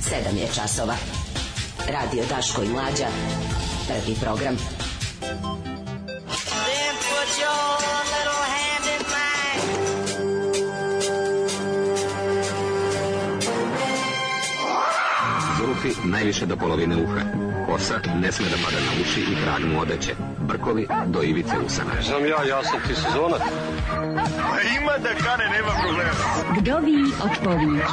7 je časova. Radio Daško i Mlađa. Prvi program. Then put your little hand in mine. Zulufi najviše do polovine uha. Kosa ne sme da pada na uši i krag mu odeće. Brkovi do ivice usana. Znam ja sam ti sezonac. Ima da kane, nema problema. Vdovi od povijek.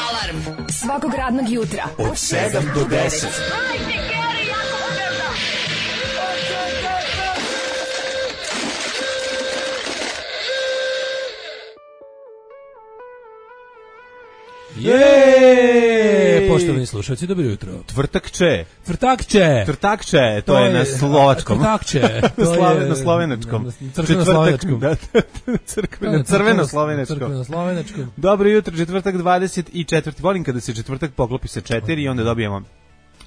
Alarm Svakog radnog jutra Od 7 do 10. Poštovani slušalci, dobro jutro. Tvrtakče, to je na slovačkom. Tvrtakče. Na slovenačkom. Crkveno-slovenačkom. Crkveno-slovenačkom. Dobro jutro, četvrtak 24. Volim kada se četvrtak poklopi sa 4 i onda dobijemo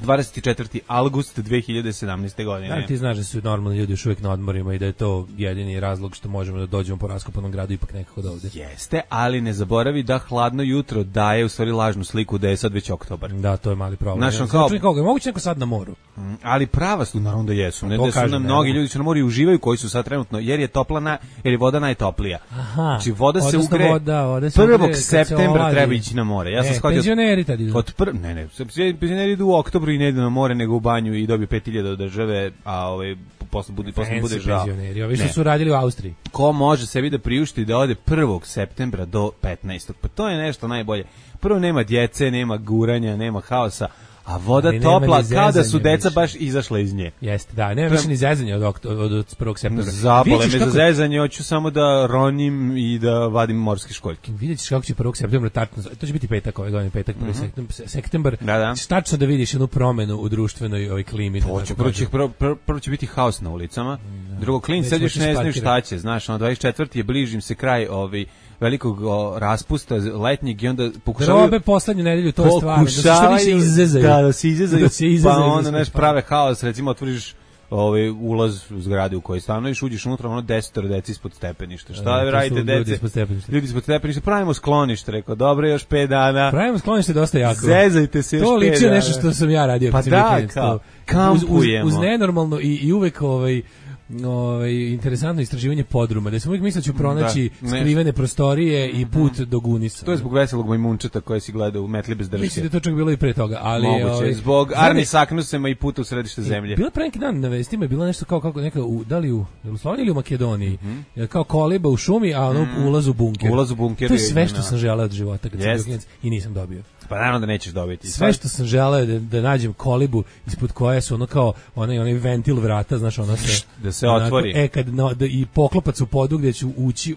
24. avgust 2017. godine. Da, ti znaš da su normalni ljudi još uvijek na odmorima i da je to jedini razlog što možemo da dođemo po raskopanom gradu ipak nekako do ovde. Jeste, ali ne zaboravi da hladno jutro daje u stvari lažnu sliku da je sad već oktobar. Da, to je mali problem. Znaš, kao... Moguće neko sad na moru. Ali prava su, naravno da jesu. Ne da su nam mnogi ljudi su na moru i uživaju koji su sad trenutno, jer je jer je voda najtoplija. Aha. Znači voda se ugre. Voda se 1. septembra treba ići na more. Ja sam shvatio. Penzioneri tad idu. Penzioneri idu u oktobru i ne idu na more nego u banju i dobiju 5.000 od države, a posle bude žao. Ovi što su radili u Austriji. Ko može sebi da priušti da ode 1. septembra do 15. Pa to je nešto najbolje. Prvo nema djece, nema guranja, nema haosa, a voda ali topla kao da su deca više baš izašla iz nje. Jeste, da, nema više ni zezanja od 1. septembra. Zabole me za zezanje, hoću samo da ronim i da vadim morske školjke. Vidjet ćeš kako će 1. septembra tačno, to će biti petak ove godine, petak 1. septembar, da. tačno da vidiš jednu promenu u društvenoj klimi. Prvo će biti haos na ulicama, drugo klin sad još ne znaju šta će, znaš, 24. je bližim se kraj velikog raspusta letnjeg i onda pokušavaju robe poslednju nedelju, to je stvarno da se izezaju. Da se izezaju, pa onda nešto prave haos, recimo otvoriš ulaz u zgradu u kojoj stanuješ, uđeš unutra, 10 deci ispod stepeništa. Šta radite, dece? Ljudi ispod stepeništa. Pravimo sklonište, rekao, dobro, još 5 dana. Pravimo sklonište dosta jako. Zezajte se još 5 dana. To liči nešto što sam ja radio. Pa da, kampujemo. Uz nenormalno i uvek interesantno istraživanje podruma, da sam uvijek mislio da ću pronaći skrivene prostorije i put do Gunisa. To je zbog veselog majmunčeta koje si gledao u Metli bez drške. Mislim da to čak bilo i pre toga, ali moguće, zbog Arni Saknusema i puta u središte zemlje. Bilo pre neki dan na vestima je bilo nešto kao neka da li u Sloveniji ili u Makedoniji, kao koliba u šumi, a ono ulaz u bunker. To je sve što sam želeo od života kad sam bio klinac i nisam dobio. Pa naravno da nećeš dobiti. Sve što sam želeo da nađem kolibu ispod koje su ono kao onaj ventil vrata, znaš, ono da se otvori. I poklopac u podu gdje ću ući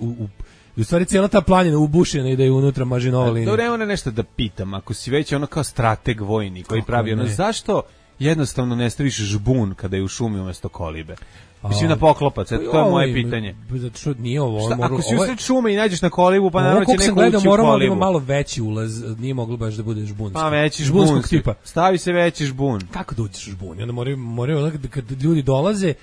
u stvari cijela ta planina ubušena i da je unutra mažinova linija. Dobro, evo nešto da pitam, ako si već ono kao strateg vojni koji pravi ono, zašto jednostavno ne staviš žbun kada je u šumi umjesto kolibe? Mislim na poklopac, to je moje pitanje. Zato što nije ovo. Ako si usred šume i nađeš na kolibu, pa naravno će neko ući u kolibu. Moramo da ima malo veći ulaz, nije moglo baš da bude žbunski. Pa veći žbunskog tipa. Stavi se veći žbun. Kako da uđeš u žbun? Onda moraju kad ljudi dolaze,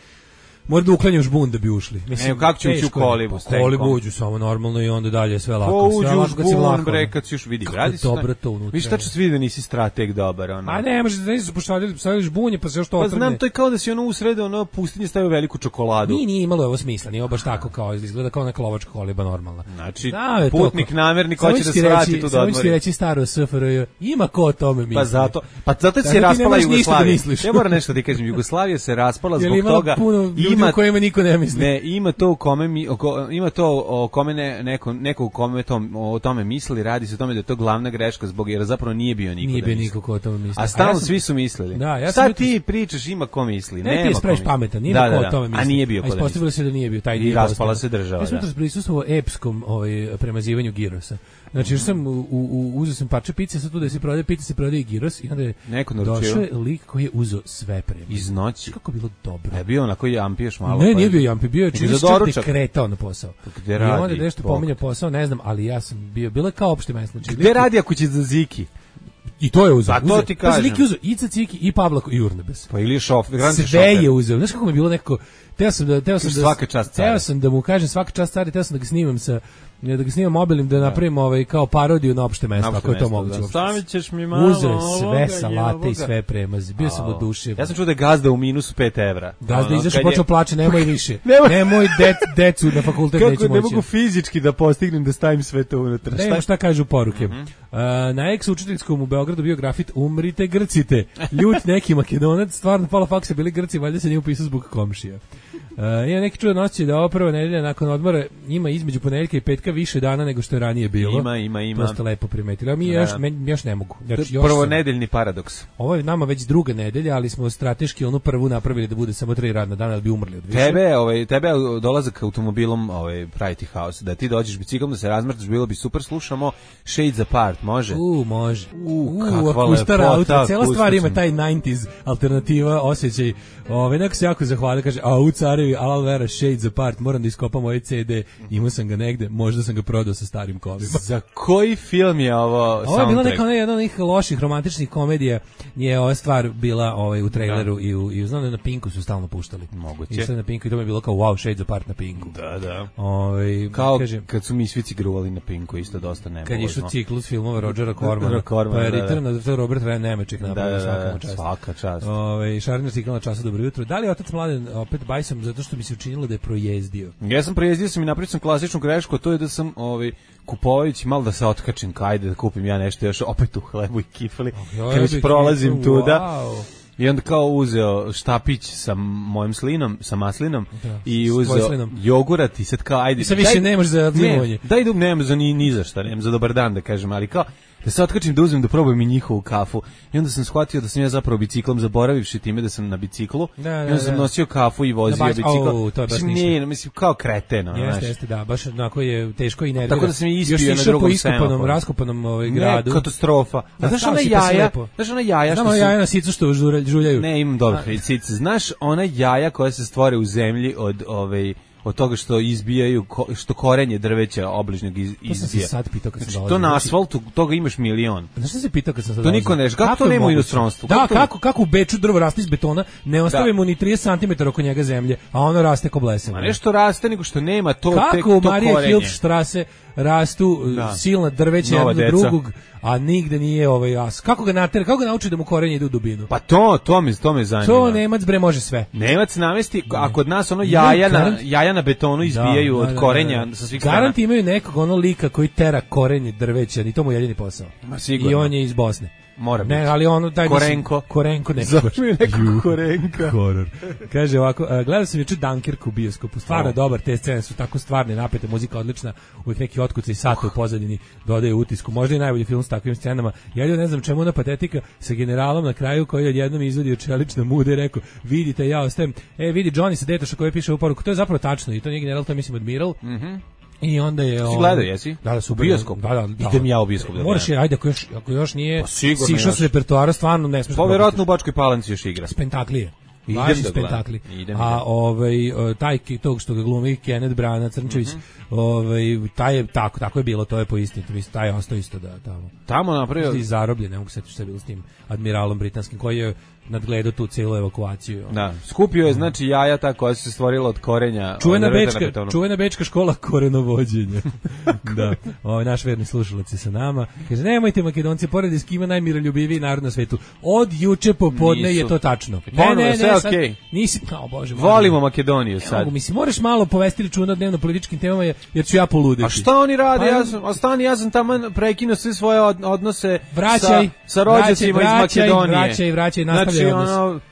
mora da uklanjaju žbun da bi ušli. Mislim, kako će ući u kolibu? Kolibu uđu samo normalno i onda dalje sve lako. Uđu u žbun, bre, kad si još vidi. Kako dobro to unutra. Viš tačno svi da nisi strateg dobar. A ne, možeš da nisi postavili žbunje, pa se još to otrgne. Pa znam, to je kao da si ono u sredu pustinje stavio veliku čokoladu. Nije imalo ovo smisla, nije baš tako kao, izgleda kao neka lovačka koliba normalna. Znači, putnik namernik hoće da se vrati tu do odmori. Samo ću reći staro SFRJ, ima ko o tome misli. Pa zato se raspala Jugoslavija. Ja moram nešto ti kažem, Jugoslavija se raspala zbog toga. Ima to o kome neko o tome misli, radi se o tome da je to glavna greška jer zapravo nije bio niko. Nije bio niko ko o tome misli. A stalno svi su mislili. Sad ti pričaš ima ko misli. Ne, ti spraviš pametan, nije ko o tome misli. A nije bio ko da misli. Ispostavilo se da nije bio taj dio. I raspala se država. Ja sam jutros prisustvovao epskom premazivanju girosa. Znači, još sam uzeo sam parče pice, sad tu da se prodaje pice, se prodaje i giros i onda je došao lik koji je uzeo sve premije. Iz noći. Kako bilo dobro. Je bio onako jampiješ malo. Ne, nije bio jampi, bio je čini se kretao na posao. Gde radi? I onda nešto pominja posao, ne znam, ali ja sam bilo kao opšte mesto. Gde radi ako će za Ziki? I to je uzeo. A to ti kažem. Lik je uzeo Ica Ciki i Pavla Jurnebes. Pa ili šofer. Sve je uzeo. Znaš kako mi je bilo nekako... Teo sam da mu kažem svaka čast cari, teo sam da ga snimam mobilnim, da napravim kao parodiju na opšte mesto, ako je to moguće. Stavit ćeš mi malo. Uzeo sve salate i sve premazi. Bio sam oduševljen. Ja sam čuo da je gazda u minusu 5 evra. Gazda izašao, počeo plače, nemoj više. Nemoj decu na fakultet neću moći. Kako ne mogu fizički da postignem da stavim sve to unutra. Nemo šta kažu poruke. Na ex-učiteljskom u Beogradu bio grafit umrite Grcite. Ljut neki Makedonac, stvarno pola faksa bili Grci, valjda se nije upisao zbog komšija. Ima neki čudan osjećaj da ova prva nedelja nakon odmora ima između ponedeljka i petka više dana nego što je ranije bilo. Ima. To ste lepo primetili. A mi još ne mogu. Prvo nedeljni paradoks. Ovo je nama već druga nedelja, ali smo strateški onu prvu napravili da bude samo 3 radna dana da bi umrli od više. Tebe dolazak automobilom praviti haos. Da ti dođeš biciklom, da se razmrtaš, bilo bi super. Slušamo Shades Apart, može? Može. Akustara auto. Cijela stvar ima taj 90s alternativa, osjećaj. Neko se jako zahvalio, kaže, u carevi, Alal Vera, Shades Apart, moram da iskopam ovaj CD, imao sam ga negde, možda sam ga prodao sa starim kovima. Za koji film je ovo soundtrack? Ovo je bila neka jedna od onih loših romantičnih komedija, je ova stvar bila u traileru i znam da na Pinku su stalno puštali. Moguće. I sad na Pinku i to mi je bilo kao wow, Shades Apart na Pinku. Da. Kao kad su Misfici gruvali na Pinku, isto dosta nemožno. Kad je išao ciklus filmova Rodgera Cormana, pa je Return of Robert Ryan Nemeček napravio svaka čast. Šarner cikl na času, dobro jutro. Da li je otac Mladen opet bajsam zato što mi se učinilo da je projezdio? Ja sam projezdio i napravio sam klasičnu grešku, to je da sam kupovajući malo da se otkačim, ajde da kupim ja nešto još opet u hlebu i kifali, kad već prolazim tuda. I onda kao uzeo štapić sa mojim slinom, sa maslinom i uzeo jogurat i sad kao ajde. I sad više nemaš za limonje. Daj dub nemam za ni za šta, nemam za dobar dan da kažem, ali kao da se otkačim da uzmem da probujem i njihovu kafu. I onda sam shvatio da sam ja zapravo biciklom zaboravivši time da sam na biciklu. I onda sam nosio kafu i vozio bicikl. Mislim kao kreten. Jeste, da, baš onako je teško i nervira. Tako da sam je ispio na drugom semaforu. Raskopanom gradu. Katastrofa. Znaš ona jaja? Znamo jaja na sicu što žuljaju. Ne, imam dobro sice. Znaš ona jaja koja se stvore u zemlji od toga što izbijaju, što korenje drveća obližnjeg izbija. To sam se sad pitao kad sam dolazio. To na asfaltu, toga imaš milion. Znaš što se pitao kad sam sad dolazio? To niko ne kako to nema u inostranstvu? Da, kako u Beču drvo raste iz betona, ne ostavimo ni 30 cm oko njega zemlje, a ono raste ko blesav. Ma nešto raste, nego što nema to korenje. Kako u Marija Hilfstrasse rastu silna drveća jedno do drugog, a nigde nije jas. Kako ga nauči da mu korenje ide u dubinu? Pa to me zanima. To Nemac bre može sve. Nemac namesti, a kod nas ono jaja na betonu izbijaju od korenja sa svih strana. Garanti imaju nekog lika koji tera korenje drveća, i to mu je jedini posao. I on je iz Bosne. Mora biti. Ne, ali ono taj Korenko ne. Zove neko Korenka. Horor. Kaže ovako, gledao sam juče Dunkirk u bioskopu. Stvarno dobar, te scene su tako stvarne, napete, muzika odlična, uvijek neki otkucaj sata u pozadini dodaju utisku. Možda i najbolji film s takvim scenama. Ja ne znam čemu ona patetika sa generalom na kraju koji odjednom izvadio čelična muda i rekao, vidite, ja ostajem. Vidi Johnny sa Detoša koji piše u poruku. To je zapravo tačno i to nije general, to je mislim admiral. I onda je si gledao, jesi? Da, super. Bioskop. Da. Idem ja u bioskop. Moraš ajde ako još nije sišao s repertoara, stvarno ne smiješ. Pa verovatno u Bačkoj Palanci još igra. Spentaklije. Idem Spentakli. A taj tog što ga glumi Kenneth Branagh Crnčević, taj je tako je bilo, to je po istini, taj je ostao isto da tamo napravio i zarobljen, ne mogu se setiti šta je bilo s tim admiralom britanskim koji je nadgledao tu celu evakuaciju. Da, skupio je znači jaja ta koja su se stvorila od korenja. Čuvena bečka škola korenovođenja. Da, naš verni slušalac je sa nama. Kaže, nemojte Makedonci, pored eskima najmiroljubiviji narod na svetu. Od juče popodne je to tačno. Ne, okay. Nisi, Bože. Volimo Makedoniju sad. Mislim, moraš malo povesti računa o dnevno političkim temama, jer ću ja poluditi. A šta oni rade? Ja sam tamo prekinuo sve svoje odnose sa rođacima iz Makedonije. Vraćaj, nastavljaj odnos.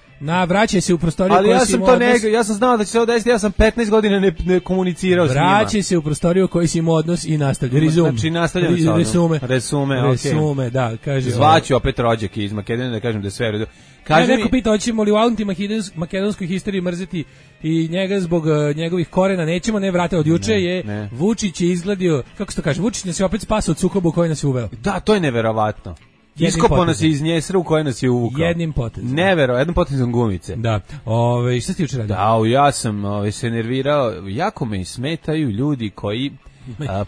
Vraćaj se u prostoriju koju si imao odnos. Ja sam znao da će se ovo desiti, ja sam 15 godina ne komunicirao s njima. Vraćaj se u prostoriju koju si imao odnos i nastavljaj. Znači nastavljamo sa odnos. Resume, da, kaže. Zvaću opet rođake iz Makedonije da kažem da je sve redu. Neko pita, hoćemo li u anti-makedonskoj historiji mrziti i njega zbog njegovih korena, nećemo, ne vrate, od juče je Vučić je izgledio, kako se to kaže, Vučić nas je opet spasao od sukoba u koji nas je uveo. Da, to je neverovatno. Iskopao nas je iz njesra u koje nas je uvukao. Jednim potezom. Jednim potezom gumice. Da. Šta si ti juče radio? Da, ja sam se nervirao. Jako me smetaju ljudi koji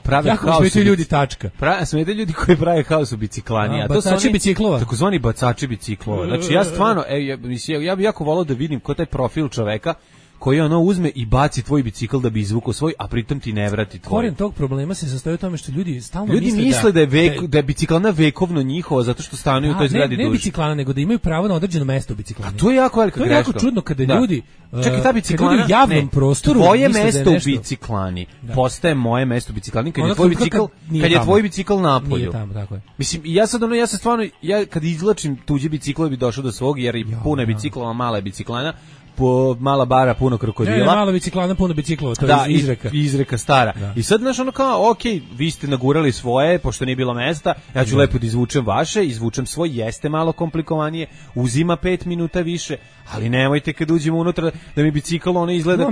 prave jako haos. Jako ljudi tačka. Smete ljudi koji prave haos u biciklani. A to su oni biciklova. Takozvani bacači biciklova. Znači ja stvarno, ja bih jako volao da vidim ko taj profil čoveka koji ono uzme i baci tvoj bicikl da bi izvukao svoj, a pritom ti ne vrati tvoj. Koren tog problema se sastoji u tome što ljudi stalno misle da je biciklana vekovno njihova zato što stanuju u toj zgradi duže. Ne biciklana, nego da imaju pravo na određeno mesto u biciklani. A to je jako velika greška. To je jako čudno kada ljudi čekaj, ta biciklana, u javnom prostoru tvoje mesto u biciklani postaje moje mesto u biciklani kad je tvoj bicikl napolju. Nije tamo, tako je. Mislim, ja se stvarno, kad izvlačim tuđe bicikle bi došao do svog, jer puno je biciklova, mala je biciklana, mala bara, puno krokodila. Ne, mala biciklana, puno biciklova, to je izreka. Izreka stara. Da. I sad, znaš, ono kao, vi ste nagurali svoje, pošto nije bilo mesta, ja ću lepo da izvučem vaše, izvučem svoj, jeste malo komplikovanije, uzima 5 minuta više, ali nemojte kad uđemo unutra da mi bicikl ono izgleda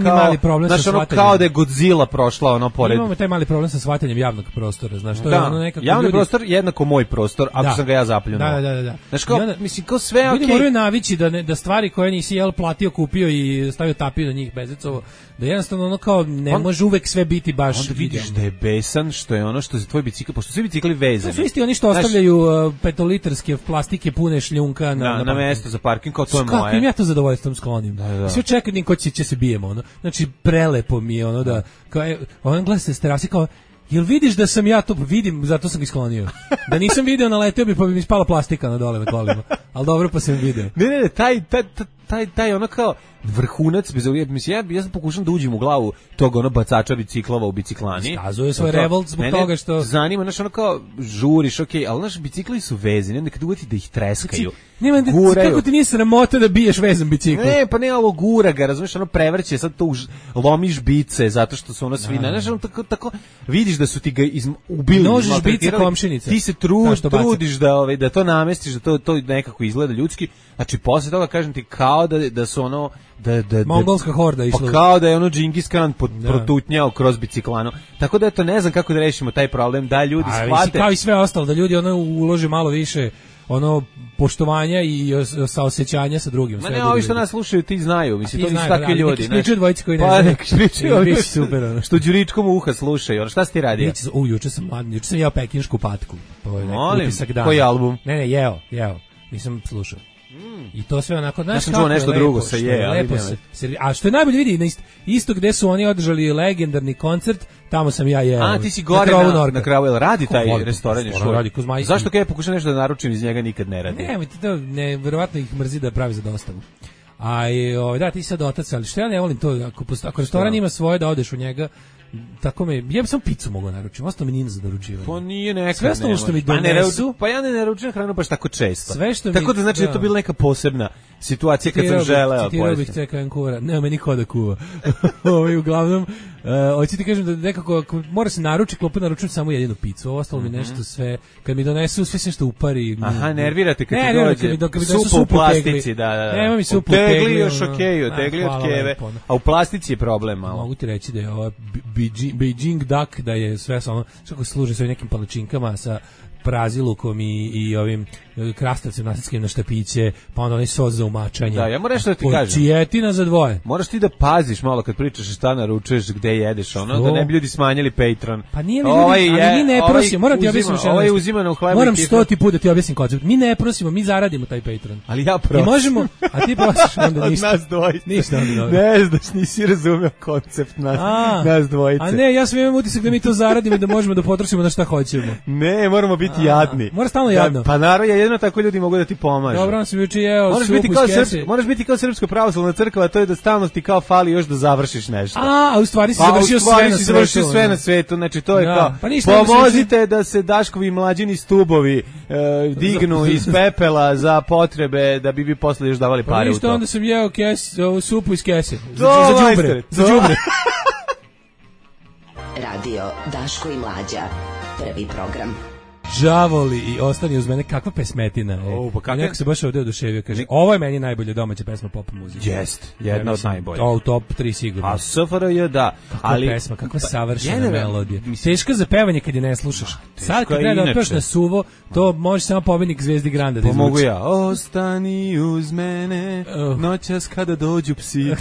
kao da je Godzilla prošla ono pored. Imamo taj mali problem sa shvatanjem javnog prostora, znaš, to je ono nekako javni prostor jednako moj prostor, ako sam ga ja zapljunuo. Da. Znaš, kao, mislim, kao sve ljudi moraju navići da stvari koje nisi platio, kupio i stavio tapiju na njih bezecovo, da jednostavno ono kao ne može uvek sve biti baš. Onda vidiš da je besan što je ono što je tvoj bicikl, pošto svi bicikli vezani. To su isti oni što ostavljaju petolitarske plastike pune šljunka na mesto za parking, kao to je moje. Kako im ja to zadovoljstvom sklonim. Da. Sve čekam ko će se bijemo, ono. Znači prelepo mi je ono da kao on gleda se s terase kao jel vidiš da sam ja to vidim, zato sam ga sklonio. Da nisam video, naleteo bi pa bi mi spala plastika na dole na kolima. Al dobro, pa sam video. Ne, taj ono kao vrhunac bez ovih, mislim, ja sam pokušam da uđem u glavu tog ono bacača biciklova u biciklani. Iskazuje svoj revolt zbog toga što zanima, znaš, ono kao žuriš, ali naš bicikli su vezani, onda kad uveti da ih treskaju. Kako ti nije sramota da biješ vezan bicikl? Ne, pa ne, ali gura ga, razumiješ, ono prevrće, sad to lomiš bice zato što su ono svi, znaš, ono tako vidiš da su ti ga ubili. Nožiš bice komšinice. Ti se trudiš da to namestiš, da to nekako izgleda ljudski. Znači, posle toga kažem ti kao da su ono mongolska horda išla. Pa kao da je ono Džingis Khan protutnjao kroz biciklanu. Tako da eto, ne znam kako da rešimo taj problem, da ljudi shvate. Kao i sve ostalo, da ljudi ono ulože malo više ono poštovanja i saosećanja sa drugim. Ma ne, ovi što nas slušaju ti znaju, mislim, to nisu takvi ljudi. Neki pričaju dvojici koji ne znaju. Pa neki pričaju, biće super, ono. Što Đuričkom uha slušaju, ono, šta si ti radio? Juče sam jeo pekinšku patku. Molim, koji album? Ne, jeo. Nisam slušao. I to sve onako, znaš, ja sam čuo nešto drugo sa a što je najbolje vidi, isto gde su oni održali legendarni koncert, tamo sam ja jeo. A ti si gore na kravu, radi taj restoran još. Zašto kad ja pokušam nešto da naručim iz njega nikad ne radi? Ne, verovatno ih mrzi da pravi za dostavu. Da, ti sad otac, ali što ja ne volim to, ako restoran ima svoje da odeš u njega, tako me, ja bi samo picu mogao naručiti, ostalo mi nije za doručivanje. Pa nije nekad. Sve ostalo što mi donesu. Pa ja ne naručujem hranu baš tako često. Sve što tako da znači da je to bila neka posebna situacija kad sam želeo. Citirao bih CKN kura, nema me niko da kuva. Uglavnom, hoću ti kažem da nekako, mora se naručiti, klopu naručujem samo jedinu picu, ovo ostalo mi nešto sve, kad mi donesu sve se što upari. Aha, nervirate kad ti dođe supa u plastici, da. Nema mi supu u tegli. Još okej, tegli od keve, a u plastici je problem malo. Mogu ti reći da je ova Beijing duck, da je sve samo, što služi sa nekim palačinkama sa prazilukom i ovim krastavcem nasitskim na štapiće, pa onda onaj sos za umačanje. Da, ja moram nešto da ti kažem. Čijetina za dvoje. Moraš ti da paziš malo kad pričaš šta naručuješ, gde jedeš, ono, da ne bi ljudi smanjili Patreon. Pa nije li ljudi, ali mi ne prosimo, moram ti objasniti. Ovo je uzimano u hlebu. Moram 100 puta da ti objasnim koncept. Mi ne prosimo, mi zaradimo taj Patreon. Ali ja prosim. I možemo, a ti prosiš onda ništa. Nas dvojice. Ništa onda. Ne znaš, nisi razumeo koncept nas dvojice. A ne, ja sam imam utisak da mi to zaradimo i da možemo da potrošimo na šta hoćemo. Ne, moramo biti jadni. Mora stalno jadno. Pa naravno, jedino tako ljudi mogu da ti pomažu. Dobro, on se juče jeo supu iz kese. Moraš biti kao Srpska pravoslavna crkva, a to je da stalno ti kao fali još da završiš nešto. A u stvari si završio sve na svetu, znači to je kao, pomozite da se Daškovi mlađini stubovi dignu iz pepela za potrebe da bi vi posle još davali pare u to. Ništa, onda sam jeo supu iz kese. Za đubre. Radio Daško i Mlađa, prvi program. Đavoli i ostani uz mene, kakva pesmetina. Neko se baš ovdje oduševio, kaže, ovo je meni najbolja domaća pesma pop muzike. Jest, jedna od najboljih. U top 3 sigurno. A SFRJ da. Kakva pesma, kakva savršena melodija. Teška za pevanje kad je ne slušaš. Sad kad treba da otpevaš na suvo, to može samo pobednik Zvezdi Granda da izvuči. Pomogu ja. Ostani uz mene, noćas kada dođu psi.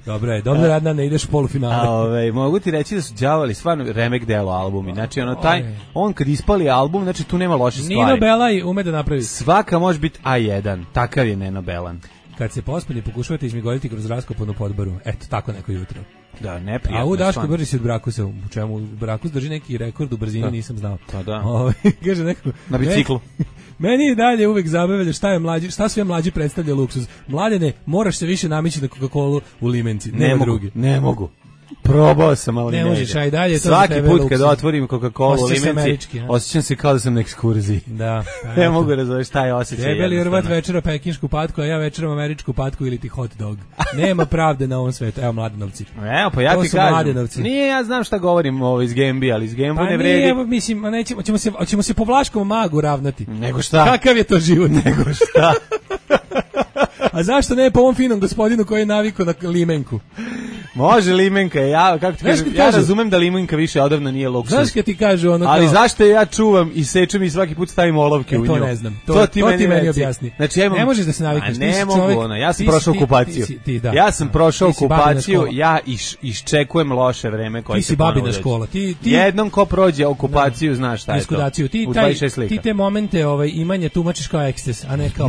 Dobro je, dobro radna, ne ideš u polufinale. Mogu ti reći da su đavoli stvarno remek delo albumi. Znači, on kad ispali album, znači tu nema loše stvari. Nino Belaj ume da napravi. Svaka može biti A1, takav je Nino Belan. Kad se pospani, pokušavate izmigoliti kroz raskopanu podboru. Eto, tako neko jutro. Da, neprijatno. A u Daško brži si od Brakusa, u čemu Brakus drži neki rekord u brzini, nisam znao. Pa da. Kaže neko, na biciklu. Meni je dalje uvek zabavlja šta sve mlađi predstavlja luksuz. Mladene, moraš se više namići na Coca-Colu u limenci. Ne mogu. Probao sam, ali ne možeš, aj dalje. Svaki put kad otvorim Coca-Colu u limenci, osjećam se kao da sam na ekskurziji. Da. Ne mogu razumjeti šta je osjećaj. Debeli Hrvat večera pekinšku patku, a ja večeram američku patku ili ti hot dog. Nema pravde na ovom svetu. Evo, Mladenovci. Evo, pa ja ti kažem. Nije, ja znam šta govorim iz Gembi, ali iz Gembu ne vredi. Evo, mislim, ćemo se po Vlaškom magu ravnati. Nego šta? Kakav je to život? Nego šta? A zašto ne po ovom finom gospodinu koji je navikao na limenku? Može limenka, ja razumem da limenka više odavno nije luksuz. Znaš kad ti kažu ono kao... Ali zašto ja čuvam i sečem i svaki put stavim olovke u nju? To ne znam. To ti meni objasni. Znači, ne možeš da se navikneš. Ne mogu, ja sam prošao okupaciju. Ja sam prošao okupaciju, ja iščekujem loše vreme koje se ponovo dođe. Ti si babina škola. Jednom ko prođe okupaciju, znaš šta je to. U 26 slika. Ti te momente imanja tumačiš kao eksces, a ne kao...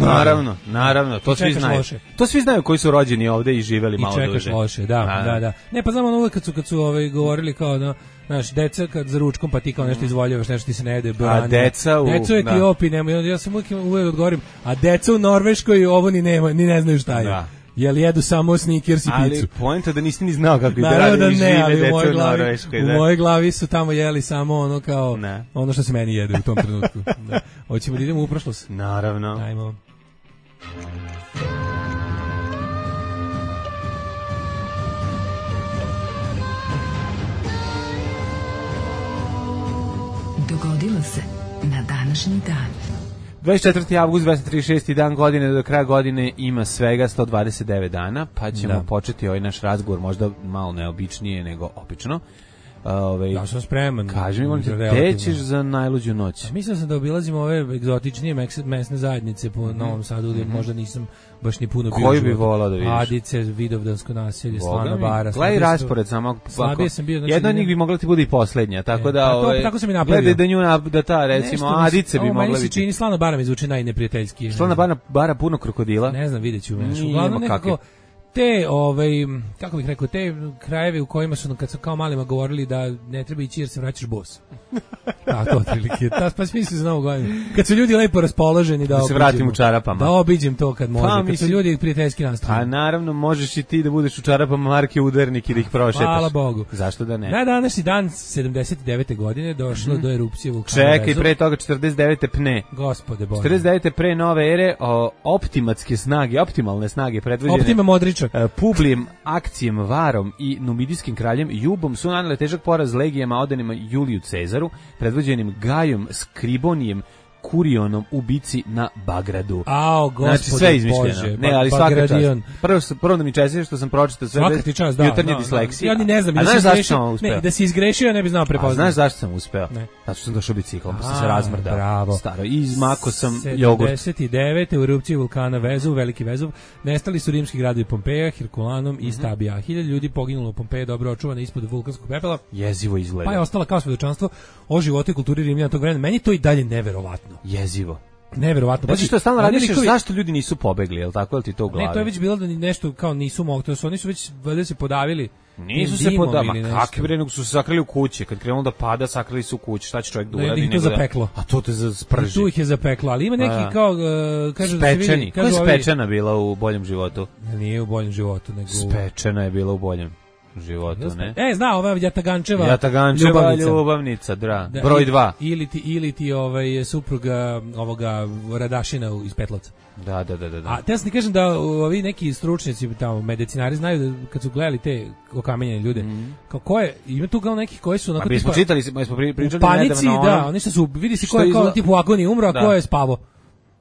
Naravno, to svi znaju. To svi znaju koji su rođeni ovde i živeli malo duže. I čekaš loše, da. Ne, pa znamo ono uvek kad su govorili kao da, znaš, deca kad za ručkom pa ti kao nešto izvoljavaš, nešto ti se ne jede. A deca u Etiopiji nema, ja sam uvek odgovorim, a deca u Norveškoj ovo ni ne znaju šta je. Da. Jel jedu samo Snickers i picu. Ali poenta da nisi ni znao kako ide radi žive deca u Norveškoj. U mojoj glavi su tamo jeli samo ono kao, ono što se meni jede u tom trenutku. Da. Hoćemo da idemo u prošlost? Naravno. Ajmo. Dogodilo se na današnji dan. 24. avgust, 236. dan godine, do kraja godine ima svega 129 dana, pa ćemo početi ovaj naš razgovor možda malo neobičnije nego obično. Ja sam spreman. Kaži mi, molim te, gde ćeš za najluđu noć? Mislio sam da obilazim ove egzotičnije mesne zajednice po Novom Sadu, gde možda nisam baš ni puno bio. Koji bi volao da vidiš? Adice, Vidovdansko naselje, Slana bara. Gledaj raspored samo. Slabije sam bio. Jedna od njih bi mogla ti bude i poslednja, tako da... Tako sam i napravio. Gledaj da nju, da ta, recimo, Adice bi mogla biti. Meni se čini, Slana bara mi zvuči najneprijateljski. Slana bara puno krokodila? Ne znam, vidjet ću. Uglavnom nekako... Te, kako bih rekao, te krajeve u kojima su kad su kao malima govorili da ne treba ići jer se vraćaš bos. To otprilike. Pa smisli za Novu godinu. Kad su ljudi lepo raspoloženi da se vratim u čarapama. Da obiđem to kad može. Kad su ljudi prijateljski nastrojeni. A naravno možeš i ti da budeš u čarapama marke Udarnik i da ih prošetaš. Hvala Bogu. Zašto da ne? Na današnji dan 79. godine došlo do erupcije vulkana. Čekaj, pre toga 49. pne. Gospode Bože. 49. pre nove ere optimalne snage predvođene. Optima Modrića. Publijem, akcijem, Varom i numidijskim kraljem Jubom su nanele težak poraz legijama odanima Juliju Cezaru, predvođenim Gajom Skribonijem, Kurionom u bici na Bagradu. Znači sve izmišljeno. Ne, ali svaka čast. Prvo da mi čestite što sam pročitao sve bez jutarnje disleksije. Ja ni ne znam, da si izgrešio, ne bi znao prepoznati. Znaš zašto sam uspeo? Zato što sam došao biciklom, pa sam se razmrdao. Bravo. Staro, izmako sam jogurt. 79. u erupciji vulkana Vezuv, Veliki Vezuv, nestali su rimski gradovi Pompeja, Herkulanom i Stabija. 1000 ljudi poginulo u Pompeji, dobro očuvane ispod vulkanskog pepela. Jezivo izgleda. Pa je ostala kao svedočanstvo o životu i kulturi Rimljana tog vremena. Meni to i dalje neverovatno. Jezivo. Neverovatno. Znači što stalno radiš, zašto ljudi nisu pobegli, je l' tako, je li ti to u glavi? Ne, to je već bilo da nešto kao nisu mogli, to su oni su već valjda se podavili. Nisu se podavili, kakvi bre, nego su se sakrili u kući, kad krenulo da pada, sakrili su u kući, šta će čovjek da uradi? To zapeklo. A to te sprži. Tu ih je zapeklo, ali ima neki kao, kažu da se vidi... Koja je Spečana bila u boljem životu? Nije u boljem životu, nego... Spečana je bila u boljem životu, ne? Zna, ova Jatagančeva ljubavnica, broj 2. Ili ti supruga ovoga Radašina iz Petlovca. Da. A te sam ti kažem da ovi neki stručnjaci tamo, medicinari znaju da kad su gledali te okamenjene ljude, kako je, ima tu kao nekih koji su onako tipa... smo čitali, smo pričali panici, da, oni su, vidi si ko je kao tipu u agoniji umro, a ko je spavao.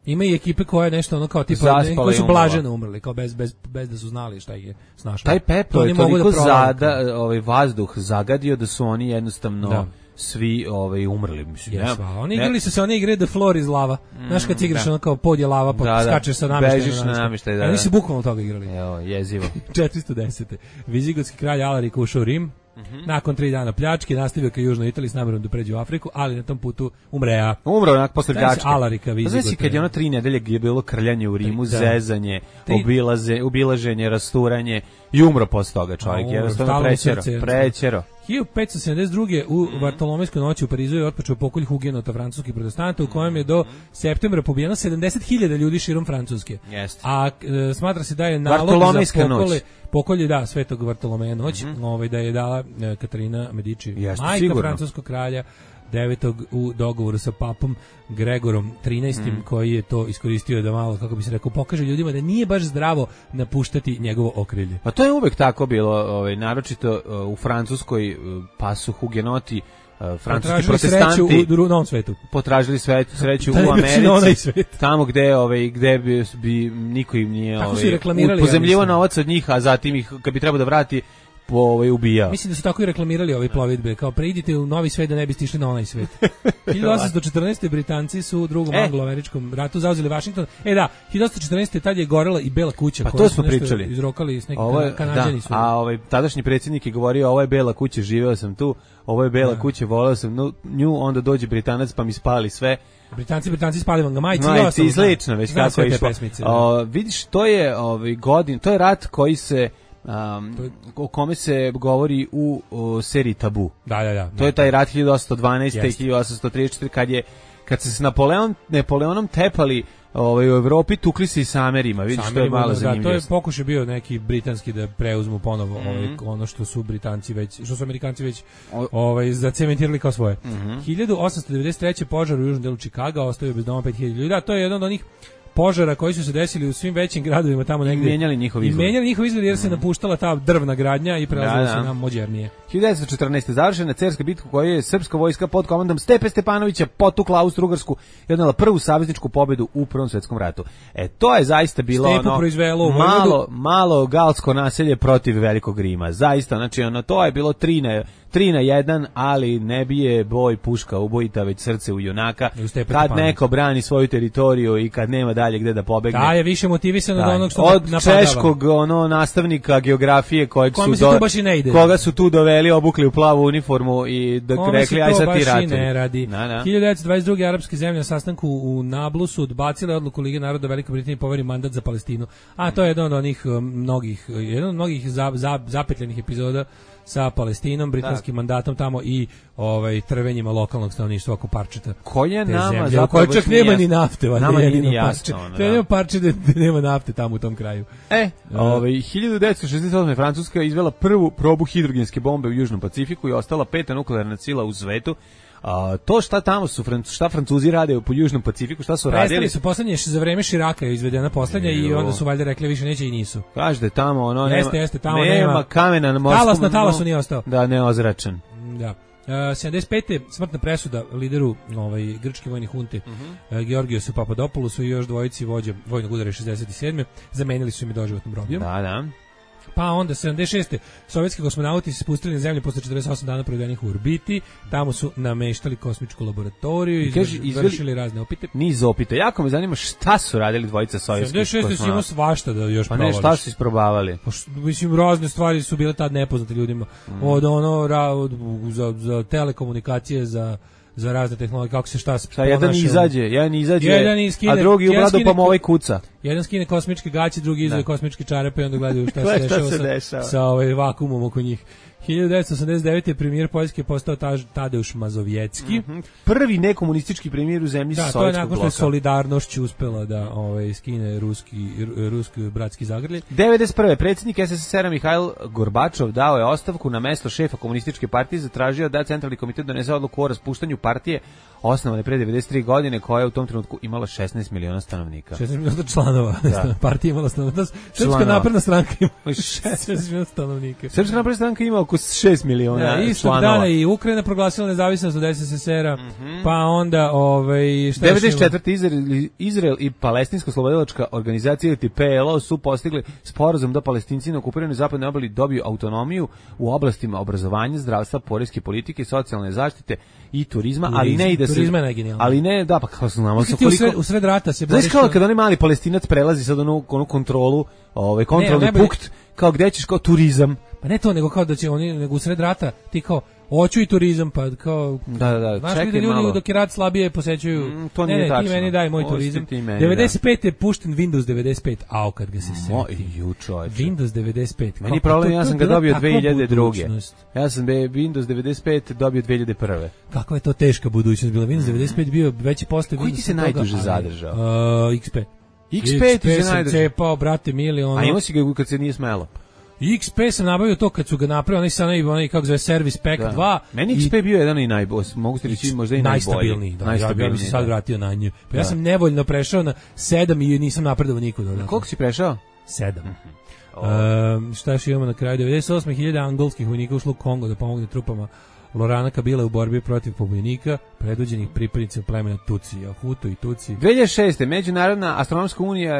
Ima i ekipe koje nešto ono kao tipa koji su blaženo umrli, kao bez da su znali šta ih je snašlo. Taj pepeo je toliko vazduh zagadio da su oni jednostavno svi umrli, mislim. Oni igrali su se one igre The Floor is lava. Znaš kad igraš ono kao pod je lava, pa skačeš sa namještajem. Bežiš na namještaj, Oni su bukvalno toga igrali. Evo, jezivo. 410. Vizigotski kralj Alaric ušao u Rim. Nakon 3 dana pljačke nastavio ka južnoj Italiji s namerom da pređe u Afriku, ali na tom putu umrea. Umro onak posle pljačke. Alarica Vizigota. Znači kad je ono 3 nedelje je bilo krljanje u Rimu, zezanje, obilaženje, rasturanje i umro posle toga čovjek. Jednostavno prećero. 1572. u Vartolomejskoj noći u Parizu je otpočeo pokolj hugenota francuskih protestanta u kojem je do septembra pobijeno 70.000 ljudi širom Francuske. A smatra se da je nalog za pokolje Svetog Vartolomeja noć, da je dala Katarina Medici, majka francuskog kralja 9. u dogovoru sa papom Gregorom 13. koji je to iskoristio da malo, kako bi se rekao, pokaže ljudima da nije baš zdravo napuštati njegovo okrilje. Pa to je uvek tako bilo, naročito u Francuskoj, pa su hugenoti francuski protestanti u novom svetu. Potražili sreću u Americi, tamo gde bi niko im nije pozemljivo novac od njih, a zatim ih, kad bi trebao da vrati, ubijao. Mislim da su tako i reklamirali ove plovidbe, kao preidite u novi svet da ne biste išli na onaj svet. 1814. Britanci su u drugom anglo-američkom ratu zauzeli Washington. 1814. tad je gorela i Bela kuća. Pa to smo pričali. Izrokali s neki Kanađani su. A tadašnji predsjednik je govorio, ovo je Bela kuća, živeo sam tu, ovo je Bela kuća, voleo sam nju, onda dođe Britanac pa mi spali sve. Britanci spali vam ga majici i slično, već kako je išlo. Vidiš, to je to je rat koji se o kome se govori u seriji Tabu. Da. To je taj rat 1812. 1834 kad se s Napoleonom tepali u Evropi, tukli se i sa Amerima. Vidiš, to je malo zanimljivo. To je pokušaj bio neki britanski da preuzmu ponovo ono što su Amerikanci već zacementirali kao svoje. 1893. požar u južnom delu Čikaga ostavio bez doma 5000 ljudi. To je jedan od onih požara koji su se desili u svim većim gradovima tamo negdje. I mijenjali njihov izgled jer se napuštala ta drvna gradnja i prelazilo se na modernije. 1914. završena Cerska bitka u kojoj je srpska vojska pod komandom Stepe Stepanovića potukla Austro-Ugarsku i odnela prvu savezničku pobedu u Prvom svetskom ratu. To je zaista bilo malo galsko naselje protiv Velikog Rima. Zaista, znači to je bilo 3-1, ali ne bije boj puška ubojita, već srce u junaka. Kad neko brani svoju teritoriju i kad nema dalje gde da pobegne. Da, je više motivisan od onog što napadava. Od češkog nastavnika geografije koga su tu doveli, obukli u plavu uniformu i rekli aj sad ti ratuj. Ne radi. 1922. arapske zemlje na sastanku u Nablusu odbacile odluku Lige naroda Velike Britanije poveri mandat za Palestinu. A to je jedan od onih mnogih zapetljenih epizoda sa Palestinom, britanskim mandatom tamo i trvenjima lokalnog stanovništva oko parčeta. Koje nama zapravo čak nema ni nafte, nama je ni jasno. Nema parče da nema nafte tamo u tom kraju. 1968. Francuska je izvela prvu probu hidrogenske bombe u Južnom Pacifiku i ostala 5. nuklearna sila u svetu. To šta tamo šta Francuzi rade po Južnom Pacifiku, šta su radili? Prestali su poslednje za vreme Širaka je izvedena poslednja i onda su valjda rekli više neće i nisu. Kažete tamo tamo nema kamena na morskom. Talas na talasu nije ostao. Da, neozračen. Da. 75. smrtna presuda lideru grčke vojne hunte Georgijosu Papadopoulosu i još dvojici vođa vojnog udara 67. Zamenili su im doživotnom robijom. Da. Pa onda 76. sovjetski kosmonauti se spustili na zemlju posle 48 dana provedenih u orbiti. Tamo su nameštali kosmičku laboratoriju i izvršili razne opite. Niz opita. Jako me zanima šta su radili dvojica sovjetskih kosmonauta. 76. su imao svašta da još provališ. Pa ne, šta su isprobavali? Mislim, razne stvari su bile tad nepoznate ljudima. Od za telekomunikacije, za razne tehnologije, kako se šta jedan izađe, a drugi u bradu pa mu ovaj kuca. Jedan skine kosmičke gaće, drugi izve kosmičke čarape i onda gledaju šta se dešava sa vakuumom oko njih. 1989. premijer Poljske postao Tadeusz Mazovjetski. Prvi nekomunistički premijer u zemlji sovjetskog bloka. Da, to je nakon što je solidarnošću uspela da skine ruski bratski zagrljaj. 91. predsjednik SSSR-a Mihail Gorbačov dao je ostavku na mesto šefa komunističke partije, zatražio da Centralni komitet donese odluku o raspuštanju partije osnovane pre 93 godine, koja je u tom trenutku imala 16 miliona stanovnika. 16 miliona članova. Partija imala stanovnika. Srpska napredna stranka ima 16 miliona stanovnika. Srpska napredna stranka ima oko 6 miliona članova. Istog dana i Ukrajina proglasila nezavisnost od SSSR-a, pa onda šta 94. Izrael i Palestinska oslobodilačka organizacija ili PLO su postigli sporazum da Palestinci na okupiranoj zapadnoj obali dobiju autonomiju u oblastima obrazovanja, zdravstva, poreske politike, socijalne zaštite i turizma, ali ne ide se. Ali ne, da, pa kao znamo sa koliko u sred rata se boriš. Znaš kao kad onaj mali Palestinac prelazi sad onu kontrolu, kontrolni punkt, kao gde ćeš kao turizam. Pa ne to, nego kao da će oni, nego u sred rata ti kao hoću i turizam, pa kao da, čekaj malo. Dok je rat slabije posećuju. To nije tačno. Ti meni daj moj turizam. 95. je pušten Windows 95, kad ga se seti. Windows 95. Meni problem, ja sam ga dobio 2002. Ja sam Windows 95 dobio 2001. Kakva je to teška budućnost bila. Windows 95 bio veći posle Windows. Koji ti se najduže zadržao? XP. XP ti se najduže. Cepao, brate, mili, ono. A imao si ga kad se nije smelo? XP sam nabavio to kad su ga napravili, onaj kako zove Service Pack 2. Meni XP bio jedan i najbolji, mogu ti reći možda i najstabilniji. Ja bih se sad vratio na nju. Pa ja sam nevoljno prešao na 7 i nisam napredovao nikuda. Koliko si prešao? 7. Šta još imamo na kraju? 98.000 angolskih vojnika ušlo u Kongo da pomogne trupama Lorana Kabila u borbi protiv pobunjenika, predvođenih pripadnicima plemena Tutsi, Hutu i Tutsi. 2006. Međunarodna astronomska unija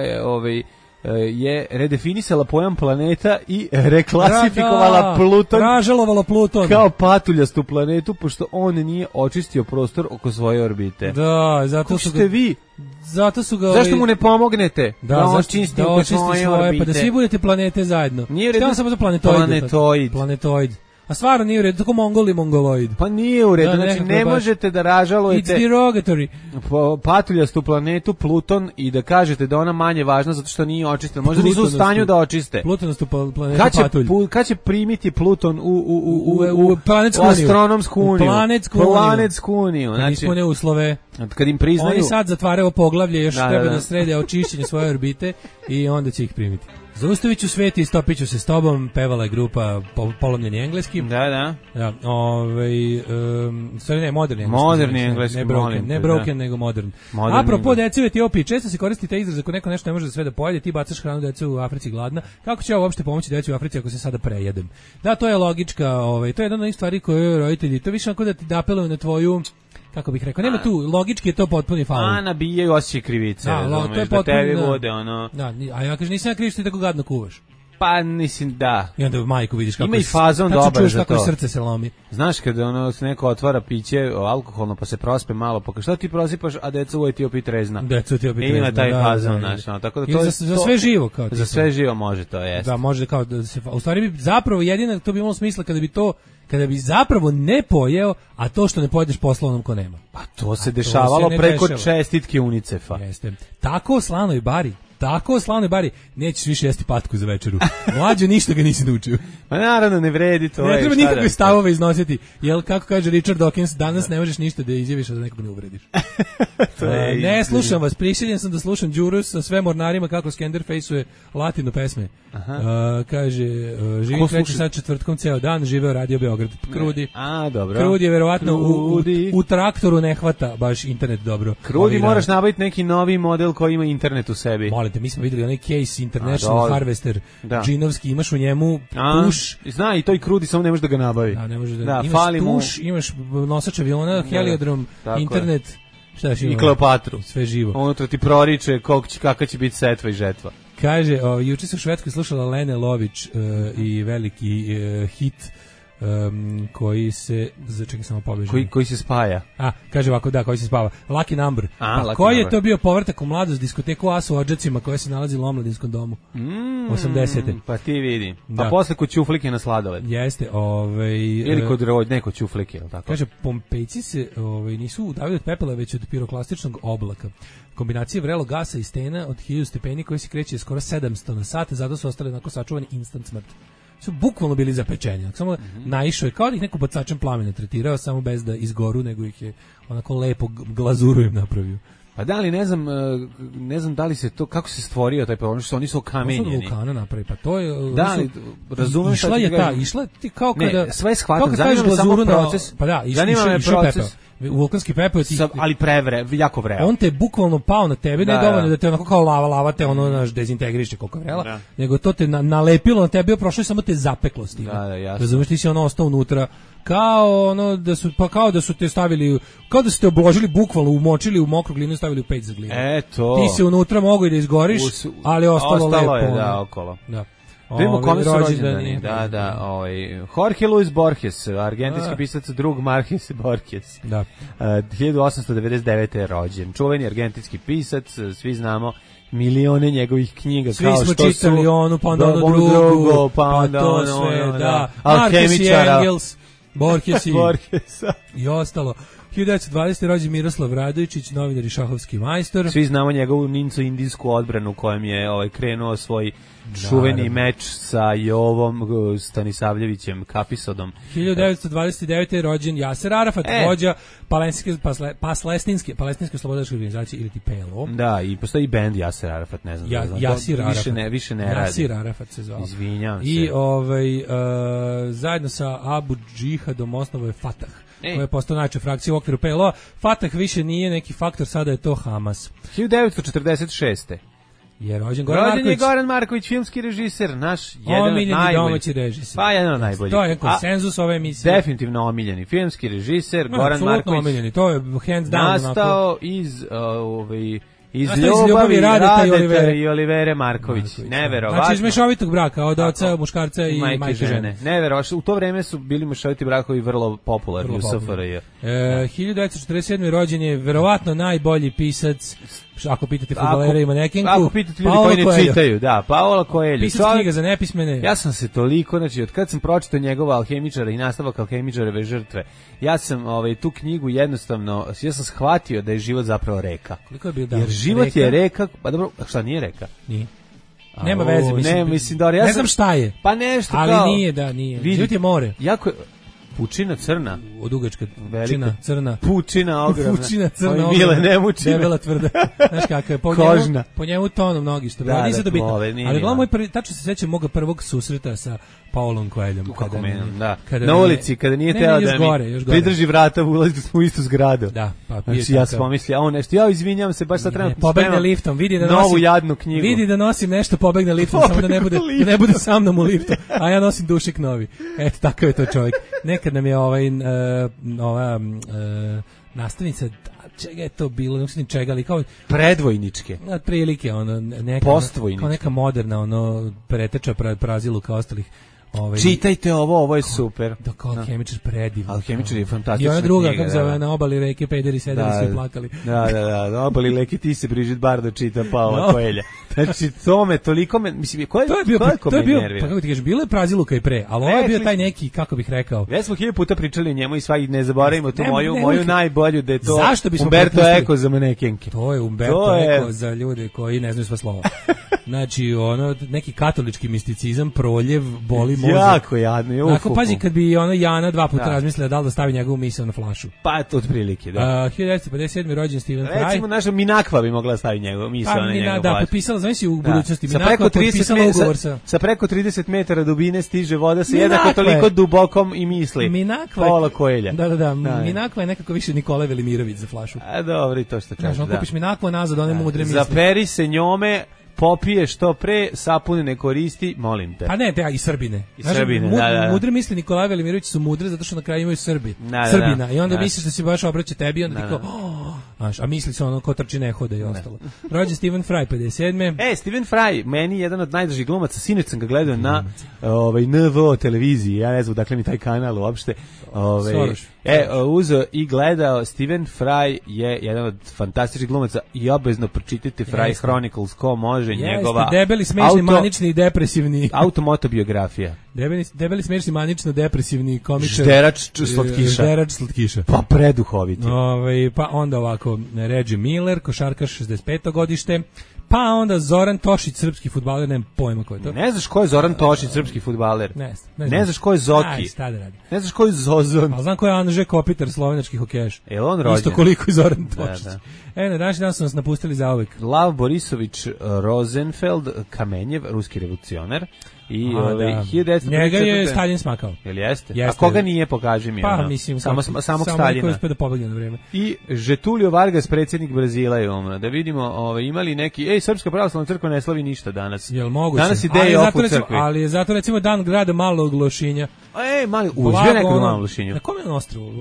je redefinisala pojam planeta i reklasifikovala Pluton. Ražalovala Pluton. Kao patuljastu planetu, pošto on nije očistio prostor oko svoje orbite. Da, zato su ga... vi? Zato su ga... Zašto mu ne pomognete? Da očisti oko svoje orbite. Pa da svi budete planete zajedno. Nije redu... samo za planetoid. A stvarno nije u redu, tako mongoloid. Pa nije u redu, znači ne možete da ražalujete It's derogatory. Patuljastu planetu Pluton i da kažete da ona manje važna zato što nije očistena. Možda nisu u stanju da očiste. Plutonastu planetu Patulj. Kad će primiti Pluton u astronomsku uniju? Planetsku uniju. Znači, ispune uslove. Kad im priznaju... Oni sad zatvaraju poglavlje, još treba da srede očišćenje svoje orbite i onda će ih primiti. Zaustavit ću svet i stopit ću se s tobom, pevala je grupa Polomljeni engleski. Da. Stvari ne, moderni engleski. Ne broken, nego modern. Apropo dece u Etiopiji, često se koristi taj izraz ako neko nešto ne može da sve da pojede, ti bacaš hranu decu u Africi gladna. Kako će ja uopšte pomoći deci u Africi ako se sada prejedem? Da, to je logička, to je jedna od onih stvari koje roditelji, to više onako da ti apeluju na tvoju, kako bih rekao, nema tu, logički je to potpuni faul. Nabijaju osjećaj krivice, to je da tebi vode, ono... Da, a ja kažem, nisam ja kriv što ti tako gadno kuvaš. Pa, mislim, da. I onda majku vidiš kako... Ima i fazon dobar za to. Kako srce se lomi. Znaš, kada se neko otvara piće alkoholno, pa se prospe malo, pa šta ti prosipaš, a deca u Etiopiji trezna. Deca u Etiopiji trezna, ima taj fazon, znaš, tako da to je... Za sve živo, kao ti. Za sve živo može to, jeste. Da, može kao da se... U stvari bi zapravo jedina, to bi imalo smisla kada bi zapravo ne pojeo, a to što ne pojedeš poslovnom ko nema. Pa to se dešavalo preko čestitke UNICEF-a. Jeste. Tako o slanoj bari, nećeš više jesti patku za večeru. Mlađo, ništa ga nisi naučio. Pa naravno, ne vredi to. Ne treba nikakve stavove iznositi. Jel, kako kaže Richard Dawkins, danas ne možeš ništa da izjaviš, a da nekog ne uvrediš. Ne, slušam vas, prisiljen sam da slušam Đuru sa sve mornarima kako Skenderfaceuje latino pesme. Kaže, živim treći sad četvrtkom ceo dan, živeo Radio Beograd. Krudi. Dobro. Krudi je verovatno u traktoru ne hvata baš internet dobro. Krudi, moraš nabaviti neki novi model koji ima internet u sebi. Molite, mi smo videli onaj Case International Harvester džinovski, imaš u njemu push. Zna, i to i Krudi, samo ne možeš da ga nabavi. Da, ne možeš da. Imaš push, imaš nosač aviona, heliodrom, internet, šta još ima? I Kleopatru. Sve živo. Unutra ti proriče kakva će biti setva i žetva. Kaže, juče sam u Švedskoj slušala Lene Lović i veliki hit koji se, čekaj samo pobežem. Koji se spaja. Kaže ovako, da, koji se spava. Lucky Number. Koji je to bio povratak u mladost, diskoteku Asu u Odžacima koja se nalazi u Omladinskom domu. 80. Pa ti vidi. Pa posle kod Ćuflike na sladoled. Jeste, ili kod neko Ćuflike, je li tako? Kaže, Pompejci se nisu udavili od pepela, već od piroklastičnog oblaka. Kombinacije vrelog gasa i stena od 1000 stepeni koji se kreće skoro 700 na sat, zato su ostali onako sačuvani instant smrt. Su bukvalno bili zapečeni. Samo naišao je kao da ih neko bacačem plamena tretirao, samo bez da izgoru, nego ih je onako lepo glazuru im napravio. Pa da li, ne znam da li se to, kako se stvorio taj problem, što oni su okamenjeni. To su vulkana napravi, pa to je... Da, razumem šta ti kažem. Išla ti kao kada... Ne, sve shvatam, zanima me samo proces. Pa da, išao je pepeo. vulkanski pepeo ti... ali jako vreo. On te je bukvalno pao na tebe, ne dovoljno da te onako kao lava te ono naš dezintegriše koliko vrela, nego to te nalepilo na tebe, prošlo je samo te zapeklo s tim. Razumeš, ti si ono ostao unutra kao ono da su te stavili, kao da su te obložili bukvalno, umočili u mokru glinu i stavili u peć za glinu. Ti si unutra mogao i da izgoriš, ali ostalo lepo. Je, da, okolo. Da. Vidimo kome su rođendani. Jorge Luis Borges, argentinski pisac, drug Marquez Borges. Da. 1899. je rođen. Čuveni argentinski pisac, svi znamo milione njegovih knjiga. Svi smo čitali onu, pa onda ono drugo, pa onda to sve, da. Marquez i Engels, Borges i ostalo. 1920. rođen Miroslav Radojičić, novinar i šahovski majstor. Svi znamo njegovu ninco-indijsku odbranu kojem je krenuo svoj čuveni meč sa Jovom Stanisavljevićem Kapisodom. 1929. rođen Jaser Arafat, vođa palestinske slobodačke organizacije ili ti PLO. Da, i postoji bend Jaser Arafat, ne znam. Jasir Arafat. Više ne radi. Jasir Arafat se zvao. Izvinjavam se. I zajedno sa Abu Džihadom osnovo je Fatah, koja je postao najjača frakcija u okviru PLO. Fatah više nije neki faktor, sada je to Hamas. 1946. Je rođen Goran Marković, filmski režiser, naš jedan od najboljih domaći režiser. Pa jedan od najboljih. To je konsenzus ove emisije. Definitivno omiljeni filmski režiser, Goran Marković. Omiljeni, to je hands down. Nastao iz ljubavi Radeta i Olivere Marković. Neverovatno. Znači iz mešovitog braka, od oca, muškarca i majke žene. Neverovatno. U to vreme su bili mešoviti brakovi vrlo popularni u SFRJ. 1947. rođen je verovatno najbolji pisac, ako pitate fudbalera i manekenku. Ako pitate ljudi koji ne čitaju, da, Paolo Coelho. Pisac knjiga za nepismene. Ja sam se toliko, znači od kad sam pročitao njegova Alhemičara i nastavak Alhemičareve žrtve, ja sam tu knjigu jednostavno, ja sam shvatio da je život zapravo reka. Koliko je bio jer život je reka, pa dobro, šta nije reka? Nije. Nema veze, mislim. Ne znam šta je. Pa nešto ali kao. Ali nije. Život je more. Jako pučina crna. Odugačka pučina crna. Pučina ogromna. Pučina crna ogromna. Mile nemučina. Debela tvrda. Znaš kako je. Kožna. Po njemu tonom mnogi što. Da, nisam to bitno. Ali gledam moj prvi, tačno se sećam moga prvog susreta sa Paolom Coelhom. Na ulici, kada nije teo da mi pridrži vrata, ulazili smo u istu zgradu. Da, pa znači, ja sam pomislio, on nešto, ja izvinjam se, baš sad trenutno pobegne liftom, vidi da nosim novu jadnu knjigu. Vidi da nosim nešto, pobegne liftom, samo da ne bude sa mnom u liftu, a ja nosim dušik novi. Eto, takav je to čovjek. Nekad nam je ova nastavnica, čega je to bilo, ne znam čega, ali kao predvojničke. Prilike, neka postvojničke. Kao neka moderna, preteča praziluka ostalih. Čitajte ovo je super. Da, kao Alhemičar predivan. Alhemičar je fantastična knjiga. I ona druga, kako zove, na obali reke pederi sedeli su i plakali. Da, na obali reke ti se Brigitte Bardot čita Paola Coelha. Znači, to me toliko, mislim, ko je bio, pa kako ti kažeš, bilo je praziluka i pre, ali ovo je bio taj neki, kako bih rekao. Već smo 1000 puta pričali o njemu i svaki ne zaboravimo tu moju najbolju, da je to Umberto Eco za manekenke. To je Umberto Eco za ljude koji ne znaju sva slova. Znači, neki katolički misticizam, proljev, boli mozak. Jako jadno. Ako pazi, kad bi Jana 2 puta razmislila da li da stavi njegovu misao na flašu. Pa to otprilike, da. 1957. rođen Stephen Fry. Recimo, naša Minakva bi mogla staviti njegovu misao na njegovu flašu. Da, potpisala, znači u budućnosti. Minakva potpisala ugovor sa preko 30 metara dubine stiže voda sa jednako toliko dubokom i misli. Paola Coelha. Da. Minakva je nekako više Nikola Velimirović za flašu. A dobro, i to što kažeš. Znaš, kupiš Minakvu nazad, one mudre misli. Zaperi se njome, popije što pre, sapune ne koristi, molim te. Pa ne, i Srbine. Mudre misli Nikola Velimirović su mudre zato što na kraju imaju Srbina. I onda misliš da se baš obraća tebi i onda ti kao, a misli se ko trči ne hode i ostalo. Rođen Stephen Fry, 57. Stephen Fry, meni jedan od najdražih glumaca, sinoć sam ga gledao na NVO televiziji, ja ne znam dakle mi taj kanal uopšte. Uzeo i gledao, Stephen Fry je jedan od fantastičnih glumaca i obavezno pročitajte Fry Chronicles, ko može, njegova debeli, smešni, manični i depresivni automotobiografija. Debeli, smešni, manično depresivni komičar. Žderač slatkiša. Pa preduhoviti. Pa onda ovako, Reggie Miller, košarkaš 65. godište. Pa onda Zoran Tošić, srpski fudbaler, nemam pojma ko je to. Ne znaš ko je Zoran Tošić, srpski fudbaler? Ne znaš ko je Zoki? Šta da radi? Ne znaš ko je Zozon? Ali znam ko je Anže Kopitar, slovenački hokejaš. On rođen? Isto koliko i Zoran Tošić. Na današnji dan su nas napustili zauvek. Lav Borisović Rosenfeld Kamenjev, ruski revolucionar. I 1934. Njega je Stalin smakao. Jel jeste? A koga nije, pokaži mi. Pa mislim, samog Staljina. Samo koji da pobegne na vreme. I Getulio Vargas, predsjednik Brazila je umro. Da vidimo, imali neki, Srpska pravoslavna crkva ne slavi ništa danas. Jel moguće? Danas ideje oko crkve. Ali je zato recimo dan grada Malog Lošinja. Mali, uzbio nekog u Malom Lošinju. Na kome je na ostrovu?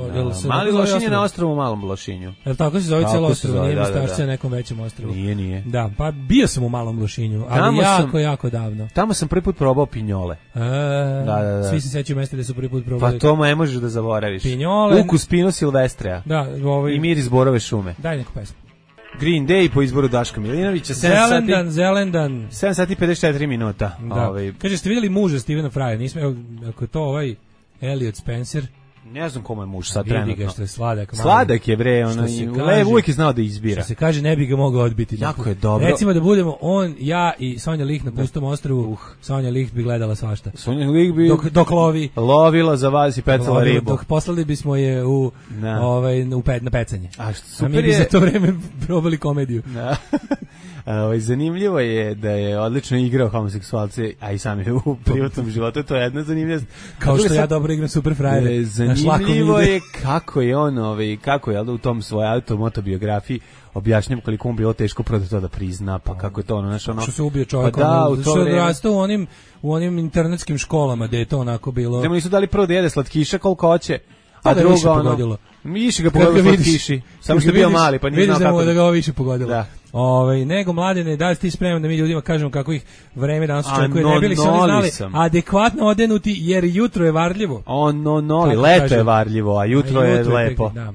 Mali Lošinj je na ostrovu u Malom Lošinju. Jel tako se zove cijelo ostrovo? Nije mi stašće na nekom većem ostrovu. Nije. Da, pa bio sam u Malom Lošinju, ali jako davno. Tamo sam prvi put probao pinjole. Da. Svi se sećaju mesta gde su prvi put probali. Pa to ne možeš da zaboraviš. Pinjole. Ukus Pino Silvestrea. Da, i Miris borove šume. Daj neku pesmu. Green Day po izboru Daška Milinovića. Zelendan. 7 sati 54 minuta. Da. Kaže, ste vidjeli muža Stevena Frya? Nismo, ako je to Elliot Spencer. Ne znam kome je muž sad trenutno. Vidi ga što je sladak. Sladak je bre, uvijek je znao da izbira. Što se kaže, ne bi ga mogao odbiti. Jako je dobro. Recimo da budemo on, ja i Sonja Lih na pustom ostrvu, Sonja Lih bi gledala svašta. Sonja Lih bi dok lovi. Lovila za vas i pecala ribu. Dok poslali bismo je na pecanje. A mi bi za to vreme probali komediju. Zanimljivo je da je odlično igrao homoseksualce, a i sam je u privatnom životu, to je jedna zanimljivost. Kao što ja dobro igram super frajere. Zanimljivo je kako je on, kako je u tom svojoj automotobiografiji objašnjam koliko mu bilo teško to da prizna, pa kako je to ono. Što se ubio čovjek, što je odrastao u onim internetskim školama gde je to onako bilo. Da mu nisu dali prvo da jede slatkiša koliko hoće, a drugo pogodilo. Više ga pogodilo slatkiši, samo što je bio mali, pa nije znao kako. Vidiš da ga ovo više pogodilo. Da. Nego Mladene, da li si ti spreman da mi ljudima kažemo kako ih vreme danas očekuje, ne bili se oni znali adekvatno odenuti, jer jutro je varljivo. Leto je varljivo, a jutro je lepo. Da.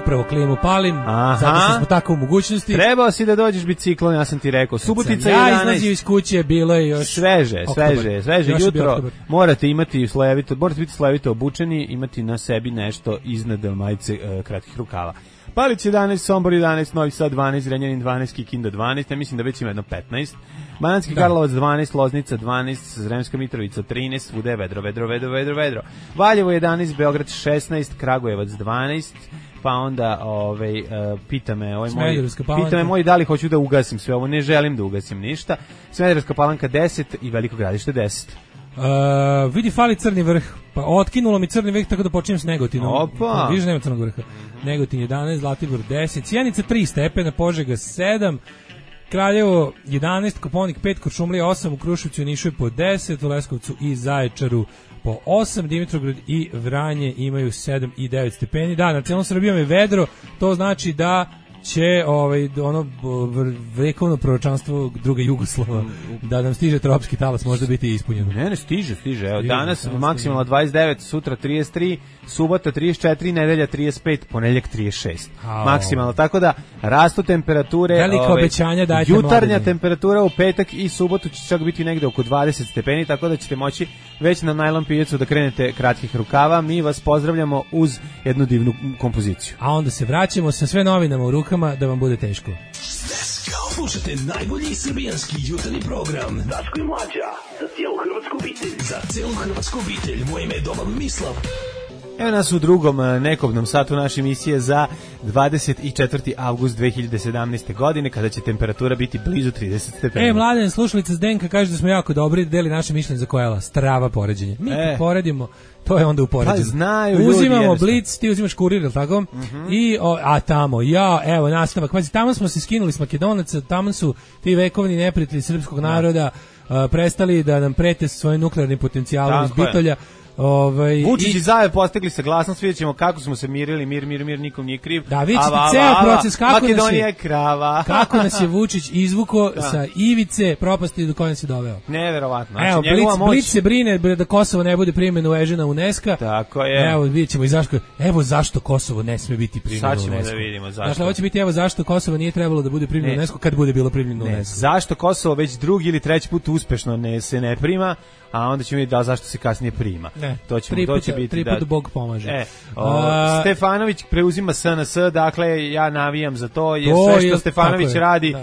Upravo klimu palim, zato što smo tako u mogućnosti. Trebao si da dođeš biciklom, ja sam ti rekao. Subotica 11. Ja izlazio iz kuće, bilo je još sveže jutro. Morate biti slojevito obučeni, imati na sebi nešto iznad majice kratkih rukava. Palić 11, Sombor 11, Novi Sad 12, Zrenjanin 12, Kikinda 12, ja mislim da već ima jedno 15. Banatski Karlovac 12, Loznica 12, Sremska Mitrovica 13, svuda je vedro. Valjevo 11, Beograd 16, Kragujevac 12, pa onda pita me moj da li hoću da ugasim sve ovo, ne želim da ugasim ništa. Smederevska Palanka 10 i Veliko Gradište 10. Vidi, fali Crni Vrh, pa otkinulo mi Crni Vrh tako da počinjem s Negotinom. Opa! Vidiš, nema Crnog Vrha. Negotin 11, Zlatibor 10, Sjenica 3 stepena, Požega 7, Kraljevo 11, Koponik 5, Kuršumlija 8, u Kruševcu i Nišu je po 10, u Leskovcu i Zaječaru po 8, Dimitrovgrad i Vranje imaju 7 i 9 stepeni. Da, na celom Srbijom je vedro, to znači da će vekovno proročanstvo druge Jugoslava da nam stiže tropski talas možda biti ispunjeno. Ne, stiže. Evo, danas maksimalno 29, sutra 33, subota 34, nedelja 35, ponedeljak 36. Maksimalno, tako da rastu temperature. Velika obećanja dajte jutarnja mladine. Temperatura u petak i subotu će čak biti negde oko 20 stepeni, tako da ćete moći već na najlon pijacu da krenete kratkih rukava. Mi vas pozdravljamo uz jednu divnu kompoziciju. A onda se vraćamo sa sve novinama u rukama da vam bude teško. Slušajte najbolji srbijanski jutarnji program Daško i Mlađa za cijelu hrvatsku obitelj. Za cijelu hrvatsku obitelj. Moje ime je Domagoj Mislav. Evo nas u drugom nekobnom satu naše emisije za 24. avgust 2017. godine, kada će temperatura biti blizu 30 stepeni. Mladen, slušalica Zdenka kaže da smo jako dobri, deli naše mišljenje za kojela. Strava poređenje. Mi poredimo, to je onda upoređeno. Pa znaju ljudi. Uzimamo Blic, ti uzimaš Kurir, ili tako? I, tamo, evo, nastavak. Pazi, tamo smo se skinuli s Makedonaca, tamo su ti vekovni neprijatelji srpskog naroda prestali da nam prete svojim nuklearnim potencijalom iz Bitolja. Vučić i Zajev postigli saglasnost, vidjet ćemo kako smo se mirili, mir, nikom nije kriv. Da, vidjet ćete ceo proces, Makedonija je krava. Kako nas je Vučić izvuko sa ivice propasti do koje nas je doveo. Neverovatno. Evo, Blic se brine da Kosovo ne bude primljeno u EŽ-a UNESCO. Tako je. Evo, vidjet ćemo zašto Kosovo ne sme biti primljeno u UNESCO. Sad ćemo da vidimo zašto. Dakle, ovo će biti zašto Kosovo nije trebalo da bude primljeno u UNESCO kad bude bilo primljeno u UNESCO. Zašto Kosovo već drugi ili treći put uspešno se ne prima, a onda ćemo vidjeti zašto se kasnije prima. To će biti tri put Bog pomaže. Stefanović preuzima SNS, dakle ja navijam za to, jer sve što Stefanović radi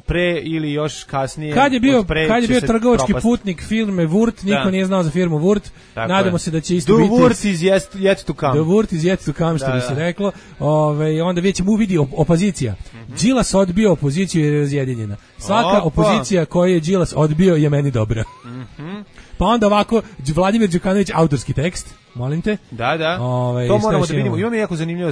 pre ili još kasnije. Kad je bio trgovački putnik firme Wurt, niko nije znao za firmu Wurt. Nadamo se da će isto biti. The Wurt is yet to come. The Wurt is yet to come, što bi se reklo. Onda već mu vidi opozicija. Đilas odbio opoziciju jer je razjedinjena. Svaka opozicija koju je Đilas odbio je meni dobra. Pa onda ovako, Vladimir Đukanović, autorski tekst, molim te. Da. To moramo da vidimo. Imam jako zanimljivo.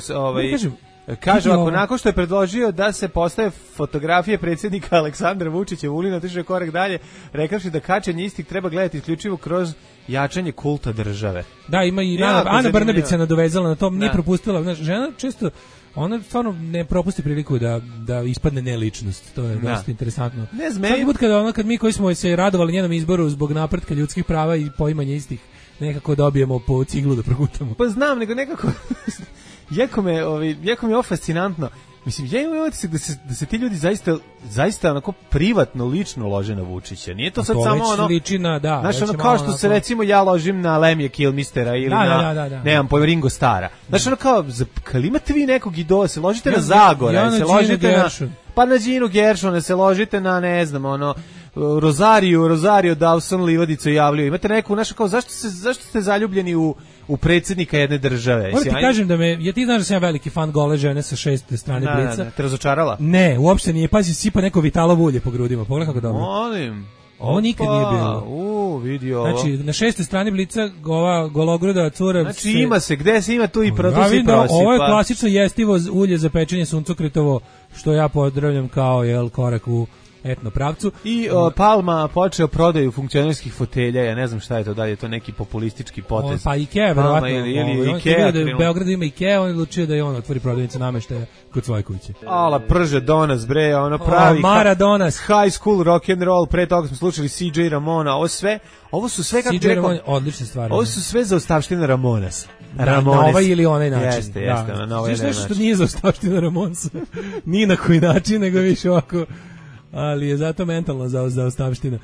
Kaže ovako, nakon što je predložio da se postave fotografije predsjednika Aleksandra Vučića, Vulina otišao korak dalje, rekavši da kačenje istih treba gledati isključivo kroz jačanje kulta države. Da, ima i Ana Brnabić se nadovezala na to, nije propustila. Znaš, žena često, ona stvarno ne propusti priliku da ispadne neličnost. To je dosta interesantno. Svaki put kad mi koji smo se radovali njenom izboru zbog napretka ljudskih prava i poimanja istih, nekako dobijemo po ciglu da progutamo. Pa znam, nego nekako... Jako me je fascinantno. Mislim, ja imam utisak da se ti ljudi zaista onako privatno, lično lože na Vučića. Nije to sad samo ono... Ličina, da. Znaš, ono kao što se recimo ja ložim na Lemija Kilmistera ili nemam pojma, Ringo Stara. Znaš, ono kao, kad imate vi nekog idola, se ložite na Zagora, se ložite na... Pa na Ginu Gershona, se ložite na, ne znam, ono... Rosario Dawson Livadicu javljaju. Imate neku, znaš, kao, zašto ste zaljubljeni u predsjednika jedne države? Moram ti kažem ti znaš da sam ja veliki fan gole žene sa 6. strane Blica. Te razočarala? Ne, uopšte nije. Pazi, sipa neko Vitalovo ulje po grudima. Pogledaj kako dobro. Molim. Ovo nikad nije bilo. Vidi ovo. Znači, na 6. strani Blica ova gologruda cura... Znači, ima se, gde se ima tu i proto se prosipa. Ovo je klasično jestivo ulje za pečenje suncokretovo, što ja pozdravljam kao korak u etno pravcu. I Palma počeo prodaju funkcionerskih fotelja, ja ne znam šta je to, da li je to neki populistički potez. Pa Ikea, verovatno. Ili Ikea. U Beogradu ima Ikea, on je odlučio da on otvori prodavnicu nameštaja kod svoje kuće. Ala, prže Donas, bre, ono pravi Maradonas. High school rock and roll, pre toga smo slušali CJ Ramona, ovo su sve, kako CJ Ramon, odlične stvari. Ovo su sve za ostavštine Ramonesa. Na ovaj ili onaj način. Jeste, na ovaj način. Što nije za ostavštine Ramonsa, ni na koji način, nego više ovako... ali je zato mentalno za ostavština.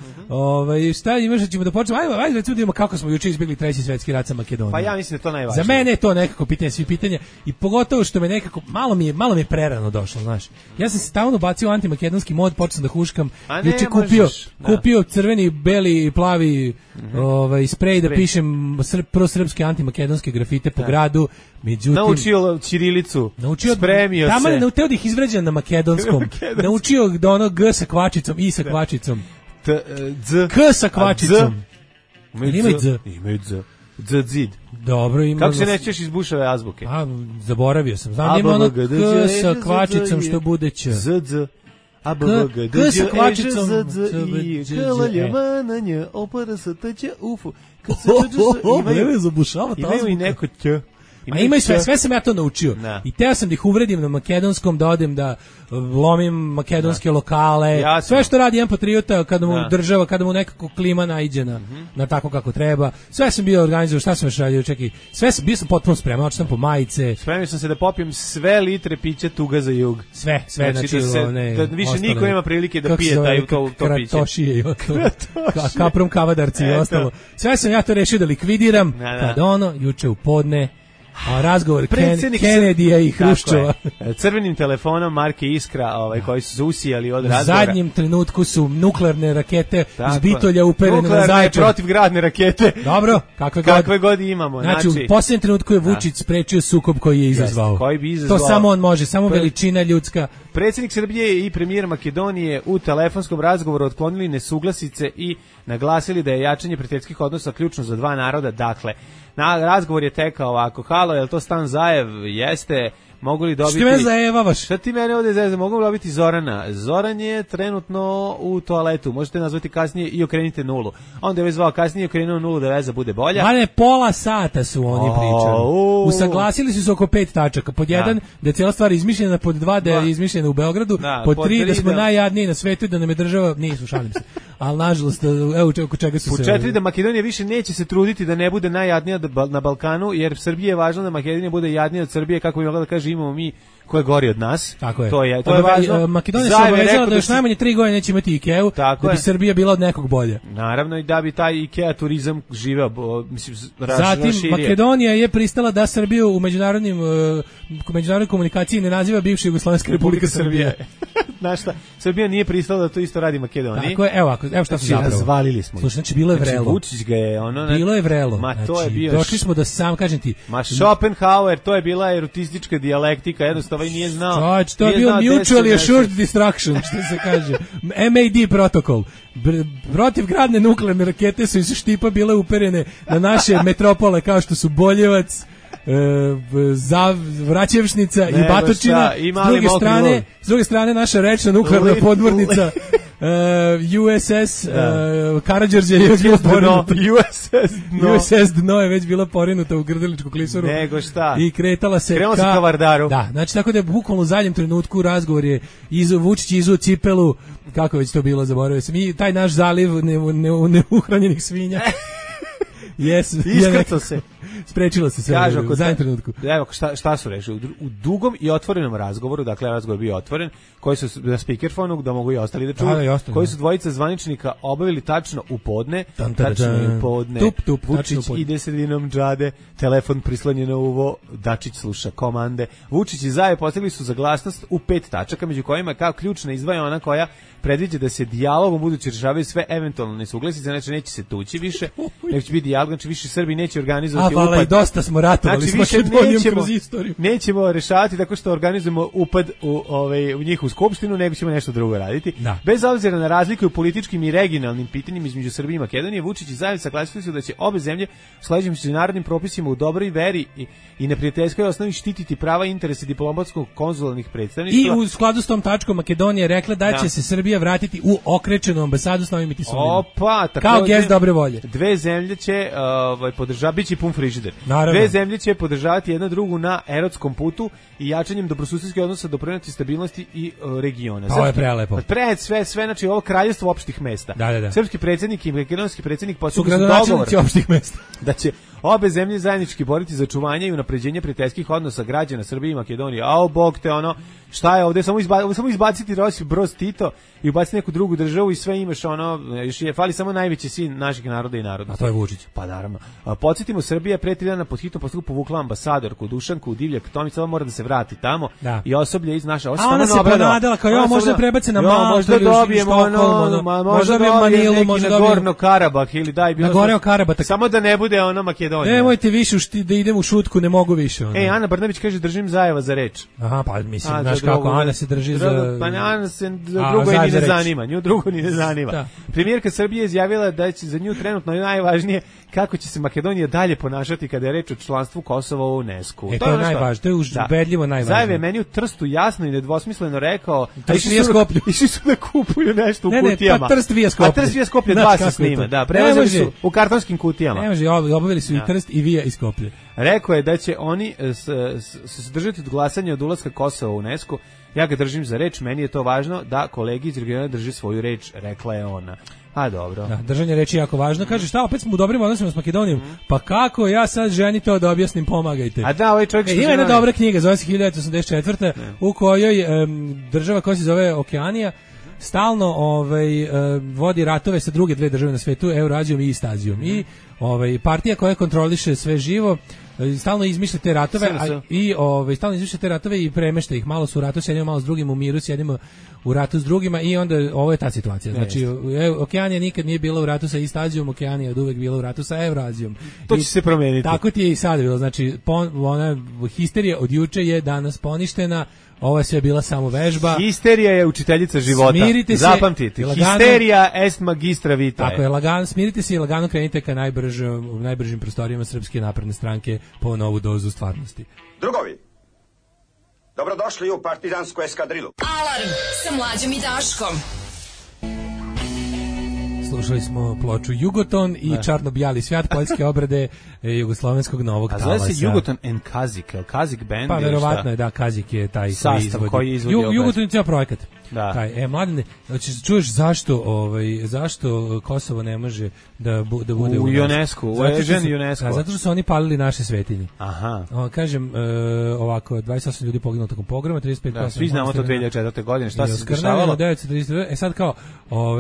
Šta imaš, da ćemo da počnemo? Ajde, recimo da vidimo kako smo juče izbjegli 3. svetski rat sa Makedonijom. Pa ja mislim da je to najvažnije. Za mene je to nekako pitanje svih pitanja i pogotovo što me nekako, malo mi je prerano došlo, znaš. Ja sam se stalno bacio u antimakedonski mod, počeo da huškam. Juče kupio crveni, beli, plavi sprej da pišem prosrpske antimakedonske grafite po gradu. Međutim, naučio ćirilicu, spremio se. Tamo je teo da ih izvređam na makedonskom. Naučio da ono G sa kvačicom, I sa kvačicom. K sa kvačicom. Imaju Z. Imaju Z. Zid. Dobro, ima. Kako se nećeš iz Buševe azbuke? Zaboravio sam. Znam, ima ono K sa kvačicom što bude Ć. Z. K sa kvačicom. Imaju i neko Ć. Imaju sve sam ja to naučio. I teo sam da ih uvredim na makedonskom, da odem da lomim makedonske lokale. Sve što radi jedan patriota kada mu država, kada mu nekako klima naiđe na tako kako treba. Sve sam bio organizovao, šta sam još radio, čekaj. Bio sam potpuno spreman, očeo sam po majice. Spremio sam se da popijem sve litre pića Tuga za jug. Sve, znači da više niko nema prilike da pije to piće. Kratošije i kaprom kavadarci i ostalo. Sve sam ja to rešio da likvidiram, kad juče u podne razgovor Kennedyja i Hruščova. Crvenim telefonom marke Iskra, koji su usijali od razgovora. U zadnjem trenutku su nuklearne rakete iz Bitolja uperene na Zaječar. Nuklearne protivgradne rakete. Dobro, kakve god imamo. Znači, u posljednjem trenutku je Vučić sprečio sukob koji je izazvao. To samo on može, samo veličina ljudska. Predsjednik Srbije i premijer Makedonije u telefonskom razgovoru otklonili nesuglasice i naglasili da je jačanje prijateljskih odnosa ključno za dva naroda. Dakle, razgovor je tekao ovako: halo, je li to Stan Zajev? Jeste. Mogu li dobiti... Što me zajebavaš? Šta ti mene ovdje zajebavaš? Mogu li dobiti Zorana? Zoran je trenutno u toaletu. Možete nazvati kasnije i okrenite nulu. Onda je već zvao kasnije i okrenuo nulu da veza bude bolja. Ali pola sata su oni pričali. Usaglasili su se oko 5 tačaka. Pod 1, da je cijela stvar izmišljena. Pod 2, da je izmišljena u Beogradu. Pod 3, da smo najjadniji na svetu i da nam je država... Nisu, šalim se. Ali nažalost, evo oko čega su se... Pod 4, da Makedonija više neće se truditi da ne bude najjadnija na Balkanu, jer Srbije je važno da Makedonija bude jadnija od Srbije, kako bi mogla da kaže imamo mi ko je gori od nas. Tako je. To je važno. Makedonija se obavezala da još najmanje 3 godine neće imati Ikeu, da bi Srbija bila od nekog bolje. Naravno, i da bi taj Ikea turizam živeo, mislim, Zatim, Makedonija je pristala da Srbiju u međunarodnoj komunikaciji ne naziva bivša Jugoslovenska Republika Srbije. Znaš šta, Srbija nije pristala da to isto radi Makedoniji. Tako je, evo šta su zapravo. Razvalili smo. Slušaj, znači bilo je vrelo. Vučić ga je bilo je vrelo. Ma znači, to je bio. Došli smo da sam kažem ti. Ma Schopenhauer, to je bila erutistička dijalektika, jednostavno i nije znao. To je bio mutually assured destruction, što se kaže. MAD protokol. Protivgradne nuklearne rakete su iz Štipa bile uperene na naše metropole kao što su Boljevac, Vraćevšnica i Batočina. S druge strane naša rečna nuklearna podmornica USS Karađorđe je već bila porinuta. USS Dno je već bila porinuta u Grdeličku klisuru. Nego šta? I kretala se ka Vardaru. Da, znači tako da je bukvalno u zadnjem trenutku razgovor je Vučić izuo cipelu, kako već to bilo, zaboravio sam. I taj naš zaliv neuhranjenih svinja. Iskrcao se. Sprečilo se sve u zadnjem trenutku. Evo šta su rešili. U dugom i otvorenom razgovoru, dakle razgovor bio otvoren, koji su na speakerfonu, da mogu i ostali da čuju, koji su dvojica zvaničnika obavili tačno u podne, tačno u podne. Vučić ide sredinom džade, telefon prislonjen na uvo, Dačić sluša komande. Vučić i Zajev postigli su saglasnost u 5 tačaka, među kojima kao ključna izdvaja ona koja predviđa da se dijalogom budući rešavaju sve eventualne nesuglasice, znači neće se tući više, nego će biti dijalog, znači više Srbi neće organizovati upad. I dosta smo ratovali, znači, s Makedonijom kroz istoriju. Nećemo rešavati tako što organizujemo upad u njihovu skupštinu, nego ćemo nešto drugo raditi. Da. Bez obzira na razliku u političkim i regionalnim pitanjima između Srbije i Makedonije, Vučić i Zajev saglasili su da će obe zemlje sledećim međunarodnim propisima u dobroj veri i neprijateljskoj osnovi štititi prava i interese diplomatskog konzularnih predstavništva. I u skladu s tom tačkom Makedonija je rekla da će se Srbija vratiti u okrečenu ambasadu s novim Mitisovima. Kao gest dobre volje. Dve zemlje će podržavati, biće pun frižider. Naravno. Dve zemlje će podržavati jedna drugu na erotskom putu i jačanjem dobrosusedskih odnosa doprineti stabilnosti i regiona. Ovo je prelepo. Sve, znači ovo kraljevstvo opštih mesta. Da. Srpski predsjednik i makedonski predsjednik postigli su dogovor opštih mesta da će obe zemlje zajednički boriti za očuvanje i unapređenje prijateljskih odnosa građana Srbije i Makedonije. Ao bog te ono, šta je ovde, samo izbaciti Rosip Broz Tito i ubaciti neku drugu državu i sve imaš ono, fali samo najveći sin naših naroda i naroda. A to je Vučić. Pa naravno. Podsjetimo, Srbija pre 3 dana pod hitnom postupku povukla ambasadorku Dušanku Divljak Tomić, mora da se vrati tamo i osoblje iz naše ona se ponadala kao možda prebaci na Maltu, možda dobijemo možda dobijemo neki na Gorno Karabah ili daj bilo. Na Gornjo Karabah. Samo da ne bude ono Makedonija. Nemojte više da idem u šutku, ne mogu više. Ana Brnabić kaže držim Zajeva za reč. Aha, pa mislim, znaš kako Ana se drži za... Pa Ana se drugo ni ne zanima, nju drugo ni ne zanima. Premijerka Srbije izjavila da će za nju trenutno najvažnije kako će se Makedonija dalje ponašati kada je reč o članstvu Kosova u UNESCO. To je najvažnije, to je ubedljivo najvažnije. Zajev je meni u Trstu jasno i nedvosmisleno rekao, išli su da kupuju nešto u kutijama. Pa Trst vija Skoplje. A Trst vija Skoplje 2 se snime, da, prevezali su u kartonskim kutijama. Ne može, obavili su i Trst i Vija i Skoplje. Rekao je da će oni se držati od glasanja od ulaska Kosova u UNESCO. Ja ga držim za reč, meni je to važno da kolegi iz regiona drže svoju reč, rekla je ona. A dobro. Da, držanje reči je jako važno. Kaže, šta, opet smo u dobrim odnosima s Makedonijom. Pa kako ja sad ženi to da objasnim, pomagajte. A da, ovaj čovjek ima jedna dobra knjiga, zove se 1984. U kojoj država koja se zove Okeanija stalno vodi ratove sa druge dve države na svetu, Eurazijom i Istazijom. I partija koja kontroliše sve živo stalno izmišlja te ratove stalno izmišlja te ratove i premešta ih. Malo su u ratu s jednim, malo s drugim, u miru s jednim, u ratu s drugima i onda ovo je ta situacija. Znači, Okeanija nikad nije bila u ratu sa Istazijom, Okeanija je od uvek bila u ratu sa Eurazijom. To će se promeniti. Tako ti je i sad bilo. Znači, ona histerija od juče je danas poništena. Ovo je sve bila samo vežba. Histerija je učiteljica života. Smirite se. Zapamtite. Histerija est magistra vitae. Tako je, smirite se i lagano krenite ka najbržim prostorijama Srpske napredne stranke po novu dozu stvarnosti. Drugovi, dobrodošli u partizansku eskadrilu. Alarm sa Mlađom i Daškom. Slušali smo ploču Jugoton i Čarno-bijali svijat, poljske obrade jugoslovenskog novog talasa. A zove se Jugoton and Kazik, je li Kazik band? Pa verovatno je, da, Kazik je taj koji izvodi Jugoton je cijel projekat. Da. Mladine, čuješ zašto Kosovo ne može da bude u UNESCO, u UNESCO? Zato što su oni palili naše svetinje. Aha. Kažem, ovako, 28 ljudi poginulo tokom pogroma, 35%. Da, svi znamo to 2004. godine, šta se dešavalo? 1932. Sad kao,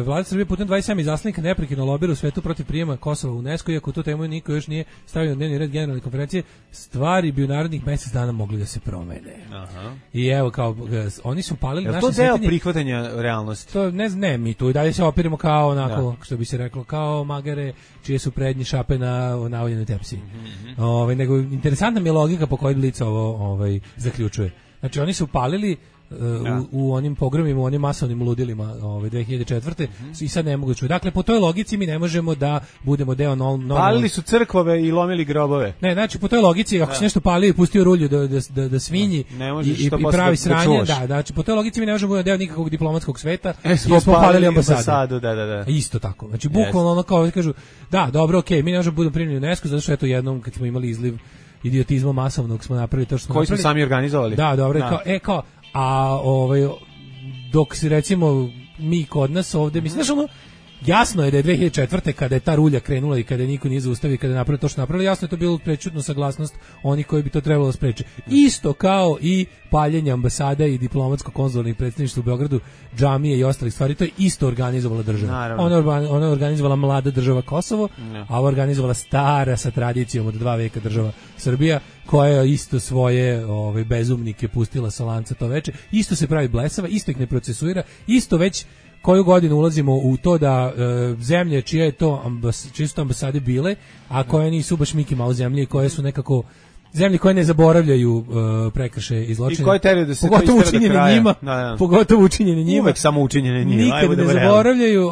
vlada Srbije putem 27 izaslanika neprekidno lobira u svetu protiv prijema Kosova u UNESCO, iako tu temu niko još nije stavio na dnevni red generalne konferencije, stvari bi u narednih mjesec dana mogli da se promene. Aha. I evo, kao, oni su palili naše svetinje neprihvatanja realnosti. To ne, mi tu i dalje se opiramo kao onako, što bi se reklo, kao magare čije su prednje šape na navoljenoj tepsiji. Nego interesantna mi je logika po kojoj Blic ovo zaključuje. Znači oni su palili u onim pogromima, u onim masovnim ludilima 2004. I sad ne mogu čuti. Dakle, po toj logici mi ne možemo da budemo deo palili su crkvove i lomili grobove. Ne, znači po toj logici, ako se nešto palio i pustio rulju da svinji i pravi sranje, znači po toj logici mi ne možemo da budemo deo nikakvog diplomatskog sveta i smo palili ambasadu. Da. Isto tako. Znači, bukvalno ono kao kažu, da, dobro, okej, mi ne možemo da budemo primljeni u UNESCO, zato što eto jednom kad smo imali izliv idiotizma masovnog smo napravili to što smo koji smo sami organizovali. Da, dobro, dok se recimo mi kod nas ovde, mislim, znaš ono, jasno je da je 2004. kada je ta rulja krenula i kada je niko nije zaustavio, kada je napravio to što napravili, jasno je to bilo prečutno saglasnost onih koji bi to trebalo spreče. Isto kao i paljenje ambasada i diplomatsko-konzularnih predstavništva u Beogradu, džamije i ostalih stvari, to je isto organizovala država. Ona je organizovala mlada država Kosovo, a ona organizovala stara sa tradicijom od 2 veka država Srbija, koja je isto svoje bezumnike pustila sa lanca to veče, isto se pravi blesava, isto ih ne procesuira, isto već koju godinu ulazimo u to da zemlje čije su to ambasade bile, a koje nisu baš Mickey Mouse zemlje, koje su nekako zemlje koje ne zaboravljaju prekršaje i zločine. I koje teraju da se pogotovo učinjene njima, pogotovo učinjene njima. Uvek samo učinjene njima. Nikad ne zaboravljaju,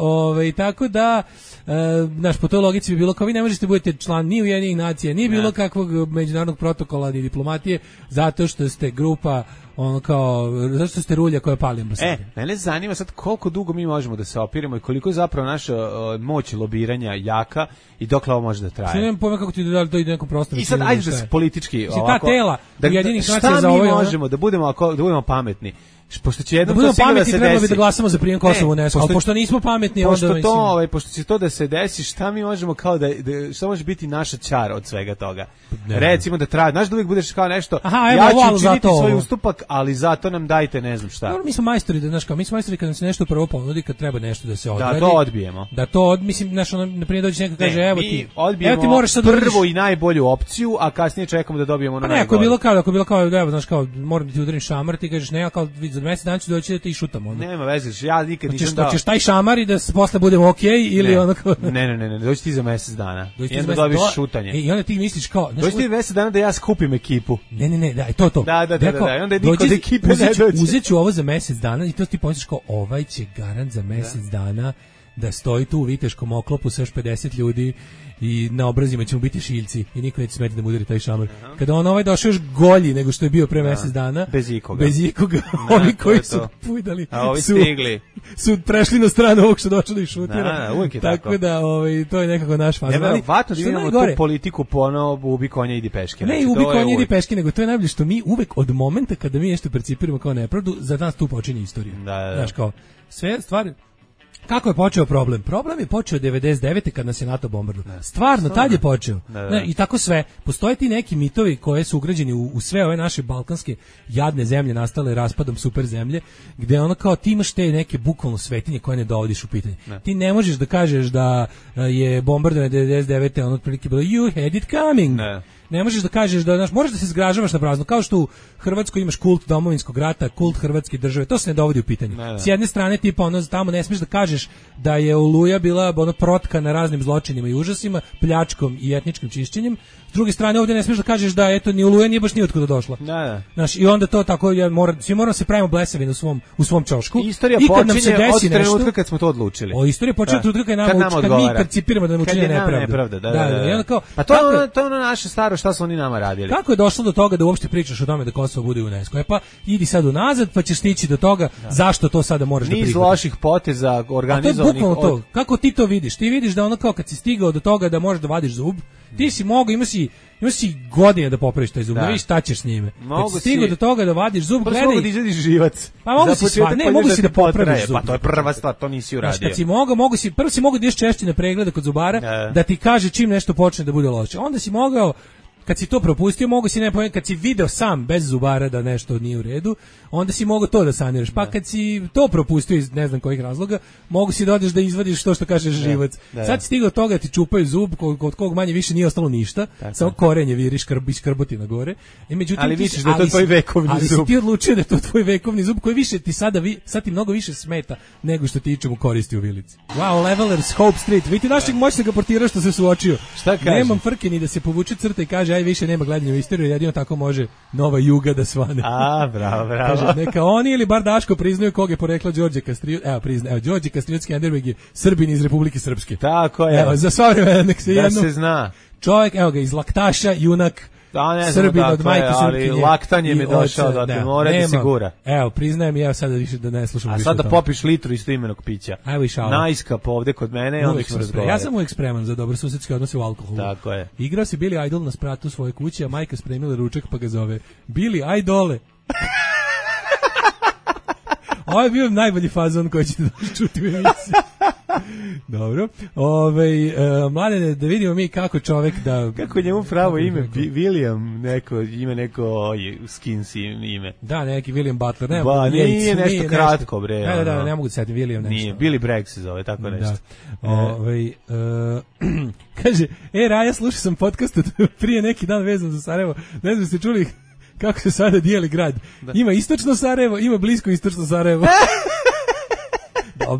tako da po toj logici bi bilo kao vi ne možete budete član ni Ujedinjenih nacija, ni bilo kakvog međunarodnog protokola ni diplomatije, zato što ste grupa zato što ste rulja koja pali ambasade. Mene zanima sad koliko dugo mi možemo da se opiramo i koliko je zapravo naša moć lobiranja jaka i dokle ovo može da traje. Ne znam kako ti da ide nekom prostoru. I sad ajde da se politički ovako. Ta tela Ujedinjenih nacija za ovo možemo da budemo pametni. Pošto će jednom to sigurno da se desi. Trebalo bi da glasamo za prijem Kosova u UNESCO, ali pošto nismo pametni, onda mislim. Pošto će to da se desi, šta mi možemo kao šta može biti naša čara od svega toga? Recimo da traje, znaš da uvijek budeš kao nešto, ja ću učiniti svoj ustupak, ali zato nam dajte ne znam šta. Dobro, mi smo majstori kad nam se nešto prvo ponudi, kad treba nešto da se odradi. Da to odbijemo. mislim, na primjer dođe neko kaže, evo ti moraš sad prvo i najbolju opciju, a kasnije čekamo da dobijemo ono najbolje. Ako je bilo kao, evo, znaš kao, moram da ti udarim šamar, ti kažeš, ne, kao za mjesec dana ću doći da te i šutamo. Nema veze, ja nikad nisam dao. Hoćeš taj šamar i da posle budemo okej ili onako. Ne, doći ti za mjesec dana. I onda dobiš šutanje. I onda ti misliš kao, doći ti mjesec dana da ja skupim ekipu. Ne, da, to. Da, onda niko od ekipe ne dođe. Uzet ću ovo za mjesec dana i to ti pomisliš kao, ovaj će garant za mjesec dana da stoji tu u viteškom oklopu sa još 50 ljudi i na obrazima ćemo biti šiljci i niko neće smeti da mu udari taj šamar. Kada on došao još golji nego što je bio pre mjesec dana, bez ikoga. Ovi koji su pujdali, a ovi stigli, su prešli na stranu ovog što došao da ih šutira. Uvijek je tako da to je nekako naš fazon. Neverovatno da imamo tu politiku ponovo ubi konja idi peške. Ne, ubi konja idi peške, nego to je najbolje što mi uvek od momenta kada mi nešto percipiramo kao nepravdu, za nas tu počinje istorija. Znaš kao, sve stvari. Kako je počeo problem? Problem je počeo 99. kad nas je NATO bombardovao. Stvarno, tad je počeo. I tako sve. Postoje ti neki mitovi koje su ugrađeni u sve ove naše balkanske jadne zemlje nastale raspadom super zemlje, gde ono kao ti imaš te neke bukvalno svetinje koje ne dovodiš u pitanje. Ti ne možeš da kažeš da je bombardovanje 99. ono otprilike bilo you had it coming. Ne možeš da kažeš da možeš da se zgražavaš na prazno, kao što u Hrvatskoj imaš kult domovinskog rata, kult hrvatske države, to se ne dovodi u pitanje. S jedne strane tipa tamo ne smiješ da kažeš da je Oluja bila protka na raznim zločinima i užasima, pljačkom i etničkim čišćenjem. S druge strane ovdje ne smiješ da kažeš da eto ni Oluja nije baš ni otkuda došla. Znaš, i onda to tako svi moramo se pravimo blesavi u svom čošku. Istorija počinje od trenutka kad smo to odlučili. Istorija počinje od trenutka kad mi percipiramo da nam učine nepravdu. Pa to je ono naše staro šta su oni nama radili. Kako je došlo do toga da uopšte pričaš o tome da Kosovo bude u UNESCO? Pa idi sad unazad pa ćeš stići do toga zašto to sada moraš da prihvatiš. Niz loših poteza organizovanih. Kako ti to vidiš? Ti vidiš da ono kao kad si stigao do toga da možeš da vadiš zub, ti si mogao, ima si godine da popraviš taj zub, da vidiš šta ćeš s njime. Kad si stigao do toga da vadiš zub, gledaj. Mogu da izvadiš živac. Pa mogu si da popraviš zub. Pa to je prva stvar, to nisi uradio. Kad si prvo si mogao da ideš češće na preglede kod zubara, da ti kaže čim nešto počne da bude loše. Onda si mogao kad si to propustio, mogu si kad si video sam bez zubara da nešto nije u redu, onda si mogu to da saniraš. Pa kad si to propustio iz ne znam kojih razloga, mogu si da odeš da izvadiš to što kažeš živac. Sad si stigao toga, ti čupaju zub, kod kog manje više nije ostalo ništa, samo korenje viriš, škrboti na gore. Međutim, ali vidiš da je to tvoj vekovni zub. Ali si ti odlučio da je to tvoj vekovni zub koji više ti sad ti mnogo više smeta nego što ti ičemu koristi u vilici. Wow, Levelers, Hope Street. Vidite našeg moćnog portira što se suočio. Šta kaže? Nemam frke ni da se povuče crta i kaže aj više nema gledanja u istoriju, jedino tako može nova Juga da svane. A, bravo. Kaže, neka oni ili bar Daško priznaju kog je porekla Đorđe Kastriot. Evo Đorđe Kastriot-Skenderbeg je Srbin iz Republike Srpske. Tako je. Evo, za sva vremena nek se da se zna. Čovjek, evo ga, iz Laktaša, junak, Srbin od majke Srpkinje. Ali laktanje mi je došao, da mora da sigura. Evo, priznajem ja sada više da ne slušam više. A sada popiš litru istoimenog pića. Najskap ovde kod mene i onda ćemo razgovarati. Ja sam uvijek spreman za dobrosusedske odnose u alkoholu. Tako je. Igrao si Billy Idol na spratu svoje kuće, a majka spremila ručak pa ga zove Billy Idole. Ovo je bio najbolji fazon koji ćete čuti u emisiji. Dobro. Mladene, da vidimo mi kako čovek da... Kako je njemu pravo ime? William, ima neko Skinsi ime. Da, neki William Butler. Ne, nije nešto kratko, bre. Da, ne mogu da setim William nešto. Nije, Billy Bragg se zove, tako nešto. Kaže, Raja, slušao sam podcast prije neki dan vezan za Sarajevo. Ne znam, ste čuli kako se sada dijeli grad. Da. Ima istočno Sarajevo, ima blisko istočno Sarajevo.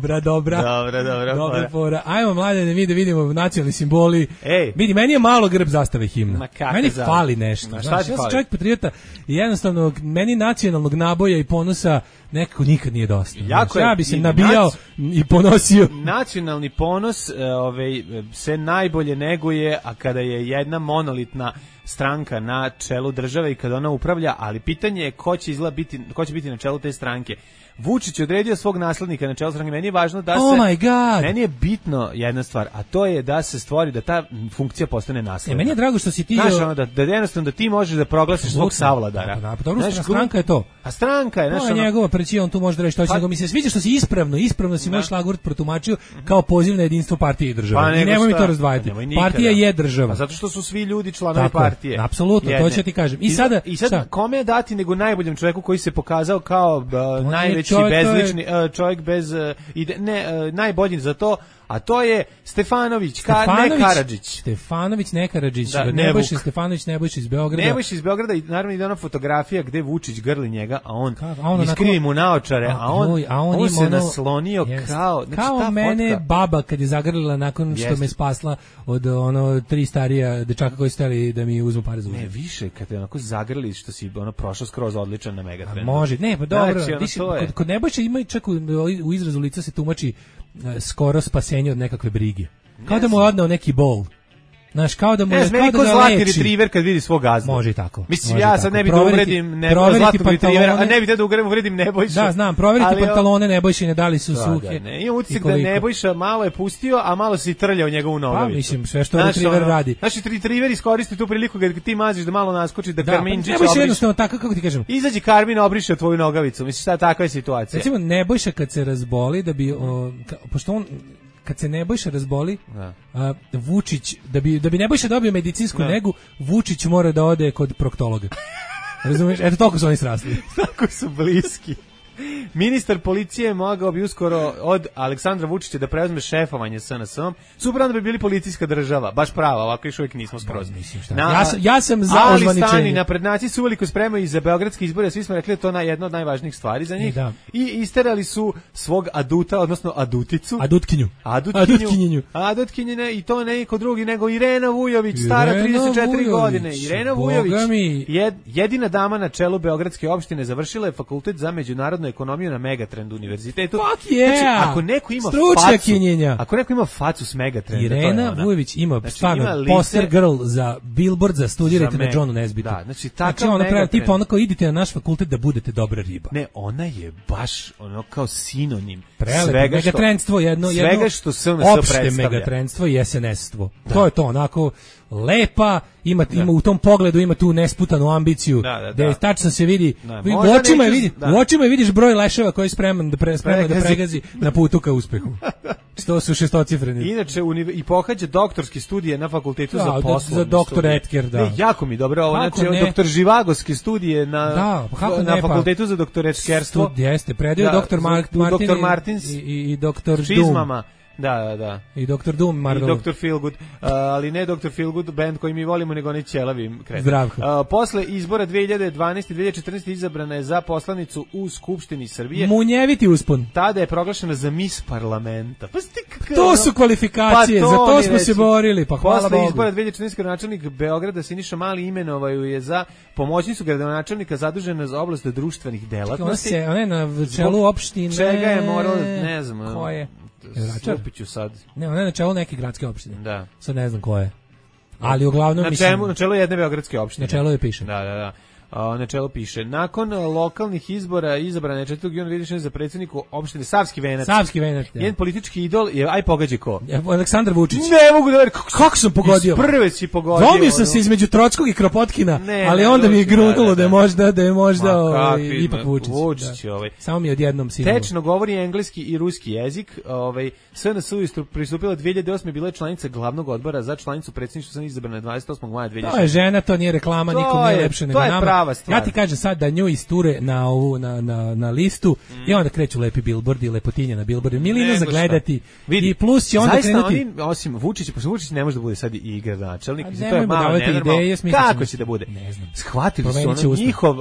Dobra fora. Ajmo, Mladene, mi da vidimo nacionalni simboli. Vidi, meni je malo grb zastave himna. Meni fali nešto. Ja sam čovjek patriota i jednostavno meni nacionalnog naboja i ponosa nekako nikad nije dosta. Ja bi se nabijao i ponosio. Nacionalni ponos se najbolje neguje, a kada je jedna monolitna stranka na čelu države i kada ona upravlja, ali pitanje je ko će biti na čelu te stranke. Vučić je odredio svog naslednika na čelu stranke. Meni je važno da meni je bitno jedna stvar, a to je da se stvori da ta funkcija postane nasledna. Meni je drago što si ti da jednostavno da ti možeš da proglasiš svog savladara. Stranka je to. A stranka je, znaš, njegova preći, on tu može da reći to, nego mi se sviđa što si ispravno si moj šlagvort protumačio kao poziv na jedinstvo partije i države. I nemoj mi to razdvajati. Partija je država. Zato što su svi ljudi članovi partije. Apsolutno, to ću ti kažem. I sad kome dati nego najboljem čovjeku koji se pokazao kao najveći bezlični čovjek bez najbolji za to, a to je Stefanović, ne Karadžić. Stefanović, ne Karadžić, Nebojša Stefanović, Nebojša iz Beograda. Nebojša iz Beograda i naravno ide ona fotografija gde Vučić grli njega, a on iskrivi mu naočare, a on se naslonio kao mene baba kad je zagrlila nakon što me spasla od tri starija dečaka koji su hteli da mi uzmu pare za uzem. Ne, više kad je onako zagrli što si prošao skroz odličan na Megatrendu. Može, ne, pa dobro. Kod Nebojša ima čak u izrazu lica se tumači skoro spasenje od nekakve brige. Kao da mu je odneo neki bol. Znaš, kao da mu je kao da zlatni retriver kad vidi svog gazdu. Može i tako. Mislim, ja sad ne bi da uvredim zlatnog retrivera, a ne bi da uvredim Nebojšu. Da, znam, proveriti pantalone Nebojšine, da li su suhe. Ima utisak da Nebojša malo je pustio, a malo se i trljao njegovu nogavicu. Pa, mislim, sve što retriver radi. Znači, retriver iskoristi tu priliku kad ti maziš da malo naskoči, da Karminčić obriše. Nebojša jednostavno tako, kako ti kažem. Izađi Karmin, obriše tvoju nogavicu. Mislim, šta takva je situacija. Recimo, Nebojša kad se razboli, da bi, pošto on kad se Nebojša razboli, Vučić, da bi Nebojša dobio medicinsku negu, Vučić mora da ode kod proktologa. Razumiješ? Eto, toliko su oni srasli. Tako su bliski. Ministar policije mogao bi uskoro od Aleksandra Vučića da preuzme šefovanje SNS-om. Super, onda bi bili policijska država. Baš prava, ovako još uvijek nismo skroz. Ja sam za ozvaničenje. Ali stani, naprednjaci su uveliko spremaju i za beogradske izbore. Svi smo rekli da to je jedna od najvažnijih stvari za njih. I isterali su svog aduta, odnosno aduticu. Adutkinju. I to ne niko drugi nego Irena Vujović, stara 34 godine. Irena Vujović, jedina dama na čelu beogradske opštine, završila je fakultet za međunarodnu ekonomiju na Megatrend univerzitetu. Fuck yeah! Znači, ako neko ima facu s Megatrenda, Irena Vujović ima stvarno poster girl za Billboard, za studirajte na Johnu Nesbitu. Da, znači ona pravi tipa onako idite na naš fakultet da budete dobra riba. Ne, ona je baš ono kao sinonim svega što megatrendstvo, svega što SNS opšte megatrendstvo i SNS-stvo. To je to, onako lepa, ima u tom pogledu ima tu nesputanu ambiciju, da tačno se vidi, u očima je vidiš broj leševa koji je spreman da pregazi na putu ka uspehu. To su šestocifreni. Inače, i pohađa doktorske studije na fakultetu za poslovne za doktor Etker, da. Ne, jako mi dobro, ovo, znači, doktor Živagoske studije na fakultetu za doktoretkerstvo. Jeste, predaju doktor Martins i doktor Doom. Da. I Dr. Doom, Marvel. I Dr. Feelgood, ali ne Dr. Feelgood band koji mi volimo, nego oni ćelavi kreten. Zdravko. Posle izbora 2012. i 2014. izabrana je za poslanicu u Skupštini Srbije. Munjeviti uspon. Tada je proglašena za Miss Parlamenta. To su kvalifikacije, za to smo se borili, pa hvala Bogu. Posle izbora 2014. gradonačelnik Beograda Siniša Mali imenovaju je za pomoćnicu gradonačelnika zadužena za oblast društvenih delatnosti. Ona je na čelu opštine. Čega je morao, ne znam. Ko je? Slupiću sad. Ne, ona je na čelu neke gradske opštine. Da. Sad ne znam ko je. Ali uglavnom na čelu jedne beogradske opštine. Na čelu je piše. Da. Na čelu piše. Nakon lokalnih izbora izabrana je 4. juna 2016 za predsjedniku opštine Savski Venac. Savski Venac. Njen politički idol je, aj pogađaj ko? Aleksandar Vučić. Ne mogu da verujem. Kako sam pogodio? Prve si pogodio. Zomio sam se između Trockog i Kropotkina, ali onda mi je grunulo da je možda ipak Vučić. Vučić Samo mi je odjednom sinulo. Tečno govori engleski i ruski jezik. SNS pristupila 2008. bila je članica glavnog odbora za članicu predsjedništva, sam izabrana 28. maja 2016. To je žena, to nije reklama, nikom nije lepše nego nama. Ja ti kažem sad da nju isture na listu i onda kreću lepi bilbordi, lepotinje na bilbordu. Milino za gledati. I plus će onda krenuti. Zaista osim Vučića, pošto Vučić ne može da bude sad i gradonačelnik. To je malo nenormalno. Kako će da bude? Ne znam. Shvatili su njihov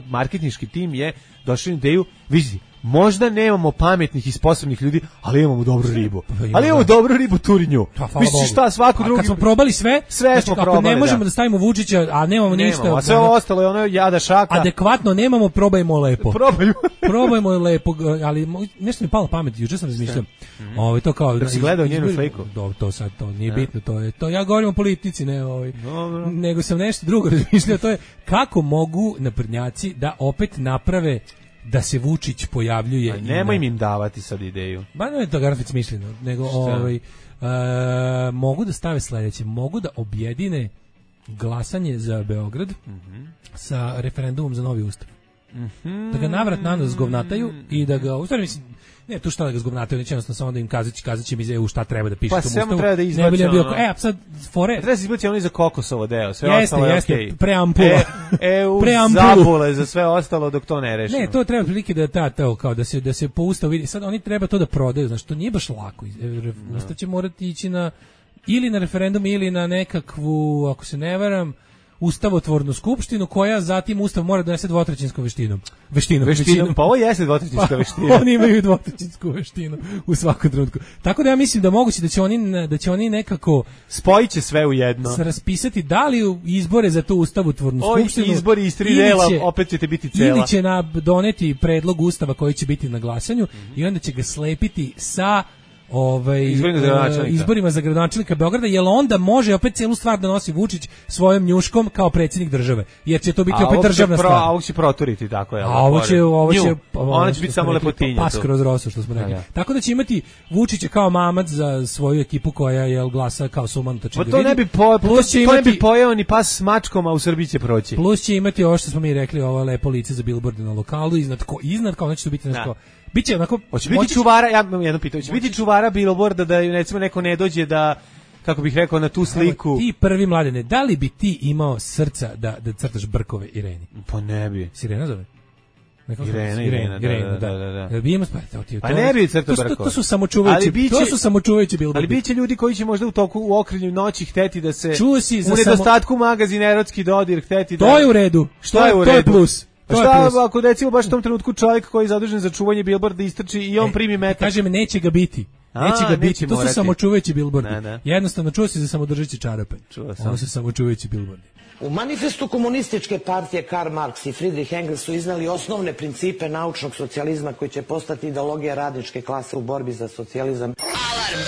marketinški tim je došao na ideju, vidi, možda nemamo pametnih i sposobnih ljudi, ali imamo dobru ribu. Ali imamo dobru ribu, turi nju. Misliš šta, svako drugi... Kad smo probali sve smo probali, ne možemo da stavimo Vučića, a nemamo ništa... A sve ostalo je ono jada šaka. Adekvatno nemamo, probajmo lepo. Probajmo lepo, ali nešto mi je palo pamet, juče sam razmišljao. To kao... Da si gledao njenu sliku? To sad, to nije bitno, to ja govorim o politici, ne nego sam nešto drugo razmišljao, to je kako mogu naprednjaci da opet naprave da se Vučić pojavljuje. Nemoj im davati sad ideju. Ba ne je to garant smišljeno, nego mogu da stave sledeće, mogu da objedine glasanje za Beograd sa referendumom za novi ustav. Da ga navrat nanos zgovnataju i da ga, u stvari mislim, ne tu šta da ga zgovnataju, neće jednostavno samo da im kazaći mi za šta treba da piše u tom ustavu. Pa samo treba da izbaci sad fore... Treba se izbaci ono i za Kokosovo deo, sve jeste, ostalo je okej. Preampula. Zabule za sve ostalo dok to ne rešimo. Ne, to treba prilike da kao da se po ustavu vidi. Sad oni treba to da prodaju, znači to nije baš lako. Ustav će morati ići ili na referendum ili na nekakvu, ako se ne varam, ustavotvornu skupštinu koja zatim ustav mora donese dvotrećinskom veštinom. Pa ovo jeste dvotrećinska veština. Oni imaju dvotrećinsku veštinu u svakom trenutku. Tako da ja mislim da moguće da će oni nekako spojiće sve u jedno. Raspisati da li izbore za tu ustavotvornu skupštinu. Izbori iz 3 dela opet ćete biti cela. Ili će doneti predlog ustava koji će biti na glasanju i onda će ga slepiti sa izborima za gradonačelnika Beograda, jer onda može opet celu stvar da nosi Vučić svojom njuškom kao predsjednik države, jer će to biti opet državna stvar. A ovo će proturiti, tako je. Ona će biti samo lepotinja. Pas kroz rosu, što smo rekli. Tako da će imati Vučića kao mamac za svoju ekipu koja je glasa kao sumanuta čegovina. To ne bi pojeo ni pas s mačkom, a u Srbiji će proći. Plus će imati ovo što smo mi rekli, ovo lepo lice za bilborde na lokalu, iznad kao neće to biti nešto. Biće onako, hoće biti čuvara, ja imam jedno pitanje, hoće biti čuvara bilborda da recimo neko ne dođe da, kako bih rekao, na tu sliku. Ti prvi Mladene, da li bi ti imao srca da crtaš brkove Ireni? Pa ne bi. Sirena zove? Irena, da. Bi imao pa ne bi crtao brkove. To su samočuvajući bilbordi. Ali biće ljudi koji će možda u okrilju noći hteti da se u nedostatku magazin erotski dodir hteti da... To je u redu. Što je u redu? To je plus. Šta ako recimo baš u tom trenutku čovjek koji je zadužen za čuvanje bilborda istrči i on primi metak? Kažem, neće ga biti. To su samočuvajući bilbordi. Jednostavno, čuo si za samodržeći čarape. Ovo su samočuvajući bilbordi. U manifestu komunističke partije Karl Marx i Friedrich Engels su iznali osnovne principe naučnog socijalizma koji će postati ideologija radničke klase u borbi za socijalizam. Alarm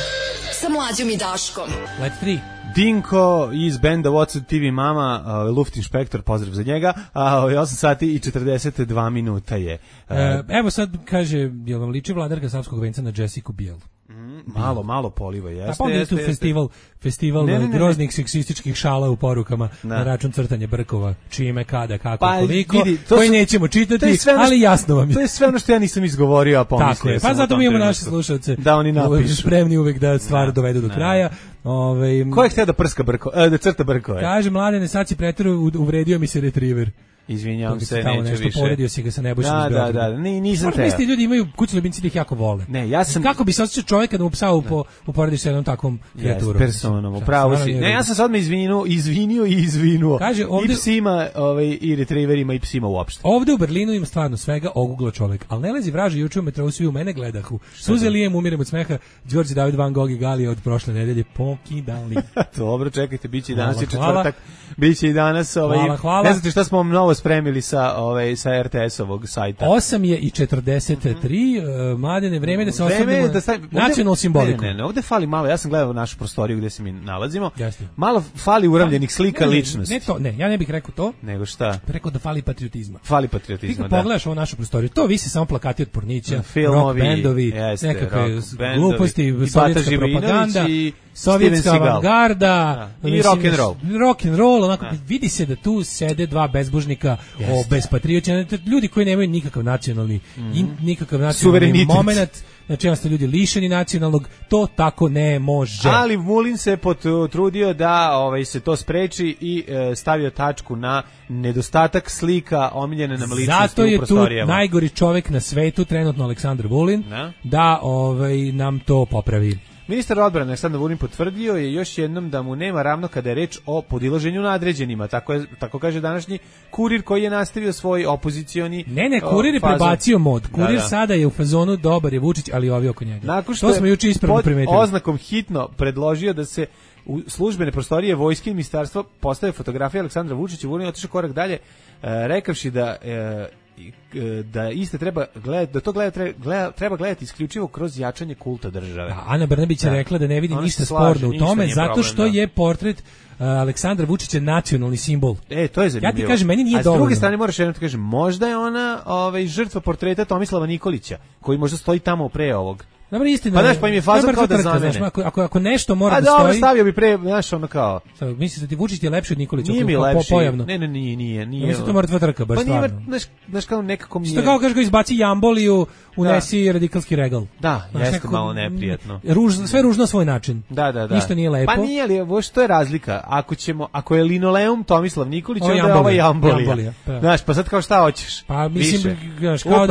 sa Mlađom i Daškom. Let 3. Dinko iz benda What's TV Mama, Luftinšpektor, pozdrav za njega, 8 sati i 42 minuta je. Evo sad kaže, jel vam liči Vladarka Savskog venca na Jessica Biel? Malo poliva, jeste. Pa onda tu festival groznih seksističkih šala u porukama na račun crtanja brkova, čime, kada, kako, koliko, koji nećemo čitati, ali jasno vam je. To je sve ono što ja nisam izgovorio, a pomislio sam. Pa zato mi imamo naše slušalce da oni napišu. Spremni uvek da stvar dovedu do kraja. Ko je htio da prska da crta brkove? Kaže, Mladene, sad si preterao, uvredio mi se retriever. Izvinjavam se, neću više. Poredio si ga sa Nebojšom iz Beograda. Da, nisam te. Možda ljudi imaju kućni ljubimci da ih jako vole. Ne, ja sam... Kako bi se osjećao čovjek kada mu psa uporediš sa jednom takvom kreaturom? Personom, upravo si. Ne, ja sam sad me izvinuo. Kaže, ovde... I psima, i retrieverima, i psima uopšte. Ovde u Berlinu ima stvarno svega, oguglo čovjek. Ali ne lezi vraži, juče u metrou svi u mene gledahu. Suze lijem, umirem od smeha, Đorđe David Van Gogh i Galija od prošle nedelje pokidali. Dobro, čekajte, biće i danas i četvrtak. Biće i danas, ne znate šta smo vam novo spremili sa RTS-ovog sajta. 8:43, Mladene, vreme da se osvrnemo nacionalnu simboliku. Ne, ovde fali malo, ja sam gledao našu prostoriju gde se mi nalazimo. Malo fali uramljenih slika ličnosti. Ne, ja ne bih rekao to. Nego šta? Rekao da fali patriotizma. Fali patriotizma, da. Pogledaš ovu našu prostoriju, to visi samo plakati od pornića, rock bendovi, nekakve gluposti, sovjetska propaganda, sovjetska avangarda i rock'n'roll. Rock'n'roll, onako, vidi se da tu sede dva bezbožnika bez patrioća, ljudi koji nemaju nikakav nacionalni moment, znači jednostavno ljudi lišeni nacionalnog, to tako ne može. Ali Vulin se potrudio da se to spreči i stavio tačku na nedostatak slika omiljene nam ličnosti u prostorijama. Zato je tu najgori čovjek na svetu, trenutno Aleksandar Vulin, da nam to popravi. Ministar odbrane Aleksandar Vulin potvrdio je još jednom da mu nema ravno kada je reč o podilaženju nadređenima. Tako kaže današnji Kurir koji je nastavio svoj opozicioni Kurir je prebacio mod. Kurir sada je u fazonu dobar je Vučić, ali ovi oko njega. Nakon što to smo juče ispravno primetili. Oznakom hitno predložio da se u službene prostorije vojske i ministarstva postave fotografije Aleksandra Vučića. Vulin otišao korak dalje, rekavši da iste treba gledati, da to treba gledati isključivo kroz jačanje kulta države. Ana Brnabić je rekla da ne vidi ništa sporno u tome, zato što je portret Aleksandra Vučića nacionalni simbol. To je zanimljivo. Ja ti kažem, meni nije dovoljno. A s druge strane moraš jedno ti kažem, možda je ona žrtva portreta Tomislava Nikolića, koji možda stoji tamo pre ovog. Dobro, istina. Pa im je faza kao da zamene. Ako nešto mora da stoji... dobro, stavio bi pre, ono kao... Misliš da ti Vučić je lepši od Nikolića? Nije mi lepši. Pojavno. Ne, nije. Mislim da to mora trka, baš stvarno. Znaš kao nekako mi je... Što kao kažeš, izbaci jamboliju, unesi radikalski regal. Da, jeste malo neprijatno. Sve ružno na svoj način. Da. Ništa nije lepo. Pa nije, ali što je razlika? Ako je linoleum Tomislav Nikolić, onda je ovo jambolija. Znaš, pa sad kao šta hoćeš? Pa mislim, kao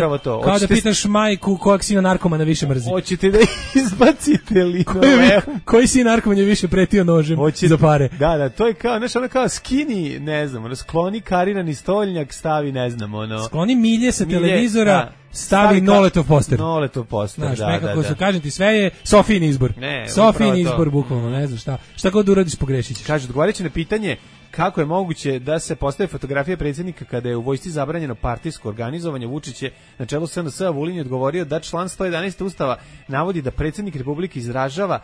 da pitaš majku kojeg sina narkomana više mrzi. Hoćete da izbacite linoleum? Koji sin narkoman je više pretio nožem za pare? Da, to je kao, znaš, ono kao skini, ne znam, skloni karirani stoljnjak, stavi, ne znam, skloni milje sa televizora, stavi Noletov poster. Znaš, nekako su, kažem ti, sve je Sofijin izbor. Sofijin izbor, bukvalno, ne znam šta god uradiš pogrešit ćeš. Kaže, odgovarajući na pitanje kako je moguće da se postave fotografije predsjednika kada je u vojsci zabranjeno partijsko organizovanje, Vučić je na čelu SNS-a Vulin je odgovorio da član 111. Ustava navodi da predsjednik Republike izražava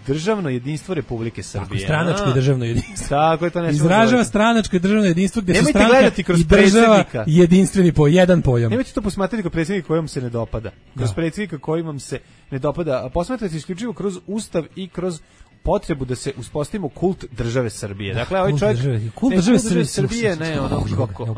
državno jedinstvo Republike Srbije. Tako, stranačko i državno jedinstvo. Tako je to nešto. Izražava stranačko i državno jedinstvo gdje su stranka i država jedinstveni jedan pojam. Nemojte to posmatrati kao predsjednika koji vam se ne dopada. Kroz predsjednika koji vam se ne dopada. Posmatrate isključivo kroz Ustav i kroz potrebu da se uspostavimo kult države Srbije. Dakle, ovaj čovjek kult države Srbije, ne,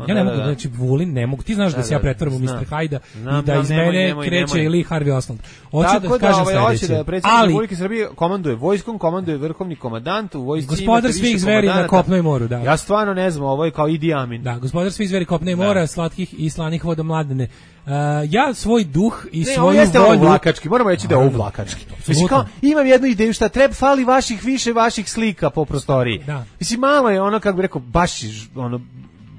ja ne mogu, znači Vulin ne mogu. Ti znaš da se ja pretvaram u Mr. Hajda i da iz mene kreće ili Harvey Oswald. Hoće da kažem sledeće. Da predsjednik Republike Srbije komanduje vojskom, komanduje vrhovni komandant u vojsci. Gospodar svih zveri na kopnu i moru, da. Ja stvarno ne znam, ovo je kao Idi Amin. Da, gospodar svih zveri kopna i mora, slatkih i slanih voda Mladene. Ja svoj duh i svoju volju... Vlakački, moramo reći da je ovo vlakački. Mislim, kao, imam jednu ideju, šta treba, fali više vaših slika po prostoriji. Da. Mislim, malo je ono, kako bi rekao, baš ono,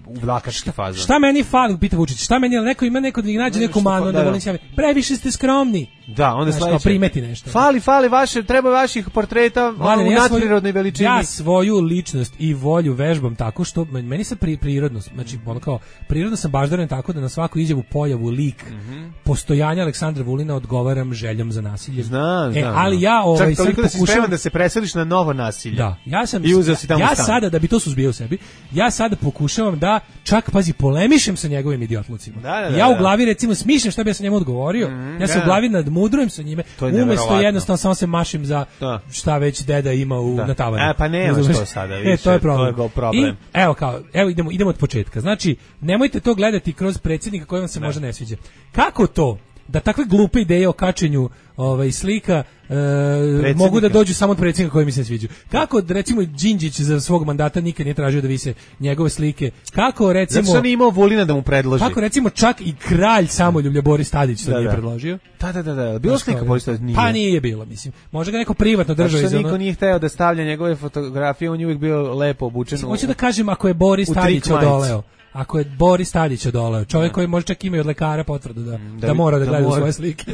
u vlakački fazon. Šta meni fali, pita Vučić, šta meni, ima neko da ih nađe neku manu, da volim sjave, previše ste skromni. Da, onda sledeće. Primeti nešto. Fali vaše, treba vaših portreta u nadprirodnoj veličini. Ja svoju ličnost i volju vežbam tako što meni se prirodnost, znači ono kao prirodno sam baždaren tako da na svaku izjavu, pojavu, lik, postojanja Aleksandra Vulina odgovaram željom za nasilje. Znam. Ali ja čak toliko da si spreman da se preseliš na novo nasilje. Da, ja sada da bi to suzbio u sebi, ja sada pokušavam da čak polemišem sa njegovim idiotlucima. Ja u glavi recimo smišljam šta bi ja sa njemu odgovorio. Ja se u glavi mudrujem sa njime, umesto jednostavno samo se mašim za šta već deda ima na tavanu. Pa nema što sada više. To je problem. To je problem. I, idemo od početka. Znači, nemojte to gledati kroz predsjednika koji vam se možda ne sviđa. Kako to da takve glupe ideje o kačenju slika mogu da dođu samo od predsjednika koji mi se sviđaju? Kako, recimo, Đinđić za svog mandata nikad nije tražio da vise njegove slike? Kako, recimo... Zato što nije imao Vulina da mu predloži. Kako, recimo, čak i kralj samoljublja Boris Tadić to nije predložio? Da. Bilo slika Boris Tadić? Nije. Pa nije bilo, mislim. Možda ga neko privatno držao iz ono... Niko nije hteo da stavlja njegove fotografije, on je uvijek bio lepo obučen. Hoću da kažem, ako je Boris Tadić odoleo, ako je Boris Tadić odoleo, čovjek koji može čak ima i od lekara potvrdu da mora da gleda u svoje slike.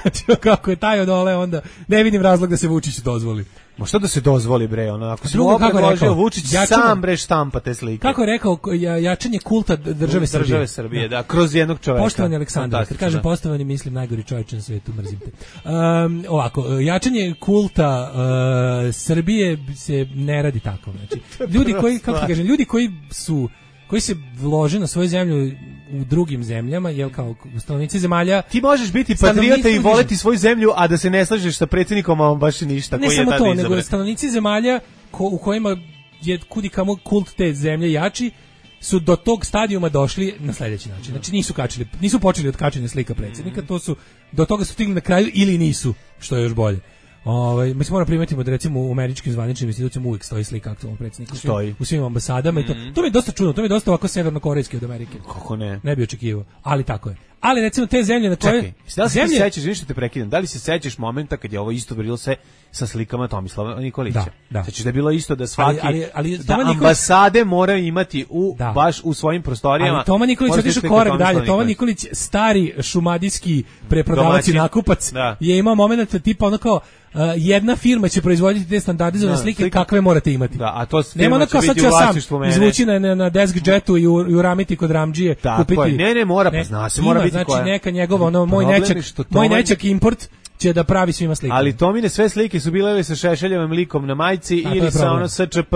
Znači, kako je taj odoleo, onda ne vidim razlog da se Vučić dozvoli. Ma što da se dozvoli, bre, ono, ako se ovo predložio Vučić, sam bre štampa te slike. Kako je rekao, jačanje kulta države Srbije. Države Srbije, da, kroz jednog čoveka. Poštovani Aleksandar, kad kažem poštovani, mislim najgori čovjek na svetu, mrzim te. Ovako, jačanje kulta Srbije se ne radi tako, znači. Ljudi koji, kako ti kažem, ljudi koji se vlože na svoju zemlju u drugim zemljama, jel kao stanovnici zemalja... Ti možeš biti patriota i voleti svoju zemlju, a da se ne slažeš sa predsjednikom, a on baš ništa. Ne samo to, nego stanovnici zemalja u kojima je kudikamo kult te zemlje jači, su do tog stadijuma došli na sljedeći način. Znači nisu počeli od kačenja slika predsjednika, do toga su stigli na kraju ili nisu, što je još bolje. Mislim, moram primetiti da recimo u američkim zvaničnim institucijama uvijek stoji slika aktualnog predsjednika u svim ambasadama i to mi je dosta čudno, to mi je dosta ovako severnokorejski od Amerike. Kako ne? Ne bi očekivao, ali tako je. Ali recimo te zemlje na koje... Čekaj, da li se sećaš, ništa te prekidam, da li se sećaš momenta kad je ovo isto bilo se sa slikama Tomislava Nikolića? Da. Sećaš da je bilo isto da svaki... Ali da ambasade moraju imati baš u svojim prostorijama... Ali Toma Nikolić otišao korak dalje. Toma Nikolić, stari šumadijski preprodavac i nakupac, je imao moment tipa ono kao... jedna firma će proizvoditi te standardizovane slike kakve morate imati. Da, a to firma će biti u vlasništvu mene. Izvući na desk jetu i uramiti kod Ramdžije. Tako je, ne mora, pa zna se, mora biti koja. Znači neka njegova, moj nečak import će da pravi svima slike. Ali Tomine sve slike su bile ili sa Šešeljevim likom na majici ili sa ono SČP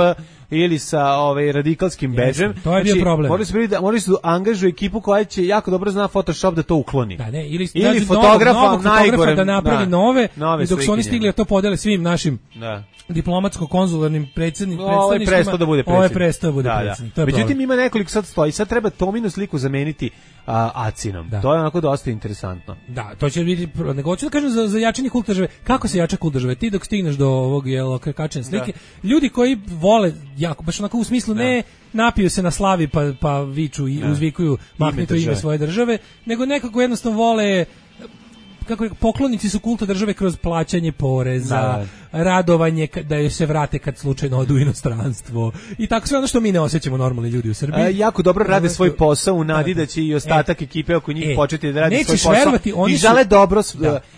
ili sa radikalskim bedžem. To je bio problem. Morali su angažuju ekipu koja će jako dobro zna Photoshop da to ukloni. Da, ne, ili fotografa najgore da napravi nove i dok su oni stigli da to podele svim našim diplomatsko-konzularnim predstavništvima. Ovo je prestao da bude predsjednik. Međutim, ima nekoliko sad stoji. Sad treba Tominu sliku zameniti Acinom. To je onako dosta interesantno. Da, to će biti... Nego hoću da kažem za jačanje kulta države. Kako se jača kult države? Ti dok stigneš do ovog kačenja slike, ljudi koji vole jako, baš onako u smislu ne napiju se na slavi pa viču i uzvikuju mahnito ime svoje države, nego nekako jednostavno vole, kako poklonici su kulta države kroz plaćanje poreza, radovanje da joj se vrate kad slučajno odu u inostranstvo i tako sve ono što mi ne osjećamo normalni ljudi u Srbiji. Jako dobro rade svoj posao u nadi da će i ostatak ekipe oko njih početi da radi svoj posao. Verovati, i žele dobro.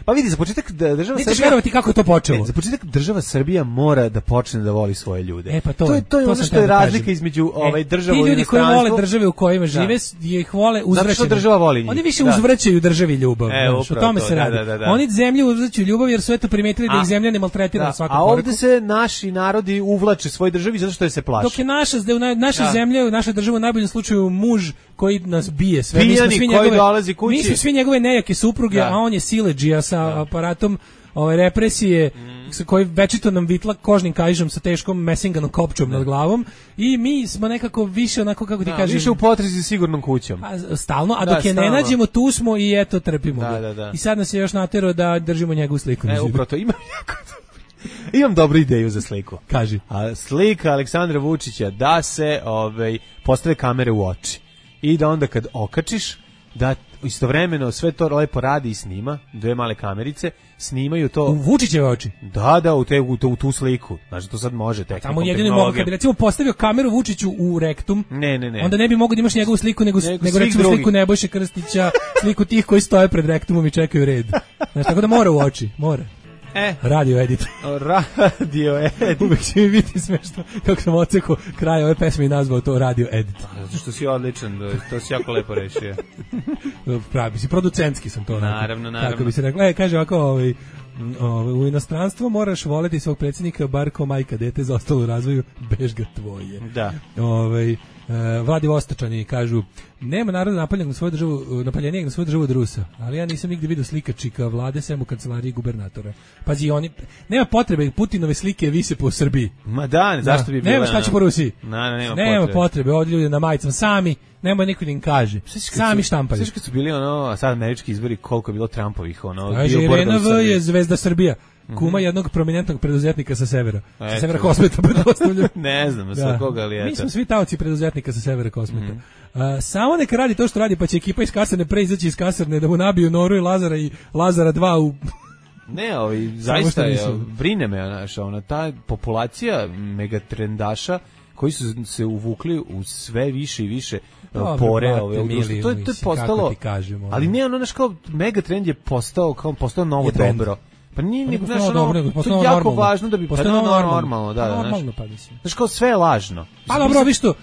Pa vidi, za početak država Srbija... Nećeš verovati kako je to počelo. Za početak država Srbija mora da počne da voli svoje ljude. To je ono što je razlika između države i inostranstva. Ti ljudi koji vole države u kojima žive, ih vole uzvraćati. Zato što država voli njih. Oni više uzvraćaju državi ljubav. O tome se radi. Oni zemlju uzvraćaju ljubav jer su eto primetili da ih zemlja ne maltretira na svakom koraku. A ovdje se naši narodi uvlače svoj državi zato što je se plaše. Dok je naša zemlja, naša država u najboljem slučaju muž koji nas bije sve. Mi smo svi njegove nejake supruge, a on je siledžija sa aparatom represije koji večito nam vitla kožnim kaižom sa teškom mesinganom kopčom nad glavom i mi smo nekako više onako, kako ti kažem, više u potrazi sigurnom kućom. Stalno, a dok je ne nađemo tu smo i eto trpimo ga. I sad nas je još naterao da držimo njegovu sliku. Upravo to imam dobru ideju za sliku. Kaži. Slika Aleksandra Vučića da se postave kamere u oči i da onda kad okačiš da istovremeno sve to lepo radi i snima, dve male kamerice, snimaju to... U Vučićeve oči? Da, u tu sliku. Znači, to sad može tehnikom, tamo jedino mogu, kad bi recimo postavio kameru Vučiću u rektum, onda ne bi mogu da imaš njegovu sliku, nego recimo sliku Nebojše Krstića, sliku tih koji stoje pred rektumom i čekaju red. Znači, tako da mora u oči, mora. Radio edit. Uvijek će mi biti smešno kako sam ocekao kraj ove pesme i nazvao to radio edit. Zato što si odličan, to si jako lepo rešio. Pravi si, producentski sam to. Naravno. Kako bi se rekla, kaže ovako, u inostranstvo moraš voleti svog predsjednika bar kao majka dete za ostalo u razvoju, bež ga tvoje. Da. Vladivostočani kažu, nema naroda napaljenijeg na svoju državu od Rusa, ali ja nisam nigde vidio slikačika vlade sem u kancelariji gubernatora. Pazi, oni, nema potrebe, Putinove slike vise po Srbiji. Ma da, zašto bi bilo? Nema šta će po Rusiji. Nema potrebe, ovdje ljudi na majicama sami, nema niko da im kaže. Sami štampaju. Sve kad su bili sad američki izbori, koliko je bilo Trumpovih, Kaže, Irena V je zvezda Srbija. Kuma jednog prominentnog preduzetnika sa severa. Sa severa Kosmeta, pretpostavljam. Ne znam, sa koga li je to. Mi smo svi taoci preduzetnika sa severa Kosmeta. Samo neka radi to što radi, pa će ekipa iz kasarne izaći iz kasarne da mu nabiju Noru i Lazara 2 u... Ne, zaista brine me, ta populacija megatrendaša koji su se uvukli u sve više i više pore to je postalo, ali ne, kao megatrend je postao novo dobro. Pa nije, to je jako važno da bi postalo normalno, normalno, pa mislim. Znaš, kao sve je lažno. Pa dobro, ovi što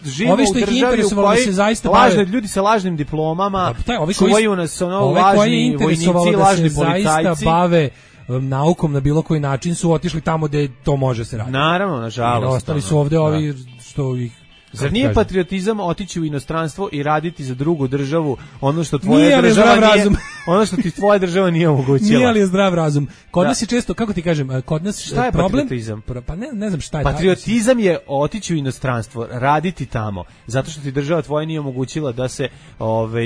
ih interesovalo da se zaista bave... Ljudi sa lažnim diplomama, čuvaju nas lažni vojnici, lažni policajci. Bave naukom na bilo koji način su otišli tamo gde to može se raditi. Naravno, nažalost. Ostali su ovde ovi što ih... Zar nije patriotizam otići u inostranstvo i raditi za drugu državu ono što tvoja država nije, ono što ti tvoja država nije omogućila? Nije li je zdrav razum? Kod nas je često, kako ti kažem, kod nas šta je problem, patriotizam? Pa ne znam šta je. Patriotizam je otići u inostranstvo, raditi tamo, zato što ti država tvoja nije omogućila da se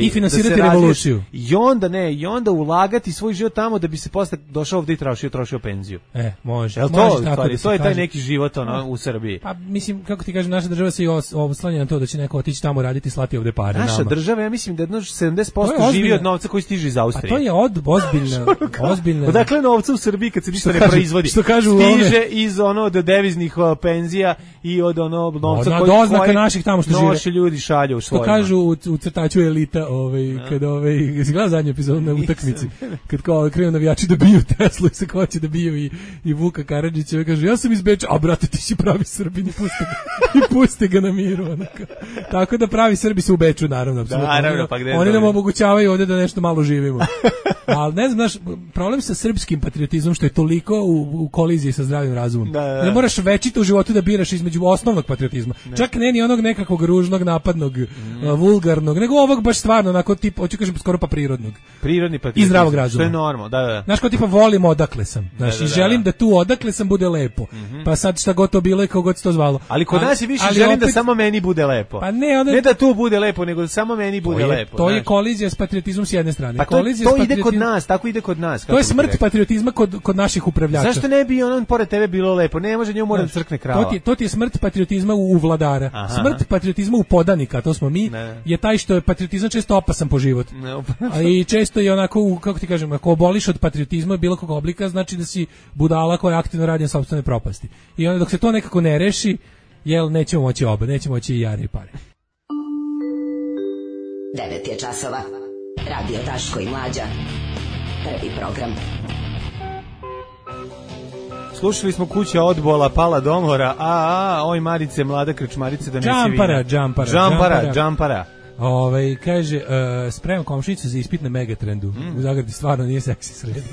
i finansirati revoluciju. I onda ulagati svoj život tamo da bi se posle došao ovde i trošio penziju. Može. To je taj neki život u Srbiji. Pa mislim, kako ti kažem, naša država se oslanja na to da će neko otići tamo raditi i slati ovde pare. Naša država, ja mislim da 70% živi od novca koji stiže iz Austrije. A to je ozbiljna. Odakle novca u Srbiji kad se ništa ne proizvodi? Stiže iz od deviznih penzija i od novca koji doznaka naših tamo što žive. Naši ljudi šalju u svojima. Što kažu u crtaču Elita, kad izgleda zadnju epizodu na utakmici, kad kao krenu navijači da biju Teslu i se hoće da biju i Vuka Karadžića, kaže ja sam iz Beča, a brate ti si pravi Srbin i pusti ga na miru. Tako da pravi Srbi su u Beču, naravno. Oni nam omogućavaju ovdje da nešto malo živimo. Ali ne znam, problem sa srpskim patriotizmom što je toliko u koliziji sa zdravim razumom. Ne moraš večito u životu da biraš između osnovnog patriotizma. Čak ne ni onog nekakvog ružnog, napadnog, vulgarnog, nego ovog baš stvarno, onako tipa, hoću kažem skoro pa prirodnog. Prirodni patriotizam. I zdravog razuma. Što je normalno, da. Znaš, kao tipa volim odakle sam. Znaš, i želim da tu odakle sam bude lepo. Pa sad šta god to bilo i kako god se to zvalo. Ali kod nas je više želim da samo meni bude lepo. Pa ne da tu bude lepo, nego da samo meni bude lepo. To je kolizija s patriotizmom s jedne strane. Pa to ide kod nas, tako ide kod nas. To je smrt patriotizma kod naših upravljača. Zašto ne bi pored tebe bilo lepo? Ne može njemu mora da crkne krava. To ti je smrt patriotizma u vladara. Smrt patriotizma u podanika, to smo mi, je taj što je patriotizam često opasan po život. I često je onako, kako ti kažem, ako oboliš od patriotizma bilo kog oblika, znači da si budala koja aktivno radi na sopstvene propasti. I onda dok se to nekako ne reši, nećemo moći oba, nećemo moći i jare i pare. 9 je časova. Radio Daško i Mlađa. Prvi program. Slušali smo Kuća odbola, Pala domora, oj Marice, mlada krčmarice, da nesi vina. Džampara. Kaže, spremam komšinicu za ispit na Megatrendu. U Zagradi stvarno nije seksi sredi.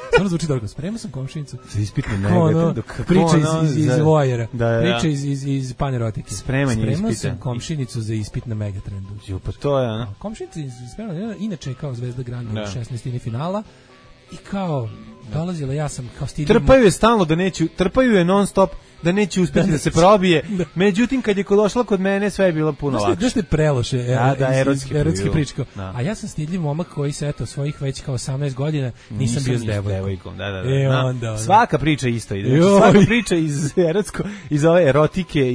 Stvarno zvuči dobro. Spremao sam komšinicu. Za ispit na Megatrendu. Priča iz Vojera. Priča iz panerotike. Spremanje ispita. Spremao sam komšinicu za ispit na Megatrendu. Pa to je, komšinica spremala, inače kao Zvezda Granda u 16. finala. I kao, dolazila, ja sam kao stidim... Trpaju je stalno trpaju je non stop da neće uspjeti da se probije. Međutim, kad je došla kod mene, sve je bilo puno lakše. Znaš te preloše, erotski pričko. Da. A ja sam stidljiv momak koji se, svojih već kao 18 godina nisam bio s devojkom. Da. Svaka priča isto ide. Svaka priča iz ove erotike,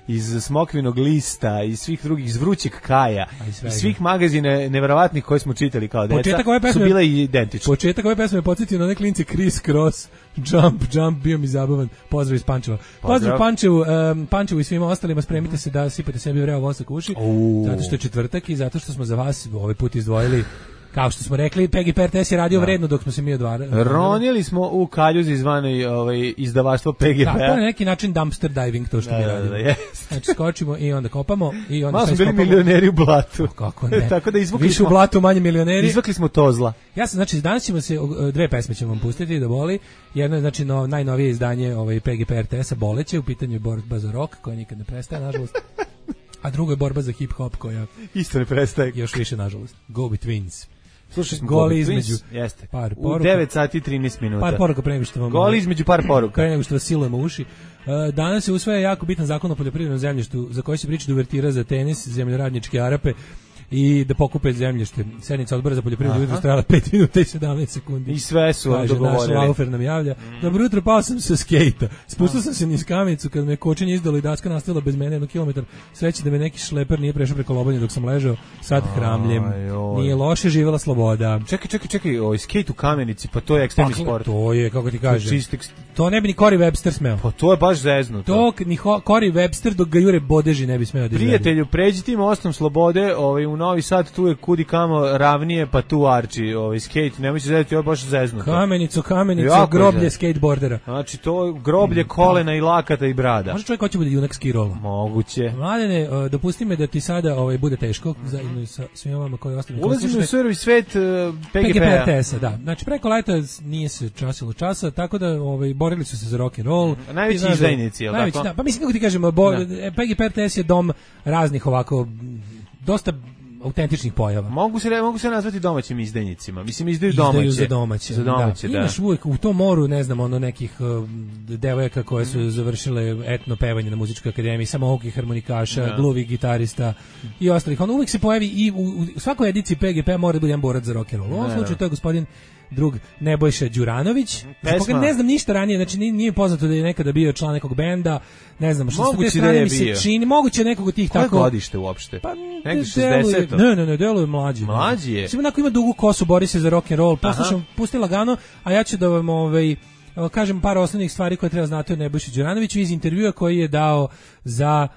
iz Smokvinog lista, iz svih drugih, iz Vrućeg Kaja, iz svih magazina neverovatnih koje smo čitali kao deca, su bile identične. Početak ove pesme me podsjetio na one klince Criss Cross, Jump, bio mi zabavan. Pozdrav iz Pančeva. Pozdrav Pančevu i svima ostalima, spremite se da sipate sebi vreo vosak u uši, zato što je četvrtak i zato što smo za vas ovaj put izdvojili, kao što smo rekli, PGP RTS je radio vredno dok smo se mi odvarali. Ronili smo u kaljuzi zvanoj izdavaštvo PGP. Da, to je na neki način dumpster diving, to što mi radimo. Znači skočimo i onda kopamo. I onda smo bili milioneri u blatu. Kako ne? Tako da više u blatu, manje milioneri. Izvukli smo tozla. Ja sam, znači, danas ćemo se, dve pesme ćemo vam pustiti da boli. Jedno je, znači, najnovije izdanje PGP RTS-a, Boleće, u pitanju je borba za rock, koja nikad ne prestaje, nažalost. A drugo je borba za hip-hop koja isto ne prestaje. Još više, nažalost. Go Betweens. Slušaj smo goli između jeste. Par poruka. U 9 sati i 13 minuta. Par poruka pre nego što vam... Goli između par poruka. Pre nego što vas silujemo uši. Danas se usvaja jako bitan zakon o poljoprivrednom zemljištu za koji se priča da uvertira za tenis, zemljoradničke Arape i da pokupe zemljište. Sednica odbora za poljoprivredu jutros trajala 5 minuta i 17 sekundi. I sve su dogovorili. Naš Laufer nam javlja. Dobro jutro, pao sam sa skejta. Spustao sam se niz kamenicu kad me kočenje izdalo i daska nastavila bez mene 1 kilometar. Sreće da me neki šleper nije prešao preko lobanje dok sam ležao. Sad hramljem. Nije loše, živela sloboda. Čekaj, ovaj skejt u kamenici, pa to je ekstremni sport. To je, kako ti kažem. To ne bi ni Corey Webster smeo. Pa to je baš zeznuto. To ni Corey Webster dok ga jure bodeži ne bi smeo da izvede. Prijatelju, pređi tim mostom slobode, u Novi Sad tu je kudi kamo ravnije, pa tu arči skate, nemoj se zezati, ovo je baš zeznuto. Kamenicu, groblje skateboardera. Znači to groblje kolena i lakata i brada. Može čovjek hoće bude junak skirola? Moguće. Mladene, dopusti me da ti sada bude teško, zajedno sa svima vama koji ostali. Ulazimo u surovi svet PGP-a. PGP-a, da. Znači preko leta nije se časilo časa, tako da borili su se za rock and roll. Najveći izdajnici, jel tako? Da, pa mislim kako ti kažemo, PGP-RTS je dom raznih ovako dosta autentičnih pojava. Mogu se nazvati domaćim izdajnicima. Mislim, izdaju za domaće. Da. Imaš uvijek u tom moru, ne znam, nekih devojaka koje su završile etno pevanje na muzičkoj akademiji, samoukih harmonikaša, gluvih gitarista i ostalih. On uvijek se pojavi i u svakoj ediciji PGP mora da bude jedan borac za rock and roll. U ovom slučaju to je gospodin drug Nebojša Đuranović, za koga ne znam ništa ranije, znači nije poznato da je nekada bio član nekog benda, ne znam, što moguće s te strane mi se čini, moguće nekog od tih tako... Koje godište uopšte? Pa, negdje 60. Ne, deluje mlađi. Mlađi je? Sve onako ima dugu kosu, bori se za rock and roll, poslušam, pusti lagano, a ja ću da vam kažem par osnovnih stvari koje treba znati o Nebojši Đuranoviću iz intervjua koji je dao za